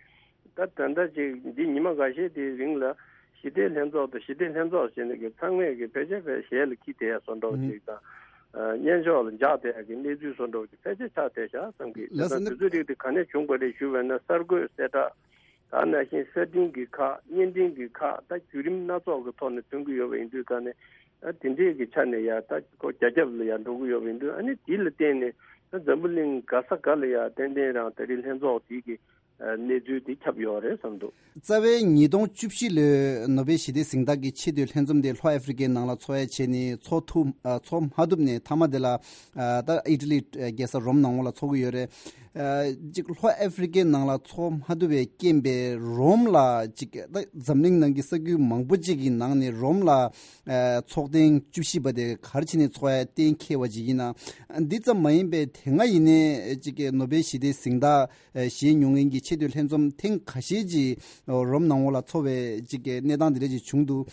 ད་ད་ལྟ་ཅིག་འདི་ཉི་མ་འགའ་ཤས་དེའི་རིང་ལ་ཞི་བདེ་ལྷན་ཚོགས་དང་ཞི་བདེ་ལྷན་ཚོགས་ཟེར་ནས་ཀྱི་ཚང་མས་ཀྱི་ཕལ་ཆེར་ཕལ་ཞལ་ལ་ཁྱི་དེ་ཡ་བཟོ་འདྲ་བོ་ཅིག་དང་། ཨ། སྙན་ཞོགས་ལ་འཇགས་བསྡད་ཡ་གི་གནས་ཚུལ་བཟོ་འདྲ་བོ་ཅིག་ཕལ་ཆེར་ཆགས་བསྡད་ཤག་བསམ་གི། དེ་ལགས་སོ། དང་དེ་ཚོའི་རིགས་དེ་ག་ནས་བྱུང་བ་རེད་ཞུ་བས་ན་གསར་འགོད་གསལ་བསྒྲགས། ད་ནང་བཞིན་གསར་འཕྲིན་གྱི་ཁག་བརྙན་འཕྲིན་གྱི་ཁག་ད་བརྒྱུད་རིམ་སྣ་ཚོགས་ཀྱི་ཐོག་ནས་ཐོན་གྱི་ཡོད་པ་ཡིན་དུས་ཀ་ནས། ཨ། དེ་འདྲས་ཀྱི་ཆ་ནས་ཡ་ད་ཁོ་རྒྱ་ཁྱབ་ལ་ཡ་འགྲོ་གི་ཡོད་པ་ཡིན་དུས། ཨ་ནི་དེ་ལ་བརྟེན་ནས་ད་འཛམ་བུ་གླིང་ག་ས་ག་ལ་ཡ་ཏན་ཏན་རང་ད་རེས་ལྷན་ཚོགས་དེ་གི་ཨ། གནས་ཚུལ་དེ་ཁྱབ་ཡོད་རེད་བསམ་འདུག་རྩ་བའི་ཉིས་སྟོང་བཅུ་བཞི་ལོའི་ནོ་བེལ་ཞི་བདེ་གཟེངས་རྟགས་ཀྱི་ཆེས་མཐོའི་ལྷན་འཛོམས་དེ་ལྷོ་ཨ་ཧྥི་རི་ཀའི་ནང་ལ་འཚོགས་ཡ་བྱས་ནས་འཚོགས་ཐུབ། ཨ། འཚོགས་མ་ཐུབ་ནས་མཐའ་མ་དེ་ལ། ཨ། ད་ཨི་ཊ་ལི་རྒྱལ་ས་རོམ་ནང་ལ་འཚོགས་ཀྱི་ཡོད་རེད། ཨ། ཅིག་ལྷོ་ཨ་ཧྥི་རི་ཀའི་ནང་ལ་འཚོགས་མ་ཐུབ་པའི་རྐྱེན་པས་རོམ་ལ་ཅིག་ད་འཛམ་གླིང་ནང་གི་ས་ཁུལ་མང་པོ་ཅིག་གི་ནང་ནས་རོམ་ལ། ཨ། ཚོགས་ཐེངས་བཅུ་བཞི་པ་དེ་ག་རེ་བྱས་ནས་འཚོགས་ཡ་གཏན་འཁེལ་བ་ཅིག་ཡིན་ན། འདི་ཙམ་མ་ཡིན་པའི་དེ་སྔ་ཡིན་ནའི་ཅིག་ནོ་བེལ་ཞི་བདེའི་གཟེངས་རྟགས་བཞེས་མྱོང་མཁན་གྱི་ཆེས་མཐོའི་ལྷན་འཛོམས་ཐེངས་ཁ་ཤས་ཅིག་རོམ་ནང་ལོགས་ལ་འཚོགས་པའི་ཅིག་གི་གནས་སྟངས་འདི་འདྲ་ཅིག་བྱུང་འདུག་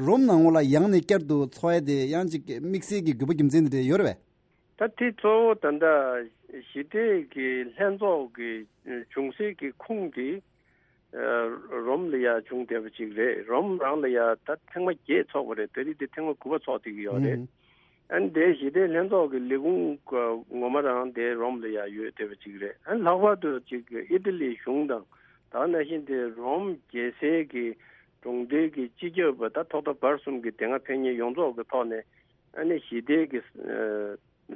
རོམ་ནང་ལོགས་ལ་ཡང་ནས་བསྐྱར་དུ་འཚོགས་ཡ་དེ་ཡང་ཅིག་དམིགས་བསལ་གྱི་དགོས་པ་རྒྱུ་མཚན་འདི་འདྲ་ཡོད་རེད་པས། ད་དེ་གཙོ་བོ་ད་ལྟ་ཞི་བདེ་གི་ལྷན་ཚོགས་ཀྱི་འབྱུང་སའི་གི་ཁུངས་དེ་རོམ་ལ་ཡ་བྱུང་བསྡད་པ་ཅིག་རེད། རོམ་རང་ལ་ཡ་ད་ཐེངས་མ་བརྒྱད་འཚོགས་པ་རེད། ད་རེས་དེ་ཐེངས་མ་དགུ་པ་འཚོགས་བསྡད་ཀྱི་ཡོད་རེད། ཨ་ནི་དེ་ཞི་བདེ་ལྷན་ཚོགས་ཀྱི་ལས་ཁུངས་ངོ་མ་རང་དེ་རོམ་ལ་ཡ་ཡོད་བསྡད་པ་ཅིག་རེད། ཨ་ནི་ལྷག་པར་དུ་ཅིག་ཨི་ཊ་ལིའི་གཞུང་དང་། ད་ནང་བཞིན་དེ་རོམ་རྒྱལ་སའི་གི་གྲོང་རྡལ་གྱི་སྤྱི་ཁྱབ་པ་ད་ཐོག་མཐའ་བར་གསུམ་གྱི་དེ་སྔ་ཕེབས་མཁན་ཡོངས་རྫོགས་ཀྱི་ཐོག་ནས། ཨ་ནི་ཞི་བདེ་གི་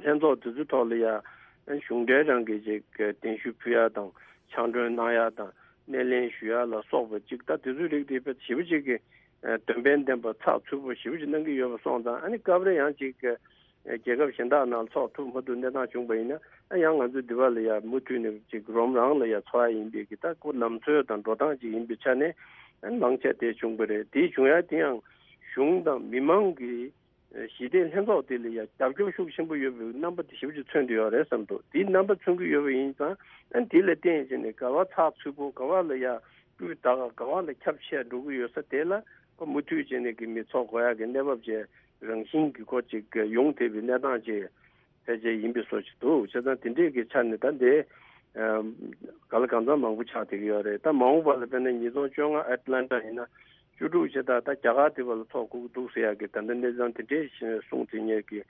ལྷན་ཚོགས་དེ་ཚོའི་ཐོག་ལ་ཡ། གཞུང་འབྲེལ་རང་གི་ཅིག་གདན་ཞུ་ཕུལ་ཡ་དང་ཕྱག་མགྲོན་གནང་ཡ་དང་སྣེ་ལེན་ཞུ་ཡ་ལ་སོགས་པ་ཅིག་ད་དེ་ཚོའི་རིགས་དེ་ཞེ་པོ་ཅིག་གི་དོན་ཕན་ལྡན་པ་ཚགས་ཚུད་པོ་ཞེ་པོ་ཅིག་གནང་གི་ཡོད་པ་སོང་ཙང་། ཨ་ནི་སྐབས་རེ་ཡང་ཅིག་རྒྱལ་ཁབ་གཞན་དག་ནང་འཚོགས་ཐུབ་མ་ཐུབ་གནས་སྟངས་བྱུང་པ་ཡིན་ན། ཨ་ཡང་ང་ཚོ་འདི་པ་ལ་ཡ་མུ་མཐུད་ནས་ཅིག་རོམ་རང་ལ་ཡ་འཚོགས་ཡ་ཡིན་པའི་གི་ད་ཁོ་ལམ་སྲོལ་དང་འགྲོ་སྟངས་ཅིག་ཡིན་པའི་ཆ་ནས། ཨ་ནི་མང་ཆེ་དེ་བྱུང་པ་རེད། དེ་བྱུང་ཡ་དེ་ཡང་གཞུང་དང་མི་མང་གི་ཞི་བདེ་ལྷན་ཚོགས་དེ་ལ་ཡ་རྒྱབ་སྐྱོར་ཤུགས་ཆེན་པོ་ཡོད་པའི་རྣམ་པ་དེ་ཞེ་པོ་ཅིག་མཚོན་གྱི་ཡོད་རེད་བསམ་འདུག་དེའི་རྣམ་པ་མཚོན་གྱི་ཡོད་པ་ཡིན་ཙང་། ཨ་ནི་དེ་ལ་བརྟེན་བྱས་ནས་ག་བ་ཚགས་ཚུད་པོ། ག་བ་ལ་ཡ་སྤུས་དག་ག་བ་ལ་ཁྱབ་ཆེ་འགྲོ་གི་ཡོད་ས་དེ་ལ་ཁོ་མུ་མཐུད་བྱས་ནས་ཀྱི་མི་ཚོགས་དགོས་ཡ་གི་གནས་བབ་ཅིག་རང་བཞིན་གྱི་ཁོ་ཅིག་ཡོང་བསྡད་པའི་གནས་སྟངས་ཅིག་ཕལ་ཆེར་ཡིན་པའི་བཟོ་ཅིག་འདུག་བྱས་ཙང་དེ་འདྲས་ཀྱི་ཆ་ནས་ད་འདི། ཨ། ག་ལ་གང་འཚམ་མང་པོ་ཆགས་བསྡད་ཀྱི་ཡོད་རེད། ད་མ་འོངས་པ་ལ་དཔེར་ན་ཉིས་སྟོང་བཅོ་ལྔ་ཨེཊ་ལན་ཊ་ཡིན་ན་བཅུ་དྲུག་བྱས། ད་ད་རྒྱ་གར་དེ་བ་ལ་ཚོགས་དགོས་ཀྱི་འདུག་ཟེར་ཡ་གི་ད་ལྟ་གནས་ཚང་དེ་འདྲས་གསུངས་བསྡད་མཁན་གྱི་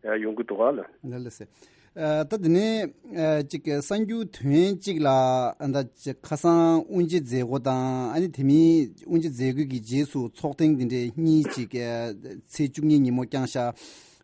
ཡ་ཡོང་གི་འདུག་ག་ལ། ལགས་ལགས་སེ། ཨ་ད་དེ་ནས་ཨ་ཅིག་གསར་འགྱུར་དོན་གཅིག་ལ་ཨ་ད་ཅིག་ཁ་སང་དབུ་འབྱེད་མཛད་སྒོ་དང་ཨ་ནི་དེ་མིན་དབུ་འབྱེད་མཛད་སྒོའི་གི་རྗེས་སུ་ཚོགས་ཐེངས་འདི་འདྲའི་གཉིས་ཅིག་ཨ་ཚེས་བཅུ་གཉིས་ཉིན་མོ་བསྐྱངས་ཤག་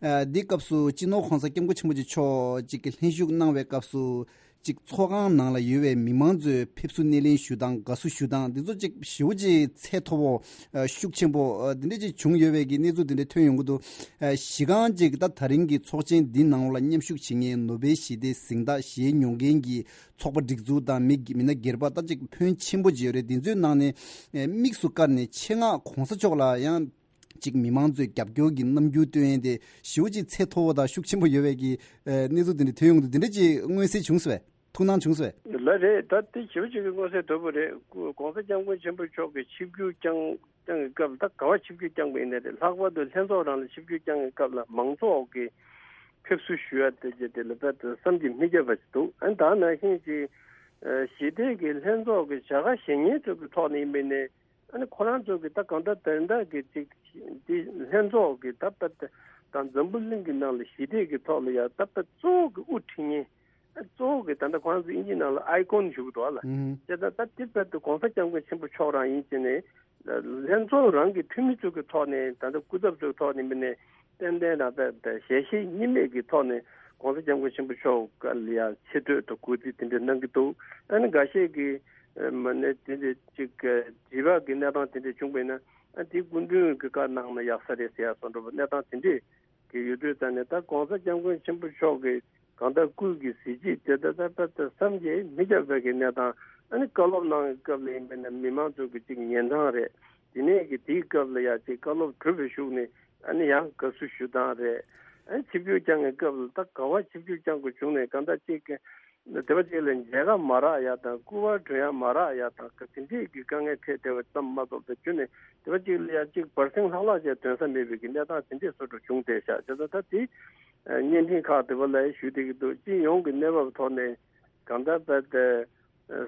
ཨ་འདི་སྐབས་སུ་སྤྱི་ནོར་༸གོང་ས་༸སྐྱབས་མགོན་ཆེན་པོ་མཆོག་ཅིག་གི་ལྷན་ཞུགས་གནང་བའི་སྐབས་སུ། ཅིག་ཚོགས་ཁང་ནང་ལ་ཡོད་པའི་མི་མང་ཚོས་ཕེབས་བསུ་སྣེ་ལེན་ཞུ་སྟངས་དགའ་བསུ་ཞུ་སྟངས་འདི་ཚོ་ཅིག་ཞེ་པོ་ཅིག་ཚད་མཐོ་པོ་ཨ་ཤུགས་ཆེན་པོ་ཨ་འདི་འདྲ་ཅིག་བྱུང་ཡོད་པའི་གི་གནས་ཚུལ་འདི་འདྲ་ཐོན་ཡོང་གི་འདུག་ཨ་གཞི་རྐང་ཅིག་ད་ད་རིང་གི་ཚོགས་ཆེན་འདི་ནང་ལ་མཉམ་ཞུགས་བྱེད་མཁན་ནོ་བེལ་ཞི་བདེའི་གཟེངས་རྟགས་བཞེས་མྱོང་མཁན་གྱི་ཚོགས་པ་སྒྲིག་འཛུགས་དང་མི་མི་སྣ་སྒེར་པ་ད་ཅིག་ཕོན་ཆེན་པོ་ཅིག་ཡོད་རེད། འདི་ཚོའི་ནང་ནས་ཨ་དམིགས་སུ་བཀར་ནས་ཆེད་མངགས་༸གོང་ས་མཆོག་ལ་ཡང་། གཅིག་མི་མང་ཚོས་རྒྱབ་སྐྱོར་གྱི་རྣམ་འགྱུར་སྟོན་ཡས་དེ་ཞེ་པོ་ཅིག་ཚད་མཐོ་བོ་དང་ཤུགས་ཆེན་པོ་ཡོད་པའི་གི་ཨ་གནས་ཚུལ་དེ་འདྲ་ཐོན་ཡོང་དུས་དེ་འདྲ་ཅིག་མངོན་གསལ་བྱུང་སོང་བས། ཐུགས་སྣང་བྱུང་སོང་བས། ལགས་རེད། ད་དེ་ཞེ་པོ་ཅིག་གི་མངོན་གསལ་དོད་པོ་རེད། ༸གོང་ས་༸སྐྱབས་མགོན་ཆེན་པོ་མཆོག་གི་ཆིབས་བསྒྱུར་བསྐྱངས་བསྐྱངས་ཀྱི་སྐབས་ལ་ད་ག་བ་ཆིབས་བསྒྱུར་བསྐྱངས་པ་ཡིན་ནའི་རེད། ལྷག་པར་དུ་ལྷན་ཚོགས་རང་ལ་ཆིབས་བསྒྱུར་བསྐྱངས་ཀྱི་སྐབས་ལ་མང་ཚོགས་ཀྱི་ཕེབས་བསུ་ཞུ་ཡ་དེ་ཅིག་དེ་ལ་དཔེ་དེ་བསམ་གྱིས་མི་ཁྱབ་པ་ཞིག་འདུག་ཨ་ནི་ད་ནང་བཞིན་ཅིག་ཨ་ཞི་བདེ་གི་ལྷན་ཚོགས་ཀྱི་བྱ་དགའ་བཞེས་མཁན་ཚོ་གི་ཐོག་ནས་ཡིན་པ་ཡིན་ནའི། ཨ་ནི་ཁོ་རང་ཚོ་གི་ད་གང་ལྟར་དེ་འདྲ་གི་ཅིག་འདི་ལྷན་ཚོགས་ཀྱི་ད་ད་ད་འཛམ་བུ་གླིང་གི་ནང་ལ་ཞི་བདེ་གི་ཐོག་ལ་ཡ་ད་ད་གཙོ་བོ་གི་དབུ་ཁྲིད་མཁན། ཨ་གཙོ་བོ་གི་ད་ལྟ་ཁོ་རང་ཚོ་དབྱིན་ཇི་ནང་ལ་ཨའི་ཀོན་ཞུ་གི་འདུག་ཨ་ལ། ཨུ་ཧུམ། བྱས་ཙང་ད་དེ་བར་དུ་༸གོང་ས་༸སྐྱབས་མགོན་ཆེན་པོ་མཆོག་རང་ཡིན་ཕྱིན་ནས་ལྷན་ཚོགས་རང་གི་འཐུས་མི་ཚོ་གི་ཐོག་ནས་ད་ལྟ་སྐུ་ཚབ་ཚོ་གི་ཐོག་ནས་མིན་ནས་ཏན་ཏན་རང་ད་ད་ཞལ་བཞེས་གཉིས་མེད་ཀྱི་ཐོག་ནས་༸གོང་ས་༸སྐྱབས་མགོན་ཆེན་པོ་མཆོག་ལ་ཡ་ཆེ་བསྟོད་དང་གུས་བརྩི་དེ་འདྲ་གནང་གི་འདུག་ཨ་ནི་འགའ་ཤས་ཀྱིས་མ་ནས་དེ་འདྲ་ཅིག་དྲི་བ་གི་གནས་སྟངས་དེ་འདྲ་བྱུང་བས་ན་ཨ་དེ་སྐུ་མདུན་གྱི་བཀའ་གནང་ན་ཡག་ས་རེད་ཟེར་ཡ་སོགས་འདྲ་པོ་གནས་སྟངས་དེ་འདྲས་ཀྱི་ཡོད་དུས་ཙང་ནས་ད་༸གོང་ས་༸སྐྱབས་མགོན་ཆེན་པོ་མཆོག་གི་གང་ལྟར་སྐུ་གི་གཟི་བརྗིད་དེ་ད་ད་ད་ད་བསམ་གྱིས་མི་ཁྱབ་པའི་གི་གནས་སྟངས། ཨ་ནི་བཀའ་སློབ་གནང་བའི་སྐབས་ལ་ཡིན་པས་ན་མི་མང་ཚོ་གི་ཅིག་ཉན་སྟངས་རེད། དེ་ནས་གི་དེའི་སྐབས་ལ་ཡ་ཅིག་བཀའ་སློབ་གྲུབ་པའི་གཞུག་ནས་ཨ་ནི་ཡང་དགའ་བསུ་ཞུ་སྟངས་རེད། ཨ་ནི་ཆིབས་བསྒྱུར་བསྐྱངས་པའི་སྐབས་ལ་ད་ག་བ་ཆིབས་བསྒྱུར་བསྐྱངས་དགོས་བྱུང་ནས་གང་ལྟར་ཅིག་གི་དེ་བ་ཅིག་ལ་མཇལ་ཁ་མ་རག་ཡ་དང་སྐུ་པར་སྒྲོན་ཡ་མ་རག་ཡ་དང་ག་དེ་འདྲས་ཀྱི་དཀའ་ངལ་འཕྲད་བསྡད་པ་ཙམ་མ་གཏོགས་པའི་རྒྱུ་ནས་དེ་བ་ཅིག་ལ་ཡ་ཅིག་བར་སེང་ལྷག་ལྷག་ཅིག་འདོན་ས་མེད་པའི་གི་གནས་སྟངས་དེ་འདྲས་སོགས་འགྲོ་བྱུང་བསྡད་ཤག་བྱས་ཙང་ད་དེ་བརྙན་འཕྲིན་ཁག་དེ་བ་ལ་ཞུ་བསྡད་ཀྱི་འདུག་སྤྱི་ཡོངས་ཀྱི་གནས་བབ་ཐོག་ནས་གང་ལྟར་བས་ཏེ།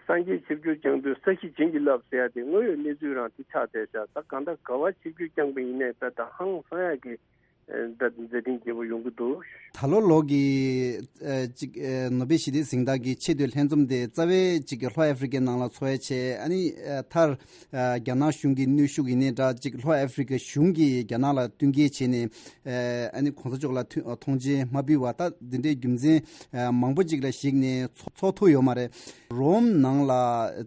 སངས་རྒྱས་ཆིབས་བསྒྱུར་བསྐྱངས་དུས་ས་གཞི་བྱིན་གྱིས་བརླབས་ཟེར་ཡ་དེ་དངོས་ཡོད་གནས་ཚུལ་རང་དེ་ཆགས་བསྡད་ཤག་ད་གང་ལྟར་ག་བ་ཆིབས་བསྒྱུར་བསྐྱངས་པ་ཡིན་ནའི་དཔེ་ད་ཧང་སང་ཡ་གི་ད་མཛད་འཕྲིན་རྒྱས་པོ་ཡོང་གི་འདུག་ད་ལོ་ལོ་གི་ཨ་ཅིག་ཨ་ནོ་བེལ་ཞི་བདེའི་གཟེངས་རྟགས་ཀྱི་ཆེས་མཐོའི་ལྷན་འཛོམས་དེ་རྩ་བའི་ཅིག་གི་ལྷོ་ཨ་ཧྥི་རི་ཀའི་ནང་ལ་འཚོགས་ཡ་བྱས། ཨ་ནི་ཨ་མཐར་ཨ་རྒྱ་ནག་གཞུང་གི་གནོན་ཤུགས་ཡིན་ནའི་འདྲ་ཅིག་ལྷོ་ཨ་ཧྥི་རི་ཀའི་གཞུང་གིས་རྒྱ་ནག་ལ་བསྟུན་མཁས་བྱས་ནས་ཨ་ནི་གོང་ས་མཆོག་ལ་ཐུ་ཐོངས་མཆན་མ་ཕུལ་བ་ད་འདི་འདྲའི་རྒྱུ་མཚན་ཨ་མང་པོ་ཅིག་ལ་གཞིགས་ནས་འཚོགས་འཚོགས་ཐུབ་ཡོད་མ་རེད། རོམ་ནང་ལ་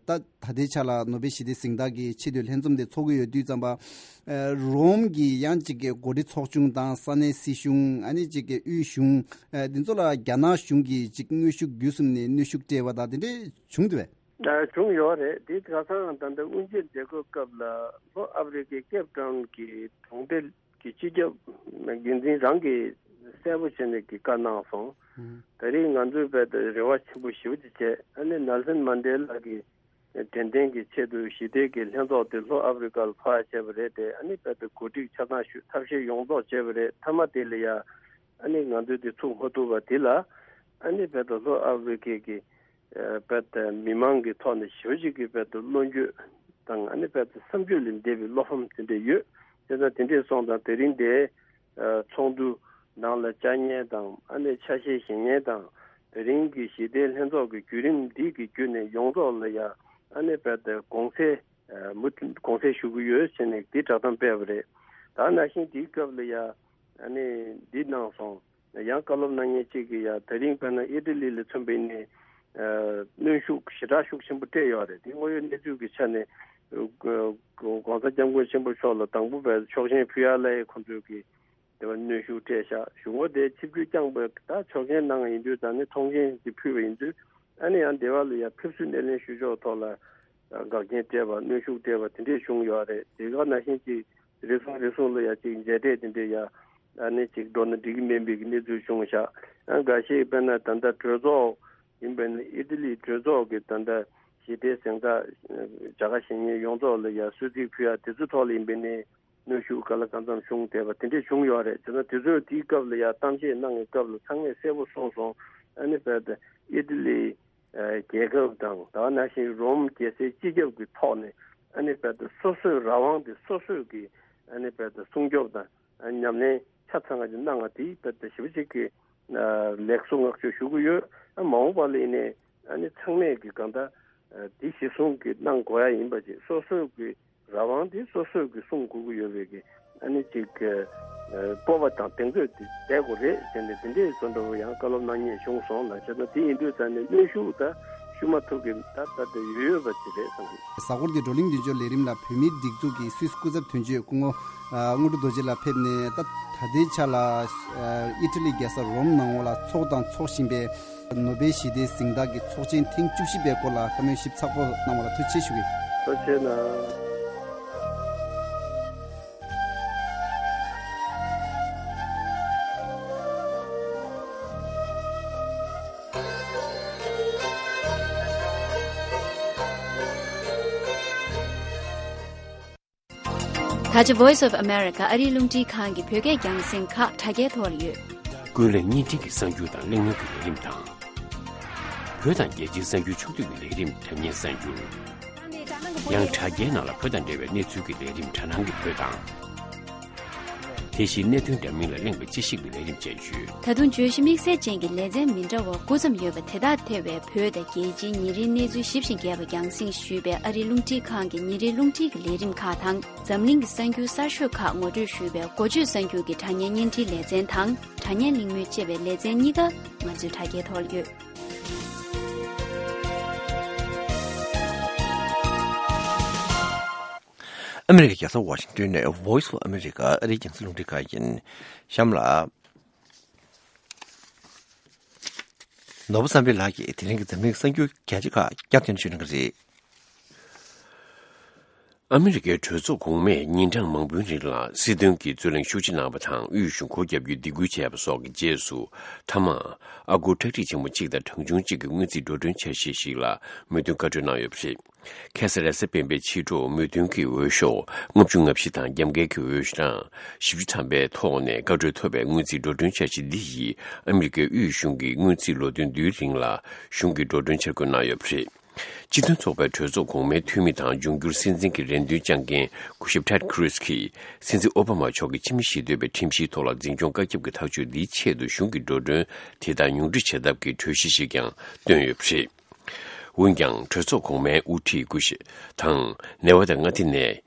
ད་ད་ལྟའི་ཆ་ལ་ནོ་བེལ་ཞི་བདེའི་གཟེངས་རྟགས་ཀྱི་ཆེས་མཐོའི་ལྷན་འཛོམས་དེ་འཚོགས་ཀྱི་ཡོད་དུས་ཙམ་པ། ཨ་རོམ་གྱི་ཡང་ཅིག་གི་འགོ་ཁྲིད་ཚོགས་ཆུང་དང་ས་གནས་སྲིད་གཞུང་ཨ་ནི་ཅིག་གི་དབུས་གཞུང་ཨ་འདི་ཚོ་ལ་རྒྱ་ནག་གཞུང་གིས་ཅིག་དངོས་ཤུགས་བརྒྱུད་གསུམ་ནས་གནོན་ཤུགས་སྤྲད་པ་དང་དེ་འདྲས་བྱུང་འདུག་བས། ཨ་བྱུང་ཡོད་རེད། དེ་ཁ་སང་ད་ལྟ་དབུ་འབྱེད་མཛད་སྒོའི་སྐབས་ལ་ལྷོ་ཨ་ཧྥི་རི་ཀའི་ཀེབ་ཊའུན་གྱི་གྲོང་སྡེ་གི་སྤྱི་ཁྱབ་འགན་འཛིན་རང་གིས་གསལ་པོ་བྱས་ནས་ཀྱི་བཀའ་གནང་སོང་། ད་རེས་ང་ཚོས་རྦད་དེ་རེ་བ་ཆེན་པོ་ཞེ་པོ་ཅིག་བྱས། ཨ་ནི་ནེལ་སན་མན་ཌེ་ལ་གི་དྲན་རྟེན་གྱི་ཆེད་དུ་ཞི་བདེ་གི་ལྷན་ཚོགས་དེ་ལྷོ་ཨ་ཧྥི་རི་ཀ་ལ་ཕར་བྱས་པ་རེད་དེ། ཨ་ནི་རྦད་དེ་གོ་སྒྲིག་ཆ་ཚང་ཞུས་ཐབས་ཤེས་ཡོངས་རྫོགས་བྱས་པ་རེད། མཐའ་མ་དེ་ལ་ཡ་ཨ་ནི་ང་ཚོས་དེ་ཚུགས་མ་ཐུབ་པ་དེ་ལ་ཨ་ནི་རྦད་དེ་ལྷོ་ཨ་ཧྥི་རི་ཀའི་གི་རྦད་དེ་མི་མང་གི་ཐོག་ནས་ཞེ་པོ་ཅིག་གི་རྦད་དེ་བློ་འགྱོད་དང་ཨ་ནི་རྦད་དེ་བསམ་སྤྱོད་ལས་འདས་པའི་བློ་ཕམ་དེ་འདྲ་ཡོད། བྱས་ཙང་དེ་འདྲས་སོང་ཙང་དེ་རིང་དེ་ཚོགས་འདུ་ནང་ལ་བཅར་མཁན་དང་ཨ་ནི་ཆ་ཤས་བཞེས་མཁན་དང་དེ་རིང་གི་ཞི་བདེའི་ལྷན་ཚོགས་ཀྱི་བརྒྱུད་རིམ་འདི་གི་བརྒྱུད་ནས་ཡོངས་རྫོགས་ལ་ཡ་ཨ་ནི་རྦད་དེ་དགོངས་སེལ་མུ་མཐུད་དགོངས་སེལ་ཞུ་གི་ཡོད་ཟེར་ནས་འདི་བསྒྲགས་གཏམ་སྤེལ་བ་རེད། ད་ནང་བཞིན་དེའི་སྐབས་ལ་ཡ་ཨ་ནི་འདི་གནང་སོང་། ཡང་བཀའ་སློབ་གནང་མཁན་གཅིག་གིས་ཡང་དེ་རིང་དཔེར་ན་ཨི་ཊ་ལི་ལ་མཚོན་པ་ཡིན་ནའི་གནོན་ཤུགས་ཞེ་དྲག་ཤུགས་ཆེན་པོ་སྤྲད་ཡོད་རེད། དེ་དངོས་ཡོད་གནས་ཚུལ་གྱི་ཆ་ནས་༸གོང་ས་༸སྐྱབས་མགོན་ཆེན་པོ་མཆོག་ལ་དང་པོ་བས་ཆོག་མཆན་ཕུལ་ཡ་ལ་ཡ་ཁོང་ཚོས་ཀྱིས་དེ་བ་གནོན་ཤུགས་སྤྲད་ཤག་གཞུག་གུ་དེ་ཆིབས་བསྒྱུར་བསྐྱངས་པ་ད་ཆོག་མཆན་གནང་ཡིན་དུས་ད་ནི་ཐོངས་མཆན་དེ་ཕུལ་བ་ཡིན་དུས་ཨ་ནི་ཡང་དེ་བ་ལ་ཡ་ཕེབས་བསུ་སྣེ་ལེན་ཞུ་ཕྱོགས་ཐོག་ལ་འགག་རྐྱེན་སྤྲད་པ་གནོན་ཤུགས་སྤྲད་པ་དེ་འདྲས་བྱུང་ཡོད་རེད། དེ་ག་ནང་བཞིན་གྱི་རེ་ཟུང་རེ་ཟུང་ལ་ཡ་གཅིག་མཇལ་འཕྲད་དེ་འདྲས་ཡ་ཨ་ནི་གཅིག་འགྲོ་ན་འགྲིག་གི་མིན་པའི་གི་གནས་ཚུལ་བྱུང་ཤག་ཨ་འགའ་ཤས་དཔེར་ན་ད་ལྟ་གྲོས་ཚོགས་ཡིན་པས་ན་ཨི་ཊ་ལིའི་གྲོས་ཚོགས་ཀྱི་ད་ལྟ་ཞི་བདེའི་གཟེངས་རྟགས་བྱ་དགའ་བཞེས་མཁན་ཡོངས་རྫོགས་ལ་ཡ་གསོལ་ཚིགས་ཕུལ་ཡ་དེ་ཚོ་ཐོག་ལ་ཡིན་པས་ནས་གནོན་ཤུགས་ག་ལ་གང་འཚམ་བྱུང་བསྡད་པ་དེ་འདྲས་བྱུང་ཡོད་རེད། བྱས་ན་དེ་ཚོས་དེའི་སྐབས་ལ་ཡ་གཏམ་བཤད་གནང་བའི་སྐབས་ལ་ཚང་མས་གསལ་པོ་གསུངས་སོང་། ཨ་ནི་དཔེར་ན་ཨི་ཊ་ལི་རྒྱལ་ཁབ་དང་ད་ག་ནང་བཞིན་རོམ་རྒྱལ་སའི་སྤྱི་ཁྱབ་ཀྱི་ཐོག་ནས་ཨ་ནི་དཔེར་ན་སོ་སོའི་རང་དབང་དེ་སོ་སོས་ཀྱི་ཨ་ནི་དཔེར་ན་སྲུང་སྐྱོབ་དང་ཉམས་ལེན་ ཆ་ཚང་ག་ཅིག་གནང་བ་དེ་ད་ལྟ་ཞེ་པོ་ཅིག་གི་ལེགས་སོ་བསྔགས་བརྗོད་ཞུ་གི་ཡོད། ཨ་མ་འོངས་པ་ལ་ཡིན་ནའི་ཨ་ནི་ཚང་མས་ཀྱི་གང་ལྟར་དེ་གཞི་བཟུང་གི་གནང་དགོས་ཡ་ཡིན་པ་ཅིག་སོ་སོའི་གི་རང་དབང་དེ་སོ་སོས་ཀྱི་སྲུང་དགོས་ཀྱི་ཡོད་པའི་གི་ཨ་ནི་ཅིག་གི་ཨ་སྤོབས་པ་དང་གདེང་ཚོད་དེ་བསྡད་དགོས་རེད་ཟེར་ནས་དེ་འདྲའི་བཟོ་འདྲ་བོ་ཡང་བཀའ་སློབ་གནང་མཁན་བྱུང་སོང་ལ། བྱས་ན་དེ་ཡིན་དུས་ཙང་ནས་གནོན་ཤུགས་ད་ཞུ་མ་ཐུབ་གི་ད་ད་ལྟ་ཡོད་ཡོད་པ་ཅིག་རེད་བསམ་གི། གཟའ་འཁོར་འདི་བགྲོ་གླེང་མདུན་སྐྱོར་ལས་རིམ་ལ་བོད་མིའི་སྒྲིག་འཛུགས་ཀྱི་སུད་སི་སྐུ་ཚབ་དོན་གཅོད་སྐུ་ངོ་དངོས་གྲུབ་རྡོ་རྗེ་ལགས་ཕེབས་ནས། ད་ད་ལྟའི་ཆ་ལ་ཨི་ཊ་ལི་རྒྱལ་ས་རོམ་ནང་ལ་འཚོགས་དང་འཚོགས་བཞིན་པའི་ནོ་བེལ་ཞི་བདེའི་གཟེངས་རྟགས་ཀྱི་ཚོགས་ཆེན་ཐེངས་བཅུ་བཞི་པའི་སྐོར་ལ་བཀའ་མོལ་ཞིབ་ཚགས་པོ་གནང་བ་ལ་ཐུགས་རྗེ་ཆེ་ཞུ་གི། ཐུགས་རྗེ་གནང་། ད་ཆ་Voice of America ཨ་རིའི་རླུང་འཕྲིན་ཁང་གི་བོད་སྐད་རྒྱང་སྲིང་ཁག་དྲ་རྒྱའི་ཐོག་ལ་ཡོད། ཀུན་གླེང་བརྙན་འཕྲིན་གྱི་གསར་འགྱུར་དང་གླེང་མོལ་གྱི་ལས་རིམ་དང་། བོད་དང་རྒྱལ་སྤྱིའི་གསར་འགྱུར་ཕྱོགས་བསྡུས་ཀྱི་ལས་རིམ་དྲ་བརྙན་གསར་འགྱུར། ཡང་དྲ་རྒྱའི་ནང་ལ་བོད་དང་འབྲེལ་བའི་གནས་ཚུལ་གྱི་ལས་རིམ་དྲ་སྣང་གི་བོད་དང་། དེ་བཞིན་གནད་དོན་འདྲ་མིན་ལ་གླེང་བའི་དཔྱད་ཞིབ་ཀྱི་ལས་རིམ་བཅས་ཡོད། ད་དུང་བརྗོད་གཞི་དམིགས་བསལ་ཅན་གྱི་ལེ་ཚན་མི་འདྲ་བ་དགུ་ཙམ་ཡོད་པ་དེ་དག་ཐེ་བའི་བོད་དང་རྒྱལ་སྤྱིའི་ཉིན་རེའི་གནས་ཚུལ་ཞིབ་ཅིང་རྒྱས་པ་རྒྱང་སྲིང་ཞུས་པའི་ཨ་རིའི་རླུང་འཕྲིན་ཁང་གི་ཉིན་རེའི་རླུང་འཕྲིན་གྱི་ལས་རིམ་ཁག་དང་། འཛམ་གླིང་གི་གསར་འགྱུར་གསར་ཤོས་ཁག་ངོ་སྤྲོད་ཞུས་པའི་འགོ་བརྗོད་གསར་འགྱུར་གྱི་དྲ་བརྙན་བརྙན་འཕྲིན་ལེ་ཚན་དང་། དྲ་བརྙན་གླེང་མོལ་ཅེས་པའི་ལེ་ཚན་གཉིས་ཀ་ང་ཚོའི་དྲ་རྒྱའི་ཐོག་ལ་ཡོད། ཨ་མི་རི་ཀའི་རྒྱལ་ས་ཝ་ཤིང་ཏོན་ནས་Voice of America ཨ་རིའི་རྒྱང་སྲིང་རླུང་འཕྲིན་ཁང་ཡིན། གཤམ་ལ། ནོར་བུ་བསམ་འཕེལ་ལགས་ཀྱིས་དེ་རིང་གི་འཛམ་གླིང་གསར་འགྱུར་རྒྱ་ཆེ་ཁག་བསྐྱར་ཟློས་ཞུ་གནང་གི་རེད། ཨ་མི་རི་ཀའི་གྲོས་ཚོགས་གོང་མས་ཉིན་གྲངས་མང་པོའི་རིང་ལ་སྲིད་དོན་གྱི་རྩོད་གླེང་ཤུགས་ཆེ་གནང་བ་དང་། དབུས་གཞུང་སྒོ་བརྒྱབ་རྒྱུའི་སྡིགས་སྐུལ་བྱས་པ་སོགས་ཀྱི་རྗེས་སུ། མཐའ་མ། ཨ་སྒོར་ཁྲག་ཁྲིག་ཆེན་མོ་གཅིག་དང་གྲངས་ཆུང་གཅིག་གི་དངུལ་རྩིས་འགྲོ་གྲོན་འཆར་གཞི་ཞིག་ལ་མོས་མཐུན་བཀའ་འཁྲོལ་གནང་ཡོད་པ་རེད། ཁ་སང་རེས་གཟའ་སྤེན་པའི་ཕྱི་དྲོ་མོས་མཐུན་གྱི་འོས་ཤོག་ལྔ་བཅུ་ང་བཞི་དང་རྒྱབ་འགལ་གྱི་འོས་གྲངས་བཞི་བཅུ་ཐམ་པའི་ཐོག་ནས་བཀའ་འཁྲོལ་ཐོབ་པའི་དངུལ་རྩིས་འགྲོ་གྲོན་འཆར་གཞི་འདི་ཡིས་ཨ་མི་རི་ཀའི་དབུས་གཞུང་གི་དངུལ་རྩིས་ལོ་དོན་བསྡུའི་རིང་ལ་གཞུང་གི་འགྲོ་གྲོན་འཆར་འགོད་གནང་ཡོད་པ་རེད། སྤྱི་མཐུན་ཚོགས་པའི་གྲོས་ཚོགས་གོང་མའི་འཐུས་མི་དང་འབྱུང་འགྱུར་སྲིད་འཛིན་གྱི་རེ་འདུན་བཅངས་མཁན་སྐུ་ཞབས་Ted Cruz གྱིས་སྲིད་འཛིན་ཨོ་བྷ་མ་མཆོག་གིས་ཕྱི་མི་ཞི་གཏོད་པའི་ཁྲིམས་གཞིའི་ཐོག་ལ་འཛིན་སྐྱོང་བཀའ་ཁྱབ་ཀྱི་ཐག་གཅོད་འདིའི་ཆེད་དུ་གཞུང་གི་འགྲོ་གྲོན་དེ་དག་ཉུང་འཕྲི་བྱེད་ཐབས་ཀྱི་གྲོས་གཞི་ཞིག་ཀྱང་བཏོན་ཡོད་པ་རེད། འོན་ཀྱང་། གྲོས་ཚོགས་གོང་མའི་དབུ་ཁྲིད་སྐུ་ཞབས་དང་། ནེ་ཝ་དཱ་མངའ་སྡེ་ནས་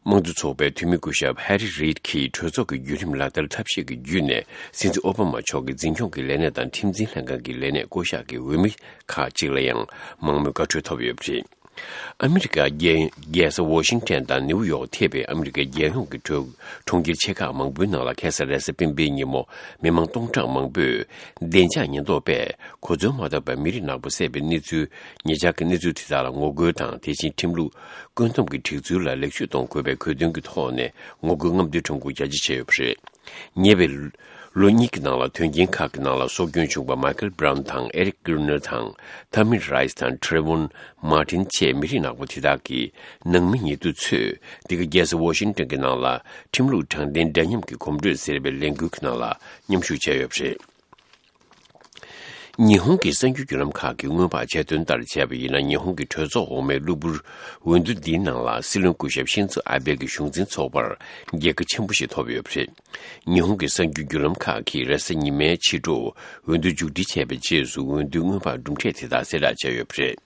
དམངས་གཙོ་ཚོགས་པའི་འཐུས་མི་སྐུ་ཞབས་Harry Reid གྱིས་གྲོས་ཚོགས་ཀྱི་བརྒྱུད་རིམ་ལག་བསྟར་ཐབས་ཤེས་ཀྱི་བརྒྱུད་ནས། སྲིད་འཛིན་ཨོ་བྷ་མ་མཆོག་གི་འཛིན་སྐྱོང་གི་ལས་གནས་དང་ཁྲིམས་འཛིན་ལྷན་ཁང་གི་ལས་གནས་བསྐོ་གཞག་གི་འོས་མི་ཁག་ཅིག་ལ་ཡང་མང་མོས་བཀའ་འཁྲོལ་ཐོབ་ཡོད་པ་རེད། ཨ་མི་རི་ཀ་རྒྱལ་རྒྱལ་ས་ཝོ་ཤིང་ཊོན་དང་ནིའུ་ཡོག་ཐེ་བའི་ཨ་མི་རི་ཀའི་རྒྱལ་ཡོངས་ཀྱི་གྲོས་གྲོང་ཁྱེར་ཆེ་ཁག་མང་པོའི་ནང་ལ་ཁ་སང་རེས་གཟའ་སྤེན་པའི་ཉིན་མོ་མི་མང་སྟོང་ཕྲག་མང་པོས་བདེ་འཇགས་ཉེན་རྟོག་པས་གོ་འཛོལ་མ་ཐོབ་པར་མི་རིགས་ནག་པོ་བསད་པའི་གནས་ཚུལ། ཉེ་ཆར་གྱི་གནས་ཚུལ་དེ་དག་ལ་ངོ་རྒོལ་དང་། དེ་བཞིན་ཁྲིམས་ལུགས་བཀོད་འདོམས་ཀྱི་སྒྲིག་འཛུགས་ལ་ལེགས་བཅོས་གཏོང་དགོས་པའི་གོ་སྟོན་གྱི་ཐོག་ནས་ངོ་རྒོལ་རྔམ་སྟོན་ཁྲོམ་སྐོར་རྒྱ་ཆེ་བྱས་ཡོད་པ་རེད། ཉེ་བའི་ལོ་གཉིས་ཀྱི་ནང་ལ་དོན་རྐྱེན་ཁག་གི་ནང་ལ་སྲོག་སྐྱོན་བྱུང་བ་Michael Brown དང་Eric Garner དང་Tamir Rice དང་Trayvon Martin བཅས་མི་རིགས་ནག་པོ་དེ་དག་གི་ནང་མི་ཉེ་དུ་ཚོས་འདི་ག་རྒྱལ་ས་ཝོ་ཤིང་ཊོན་གྱི་ནང་ལ་ཁྲིམས་ལུགས་དྲང་བདེན་འདྲ་མཉམ་གྱི་གོམ་བགྲོད་ཟེར་བའི་ལས་འགུལ་གྱི་ནང་ལ་མཉམ་ཞུགས་བྱས་ཡོད་པ་རེད། ཉི་ཧོང་གི་གསར་འགྱུར་བརྒྱུད་ལམ་ཁག་གིས་སྔོན་དཔག་བྱས་དོན་ལྟར་བྱས་པ་ཡིན་ན། ཉི་ཧོང་གི་གྲོས་ཚོགས་འོག་མའི་གློ་བུར་འོས་བསྡུ་འདིའི་ནང་ལ་སྲིད་བློན་སྐུ་ཞབས་ཤིན་ཛོ་ཨ་བྷེ་གི་གཞུང་འཛིན་ཚོགས་པར་རྒྱལ་ཁ་ཆེན་པོ་ཞིག་ཐོབ་ཡོད་པ་རེད། ཉི་ཧོང་གི་གསར་འགྱུར་བརྒྱུད་ལམ་ཁག་གིས་རེས་གཟའ་ཉི་མའི་ཕྱི་དྲོ་འོས་བསྡུ་མཇུག་སྒྲིལ་བྱས་པའི་རྗེས་སུ་འོས་བསྡུའི་སྔོན་དཔག་གྲུབ་འབྲས་དེ་དག་གསལ་བསྒྲགས་བྱས་ཡོད་པ་རེད།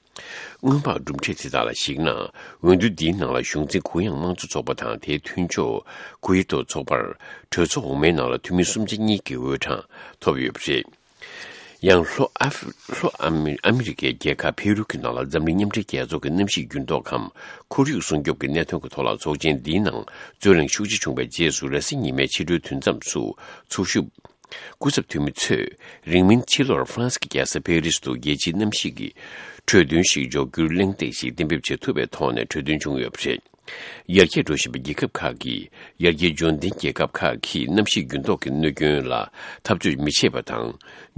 སྔོན་དཔག་གྲུབ་འབྲས་དེ་དག་ལ་གཞིགས་ན། འོས་བསྡུ་འདིའི་ནང་ལ་གཞུང་འཛིན་གུ་ཡངས་དམངས་གཙོ་ཚོགས་པ་དང་དེའི་མཐུན་ཕྱོགས་གུ་ཡི་ཏོ་ཚོགས་པར་གྲོས་ཚོགས་འོག་མའི་ནང་ལ་འཐུས་མི་སུམ་ཆ་གཉིས་ཀྱི་འོས་གྲངས་ཐོབ་ཡོད་པ་རེད། ཡང་ལྷོ་ཨ་ཧྥི་ལྷོ་ཨ་མི་ཨ་མི་རི་ཀའི་རྒྱལ་ཁབ་ཕེ་རུ་གྱི་ནང་ལ་འཛམ་གླིང་མཉམ་འབྲེལ་རྒྱལ་ཚོགས་ཀྱི་གནམ་གཤིས་འགྱུར་ལྡོག་གམ་ཁོར་ཡུག་སྲུང་སྐྱོབ་ཀྱི་གནད་དོན་གྱི་ཐོག་ལ་ཚོགས་ཆེན་འདིའི་ནང་རྩོད་གླེང་ཤུགས་ཆེ་བྱུང་བའི་རྗེས་སུ། རེས་གཟའ་ཉི་མའི་ཕྱི་དྲོའི་དུས་མཚམས་སུ་ཚོགས་ཞུགས་སྐུ་ཚབ་འཐུས་མི་ཚོས་རིང་མིན་ཕྱི་ལོར་ཧྥ་རན་སི་གི་རྒྱལ་ས་ཕེ་རི་སི་དུ་རྒྱལ་སྤྱིའི་གནམ་གཤིས་ཀྱི་གྲོས་མཐུན་ཞིག་འཇོག་རྒྱུར་གླེང་སྟེགས་ཤིག་གཏན་འབེབས་བྱེད་ཐུབ་པའི་ཐོག་ནས་གྲོས་མཐུན་བྱུང་ཡོད་པ་རེད། ཡར་རྒྱས་འགྲོ་བཞིན་པའི་རྒྱལ་ཁབ་ཁག་གིས་ཡར་རྒྱས་འབྱོར་ལྡན་རྒྱལ་ཁབ་ཁག་གིས་གནམ་གཤིས་འགྱུར་ལྡོག་གི་གནོད་སྐྱོན་ལ་འཐབ་རྩོད་མི་བྱེད་པ་དང་།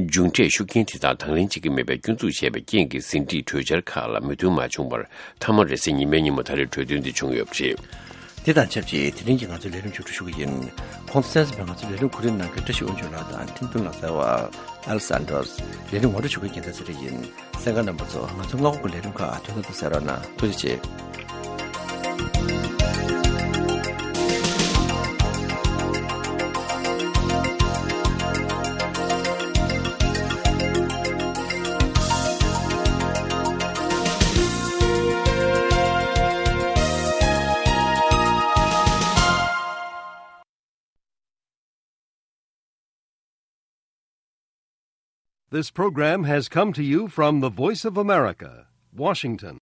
མཇུག་འབྲས་ཤུགས་རྐྱེན་དེ་དག་དང་ལེན་བྱེད་ཀྱི་མེད་པའི་སྐྱོན་འཛུགས་བྱས་པའི་རྐྱེན་གྱིས་ཟིན་བྲིས་གྲོས་འཆར་ཁག་ལ་མོས་མཐུན་མ་བྱུང་བར། མཐའ་མར་རེས་གཟའ་ཉི་མའི་ཉིན་མོ་ད་རེས་གྲོས་མཐུན་དེ་བྱུང་ཡོད་པ་རེད། དེ་དང་ཆབས་ཅིག་དེ་རིང་གི་ང་ཚོའི་ལས་རིམ་མཇུག་སྒྲིལ་ཞུ་གི་ཡིན། ཁོང་ཚོ་གསན་གཟིགས་པ་ང་ཚོའི་ལས་རིམ་གོ་སྒྲིག་གནང་མཁན་བཀྲ་ཤིས་དབང་ཕྱུག་ལགས་དང་ཁྲིན་ཏུན་ལགས། རྩ་བ་ཨེལ་སན་ཏྲོས། ལས་རིམ་ངོ་སྤྲོད་ཞུ་མཁན་རྒྱལ་མཚན་ཚེ་རིང་ཡིན། གསན་མཁན་རྣམ་པ་ཚོ་ང་ཚོའི་སྔ་དགོང་གི་ལས་རིམ་ཁག་ཐུགས་སྣང་དུ་གསན་རོགས་གནང་། ཐུགས་རྗེ་ཆེ། This program has come to you from the Voice of America, Washington.